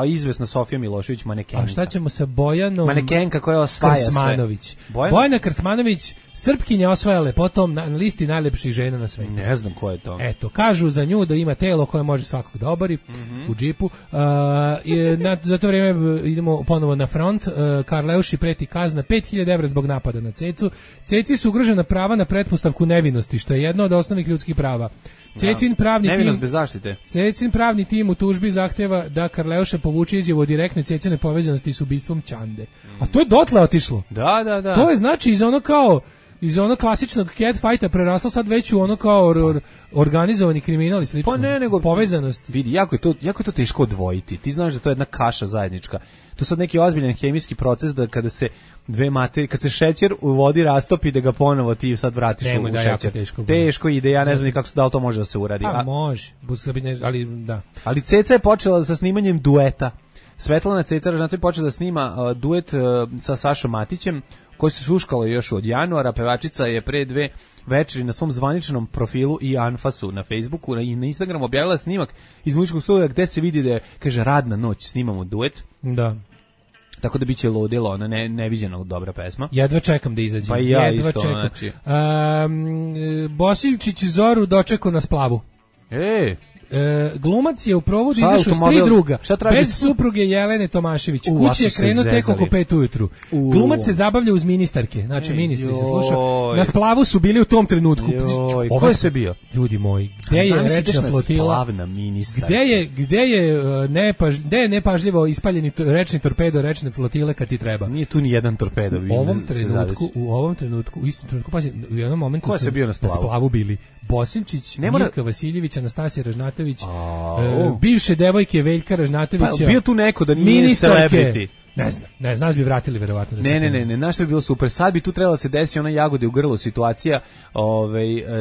Izvesna Sofija Milošević, manekenka. A šta ćemo sa Bojanom? Manekenka koja osvaja Krsmanović. Sve. Bojana Krsmanović, Srpkinja osvaja lepotom na listi najlepših žena na svetu. Ne znam ko je to. Eto, kažu za nju da ima telo koje može svakog da obori u džipu. Za to vreme idemo ponovo na front. Karleuši preti kazna 5000 evra zbog napada na Cecu. Ceci su ugrožena prava na pretpostavku nevinosti, što je jedno od osnovnih ljudskih prava. Cecin pravni tim u tužbi zahteva da Karleuša povuče izjavu o direktnoj Cecinoj povezanosti s ubistvom Ćande. A to je dotle otišlo. Da. To je znači iz ono klasičnog catfighta preraslo sad već u ono kao organizovani kriminal i slično. Pa ne, nego povezanost. Vidi, jako je to teško odvojiti. Ti znaš da to je jedna kaša zajednička. To je sad neki ozbiljan hemijski proces da kada se dve materije, kad se šećer u vodi rastopi da ga ponovo ti sad vratiš u šećer. Teško ide, ja ne znam ni kako da li to može da se uradi. Može, ali da. Ali Ceca je počela sa snimanjem dueta. Svetlana Ceca Ražnatović počela da snima duet sa Sašom Matićem, koji se šuškalo još od januara. Pevačica je pre 2 večeri na svom zvaničnom profilu i Anfasu na Facebooku i na Instagramu objavila snimak iz muzičkog studija gde se vidi da je, kaže, radna noć, snimamo duet. Da. Tako da biće ludilo, ona neviđeno dobra pesma. Jedva čekam da izađe. Pa i ja isto, znači. Bosiljčić Zoru dočekao na splavu. Glumac je u provodu izašao s 3 druga, bez supruge Jelene Tomašević. Kući je krenuo tek oko 5 ujutru. Glumac se zabavlja uz ministarke, znači ministri se slušao. Na splavu su bili u tom trenutku. Ko je sve bio? Ljudi moji, gde je rečna flotila? Gde je nepažljivo ispaljeni rečni torpedo rečne flotile kad ti treba? Nije tu ni jedan torpedo. U ovom trenutku, u istom trenutku, pazi, u jednom momentu su na splavu bili Bosimčić, Mirka Vasiljević, Anastasija Ražnatović, bivše devojke Veljka Ražnatovića. Bio tu neko da nije celebrity. Ne znam, nas bi vratili verovatno. Ne, znaš što bi bilo super. Sad bi tu trebalo se desi ona jagode u grlu situacija,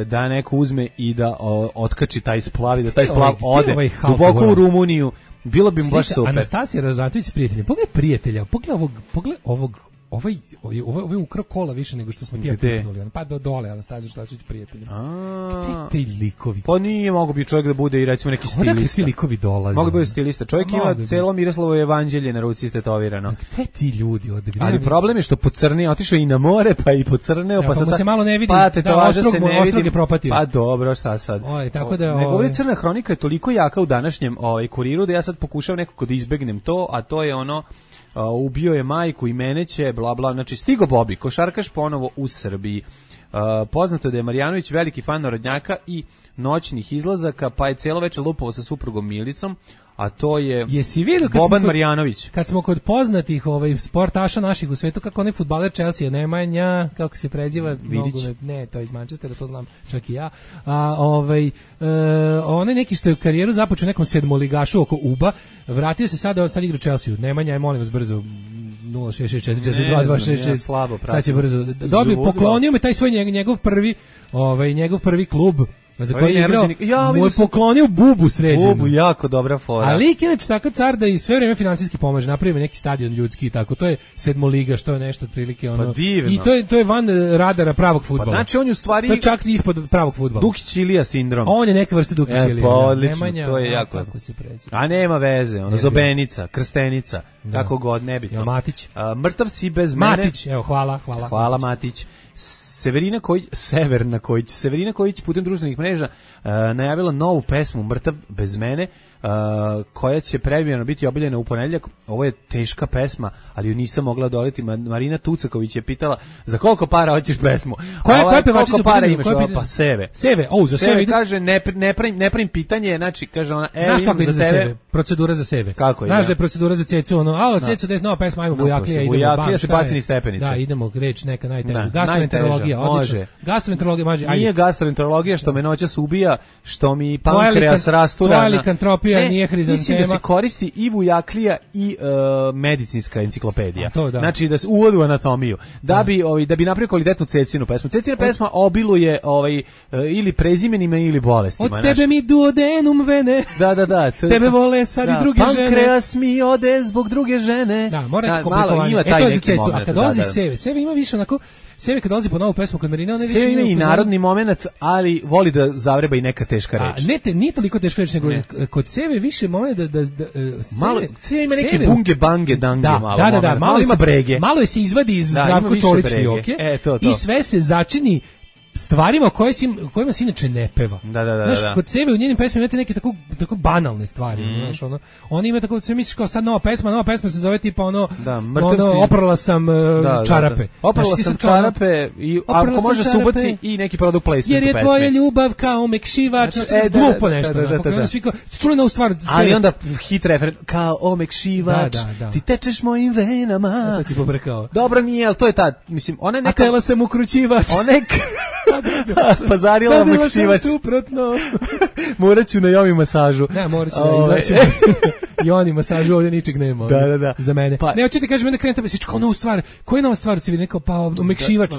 da neko uzme i da otkači taj splav i da taj splav ode duboko u Rumuniju. Bilo bi mu baš super. Anastasija Ražnatović s prijateljem. Pogledaj prijatelja, pogledaj ovog ovaj ukrao kola više nego što smo ti puknuli. Pa dole, Anastasija Ražnatović prijateljem. Gde ti likovi? Pa nije mogo bi čovjek da bude i recimo neki stilista. Odakle ti likovi dolaze? Mogu biti stilista. Čovjek ima celo Miroslavovo evanđelje na ruci istetovirano. Gde ti ljudi ovde? Ali problem je što pocrneo, otišao i na more, pa i pocrneo, pa sad se malo ne vidi. Pa tetovaža se ne vidi. Pa dobro, šta sad? Tako da nego crna hronika je toliko jaka u današnjem kuriru da ja sad pokušavam nekako da izbegnem to, a to je ono ubio je majku i mene će, bla bla, znači stigo Bobi, košarkaš ponovo u Srbiji. Poznato je da je Marjanović veliki fan narodnjaka i noćnih izlazaka, pa je celo večer lupovao sa suprugom Milicom, a to je Boban Marjanović. Kad smo kod poznatih sportaša naših u svetu, kako onaj fudbaler Chelsea, Nemanja, kako se preziva, ne, to je iz Manchestera, to znam čak i ja. Onaj neki što je karijeru započeo nekom sedmoligašu oko UBA, vratio se sad igra Chelsea. Nemanja je, molim vas, brzo 066442266. Sad će brzo. Poklonio me taj svoj njegov prvi klub za koji je igrao, mu je poklonio bubu sređenu. Bubu, jako dobra fora. A lik je inače takav car da i sve vreme finansijski pomaže, napravi neki stadion ljudski i tako, to je sedmoliga, što je nešto otprilike ono. Pa divno. I to je van radara pravog fudbala. Pa znači on je u stvari... To je čak ispod pravog fudbala. Dukić Ilija sindrom. On je neka vrsta Dukić Ilija. Pa odlično, Nemanja, to je jako. Kako se pređe. A nema veze, ono, Zobenica, Krstenica, kako god, nebitno. Matić. Mrtav si bez mene. Matić, evo, hvala. Hvala Matić. Severina Kojić putem društvenih mreža najavila novu pesmu Mrtav bez mene, koja će premijerno biti objavljena u ponedjeljak. Ovo je teška pesma, ali ju nisam mogla odoliti. Marina Tucaković je pitala za koliko para hoćeš pesmu. Koja pevačica koliko para imaš? Pa Seve. Za Seve kaže ne pravim pitanje, znači kaže ona, znaš kako ide za Seve? Procedura za Seve. Kako znaš da je procedura za Cecu, ono, Cecu da je nova pesma, ajmo Vujaklija, idemo. Vujaklija se baci niz stepenice. Da, idemo, reč neka najteža. Gastroenterologija, odlično. Gastroenterologija može. Nije gastroenterologija što me noćas ubija, što mi pankreas rastura. Tvoja likantropija nije hrizantema. Mislim da se koristi i Vujaklija i medicinska enciklopedija. Da. Znači da se uvodi u anatomiju. Da bi napravio kvalitetnu Cecinu pesmu. Cecina pesma obiluje ili prezimenima ili bolestima. Od tebe mi duodenum vene. Da. Tebe vole sad i druge žene. Pankreas mi ode zbog druge žene. Da, mora komplikovanje. To je za Cecu. A kad dolazi Seve ima više onako, Seve kad dolazi po novu pesmu kod Marina, ona više ima i narodni moment, ali voli da zavreba i neka teška reč. Nije toliko teška reč, nego kod Seve više moment da malo Seve ima neke bunge bange dange malo. Da, malo ima brege. Malo je se izvadi iz Zdravko Čolić fioke i sve se začini stvarima kojima se inače ne peva. Da. Kod Seve u njenim pesmama imate neke tako banalne stvari, znaš, ono. Oni ima tako, sve misliš kao sad nova pesma se zove tipa oprala sam čarape. Oprala sam čarape i ako može se ubaci i neki product placement u pesmi. Jer je tvoja ljubav kao omekšivač, glupo nešto. Ste čuli novu stvar? Ali onda hit referent, kao omekšivač, ti tečeš mojim venama. Sad si pobrkao. Dobro nije, ali to je ta, mislim, ona neka... A tela sam ukrućivač. Pazarila omekšivač. Dobila sam suprotno. Morat ću na jomi masažu. Ne, morat ću da izlačim. I oni masažu, ovdje ničeg nema. Da. Za mene. Ne, hoćete kažem, onda krenem tebe, kao novu stvar. Koja je nova stvar? Se vidi, pa omekšivač,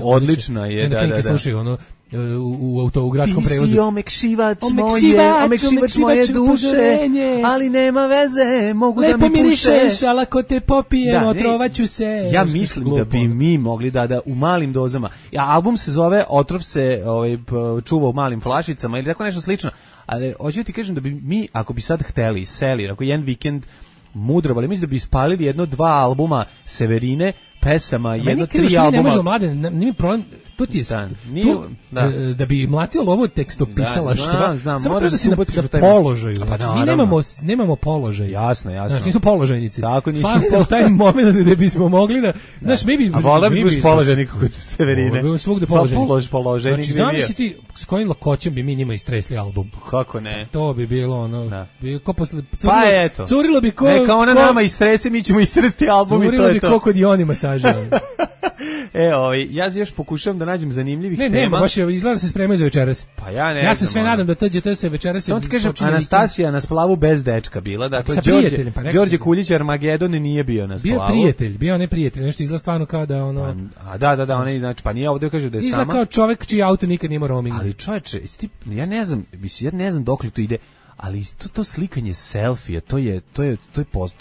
odlična je, da. Slušaju, ono, u gradskom prevozu. Ti si omekšivač moje duše, ali nema veze, mogu da mi puše. Lepo mirišeš, ali ako te popijem, otrovaću se. Ja mislim da bi mi mogli da u malim dozama, album se zove Otrov se čuva u malim flašicama ili tako nešto slično, ali hoću ti kažem da bi mi, ako bi sad hteli, seli, ako jedan vikend mudrovali, mislim da bi ispalili 1-2 albuma Severine, pesama, 1-3 albuma. Ne možemo, mlade, nije problem, to ti je da bi mlatio lovo tekstopisalaštva, samo treba da si na položaju. Mi nemamo položaj. Jasno. Znači, nismo položajnici. Tako nismo. Fali taj moment da bismo mogli da... A vola bi buš položajnik kod Severine. Svugde položajnik. Položajnik znači, znam si ti s kojim lakoćem bi mi njima istresli album. Kako ne? To bi bilo ono... Ko posle... Pa eto. Curilo bi ko... Neka ona nama istrese, mi ćemo istresti album i to je to. Curilo bi ko kod Joni masaža. Ja još pokušavam da nađem zanimljivih tema. Ne, baš izgleda da se spremaju za večeras. Pa ja ne znam. Ja se sve nadam da to se večeras... Samo ti kažem, Anastasija na splavu bez dečka bila. Dakle, Đorđe Kuljić Armagedon nije bio na splavu. Bio neprijatelj. Nešto izgleda stvarno kao da ono... Da, oni, znači, pa nije ovdje kaže da je sama. Izgleda kao čovek čiji auto nikad nima roaming. Ali čovječe, ja ne znam dokle to ide. Ali to slikanje selfija, to je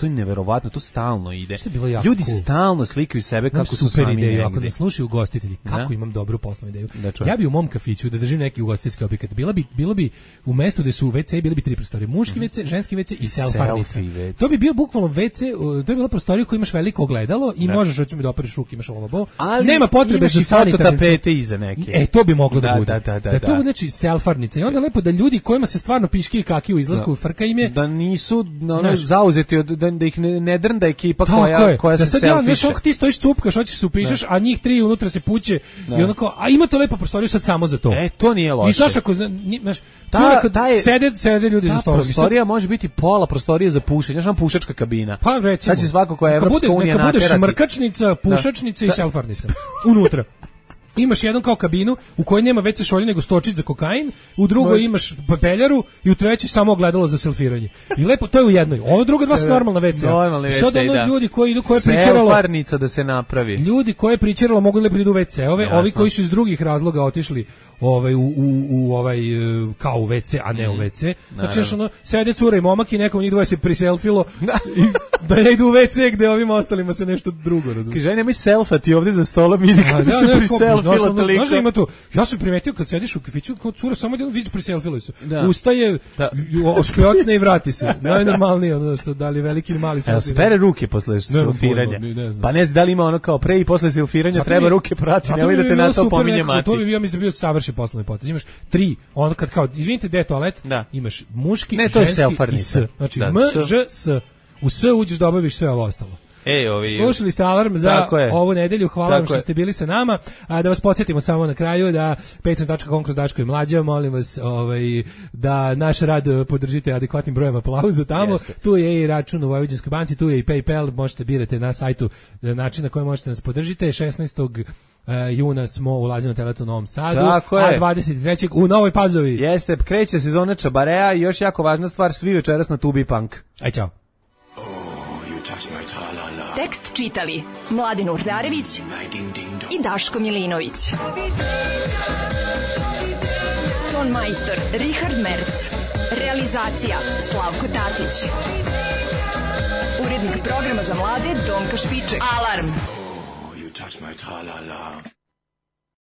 neverovatno, to stalno ide. Ljudi stalno slikaju sebe kako su sami negdje. Ideju, ako ne slušaju ugostitelji, kako imam dobru poslovnu ideju. Ja bi u mom kafiću da držim neki ugostiteljski objekat, bilo bi u mestu gde su WC, bili bi 3 prostorije, muški WC, ženski WC i selfarnica. To bi bio bukvalno WC, to bi bila prostorija koja imaš veliko ogledalo i možeš recimo da operiš ruke, imaš lavabo. Nema potrebe za sanitarnim tapete iza neke. To bi moglo da bude. Da to bude znači selfarnica i onda lepo da ljudi kojima se stvarno piški i u izlasku, frka im je da nisu zauzeti da ih ne drnda ekipa koja se selfiše. Da sad ti stojiš cupkaš, hoćeš se upišeš, a njih 3 unutra se puće i onako, a imate lepo prostoriju sad samo za to. To nije loše. I znaš ako sede ljudi za stolom. Prostorija može biti pola prostorije za pušenje, znaš, pušačka kabina. Pa recimo. Sad će svako koja je Evropska unija naterati. Neka bude šmrkačnica, pušačnica i selfarnica. Unutra. Imaš jednu kao kabinu u kojoj nema WC šolje nego stočić za kokain, u drugoj imaš papeljaru i u trećoj samo ogledalo za selfiranje. I lepo, to je u jednoj. Ovo druga dva su normalna WC. Normalni WC, sad ono ljudi koji idu, koje pričeralo... Selfarnica da se napravi. Ljudi koje pričeralo mogu lepo idu u WC-ove, ovi koji su iz drugih razloga otišli kao u WC, a ne u WC. Znači još ono, sede cura i momak i nekom njih dvoje se priselfilo da ne idu u WC gde ovim ostalima se nešto drugo razumije. Kaže, nemoj selfati ovdje za stolom, idi kada se priselfilo toliko. Znaš da ima to? Ja sam primetio kad sediš u kafiću, kao cura samo jedan vidiš priselfilo se. Ustaje, oškljocne i vrati se. Najnormalnije, ono što da li veliki ili mali selfie. Spere ruke posle selfiranja. Pa ne znam da li ima ono kao pre i posle selfiranja treba ruke prati, ne vidite na to pominje mati. To bi bio mislim da bio savršen poslovni potez. Imaš 3, ono kad kao izvinite gde je toalet, imaš muški, ženski i s. Znači M, Ž, S. U S uđeš da obaviš sve ovo ostalo. Slušali ste Alarm za ovu nedelju, hvala vam što ste bili sa nama. Da vas podsjetimo samo na kraju da patreon.com kroz Daško i Mlađa, molim vas da naš rad podržite adekvatnim brojem aplauza tamo. Tu je i račun u Vojvođanskoj banci, tu je i PayPal, možete birati na sajtu način na koji možete nas podržite. 16. juna smo u Lazino Teletu u Novom Sadu, a 23. u Novoj Pazovi. Jeste, kreće sezona čabarea i još jako važna stvar, svi večeras na Tubi Punk. Aj, čao. Tekst čitali Mladen Urdarević i Daško Milinović. Ton majstor Richard Merc. Realizacija Slavko Tatić. Urednik programa za mlade Donka Špiček. Alarm!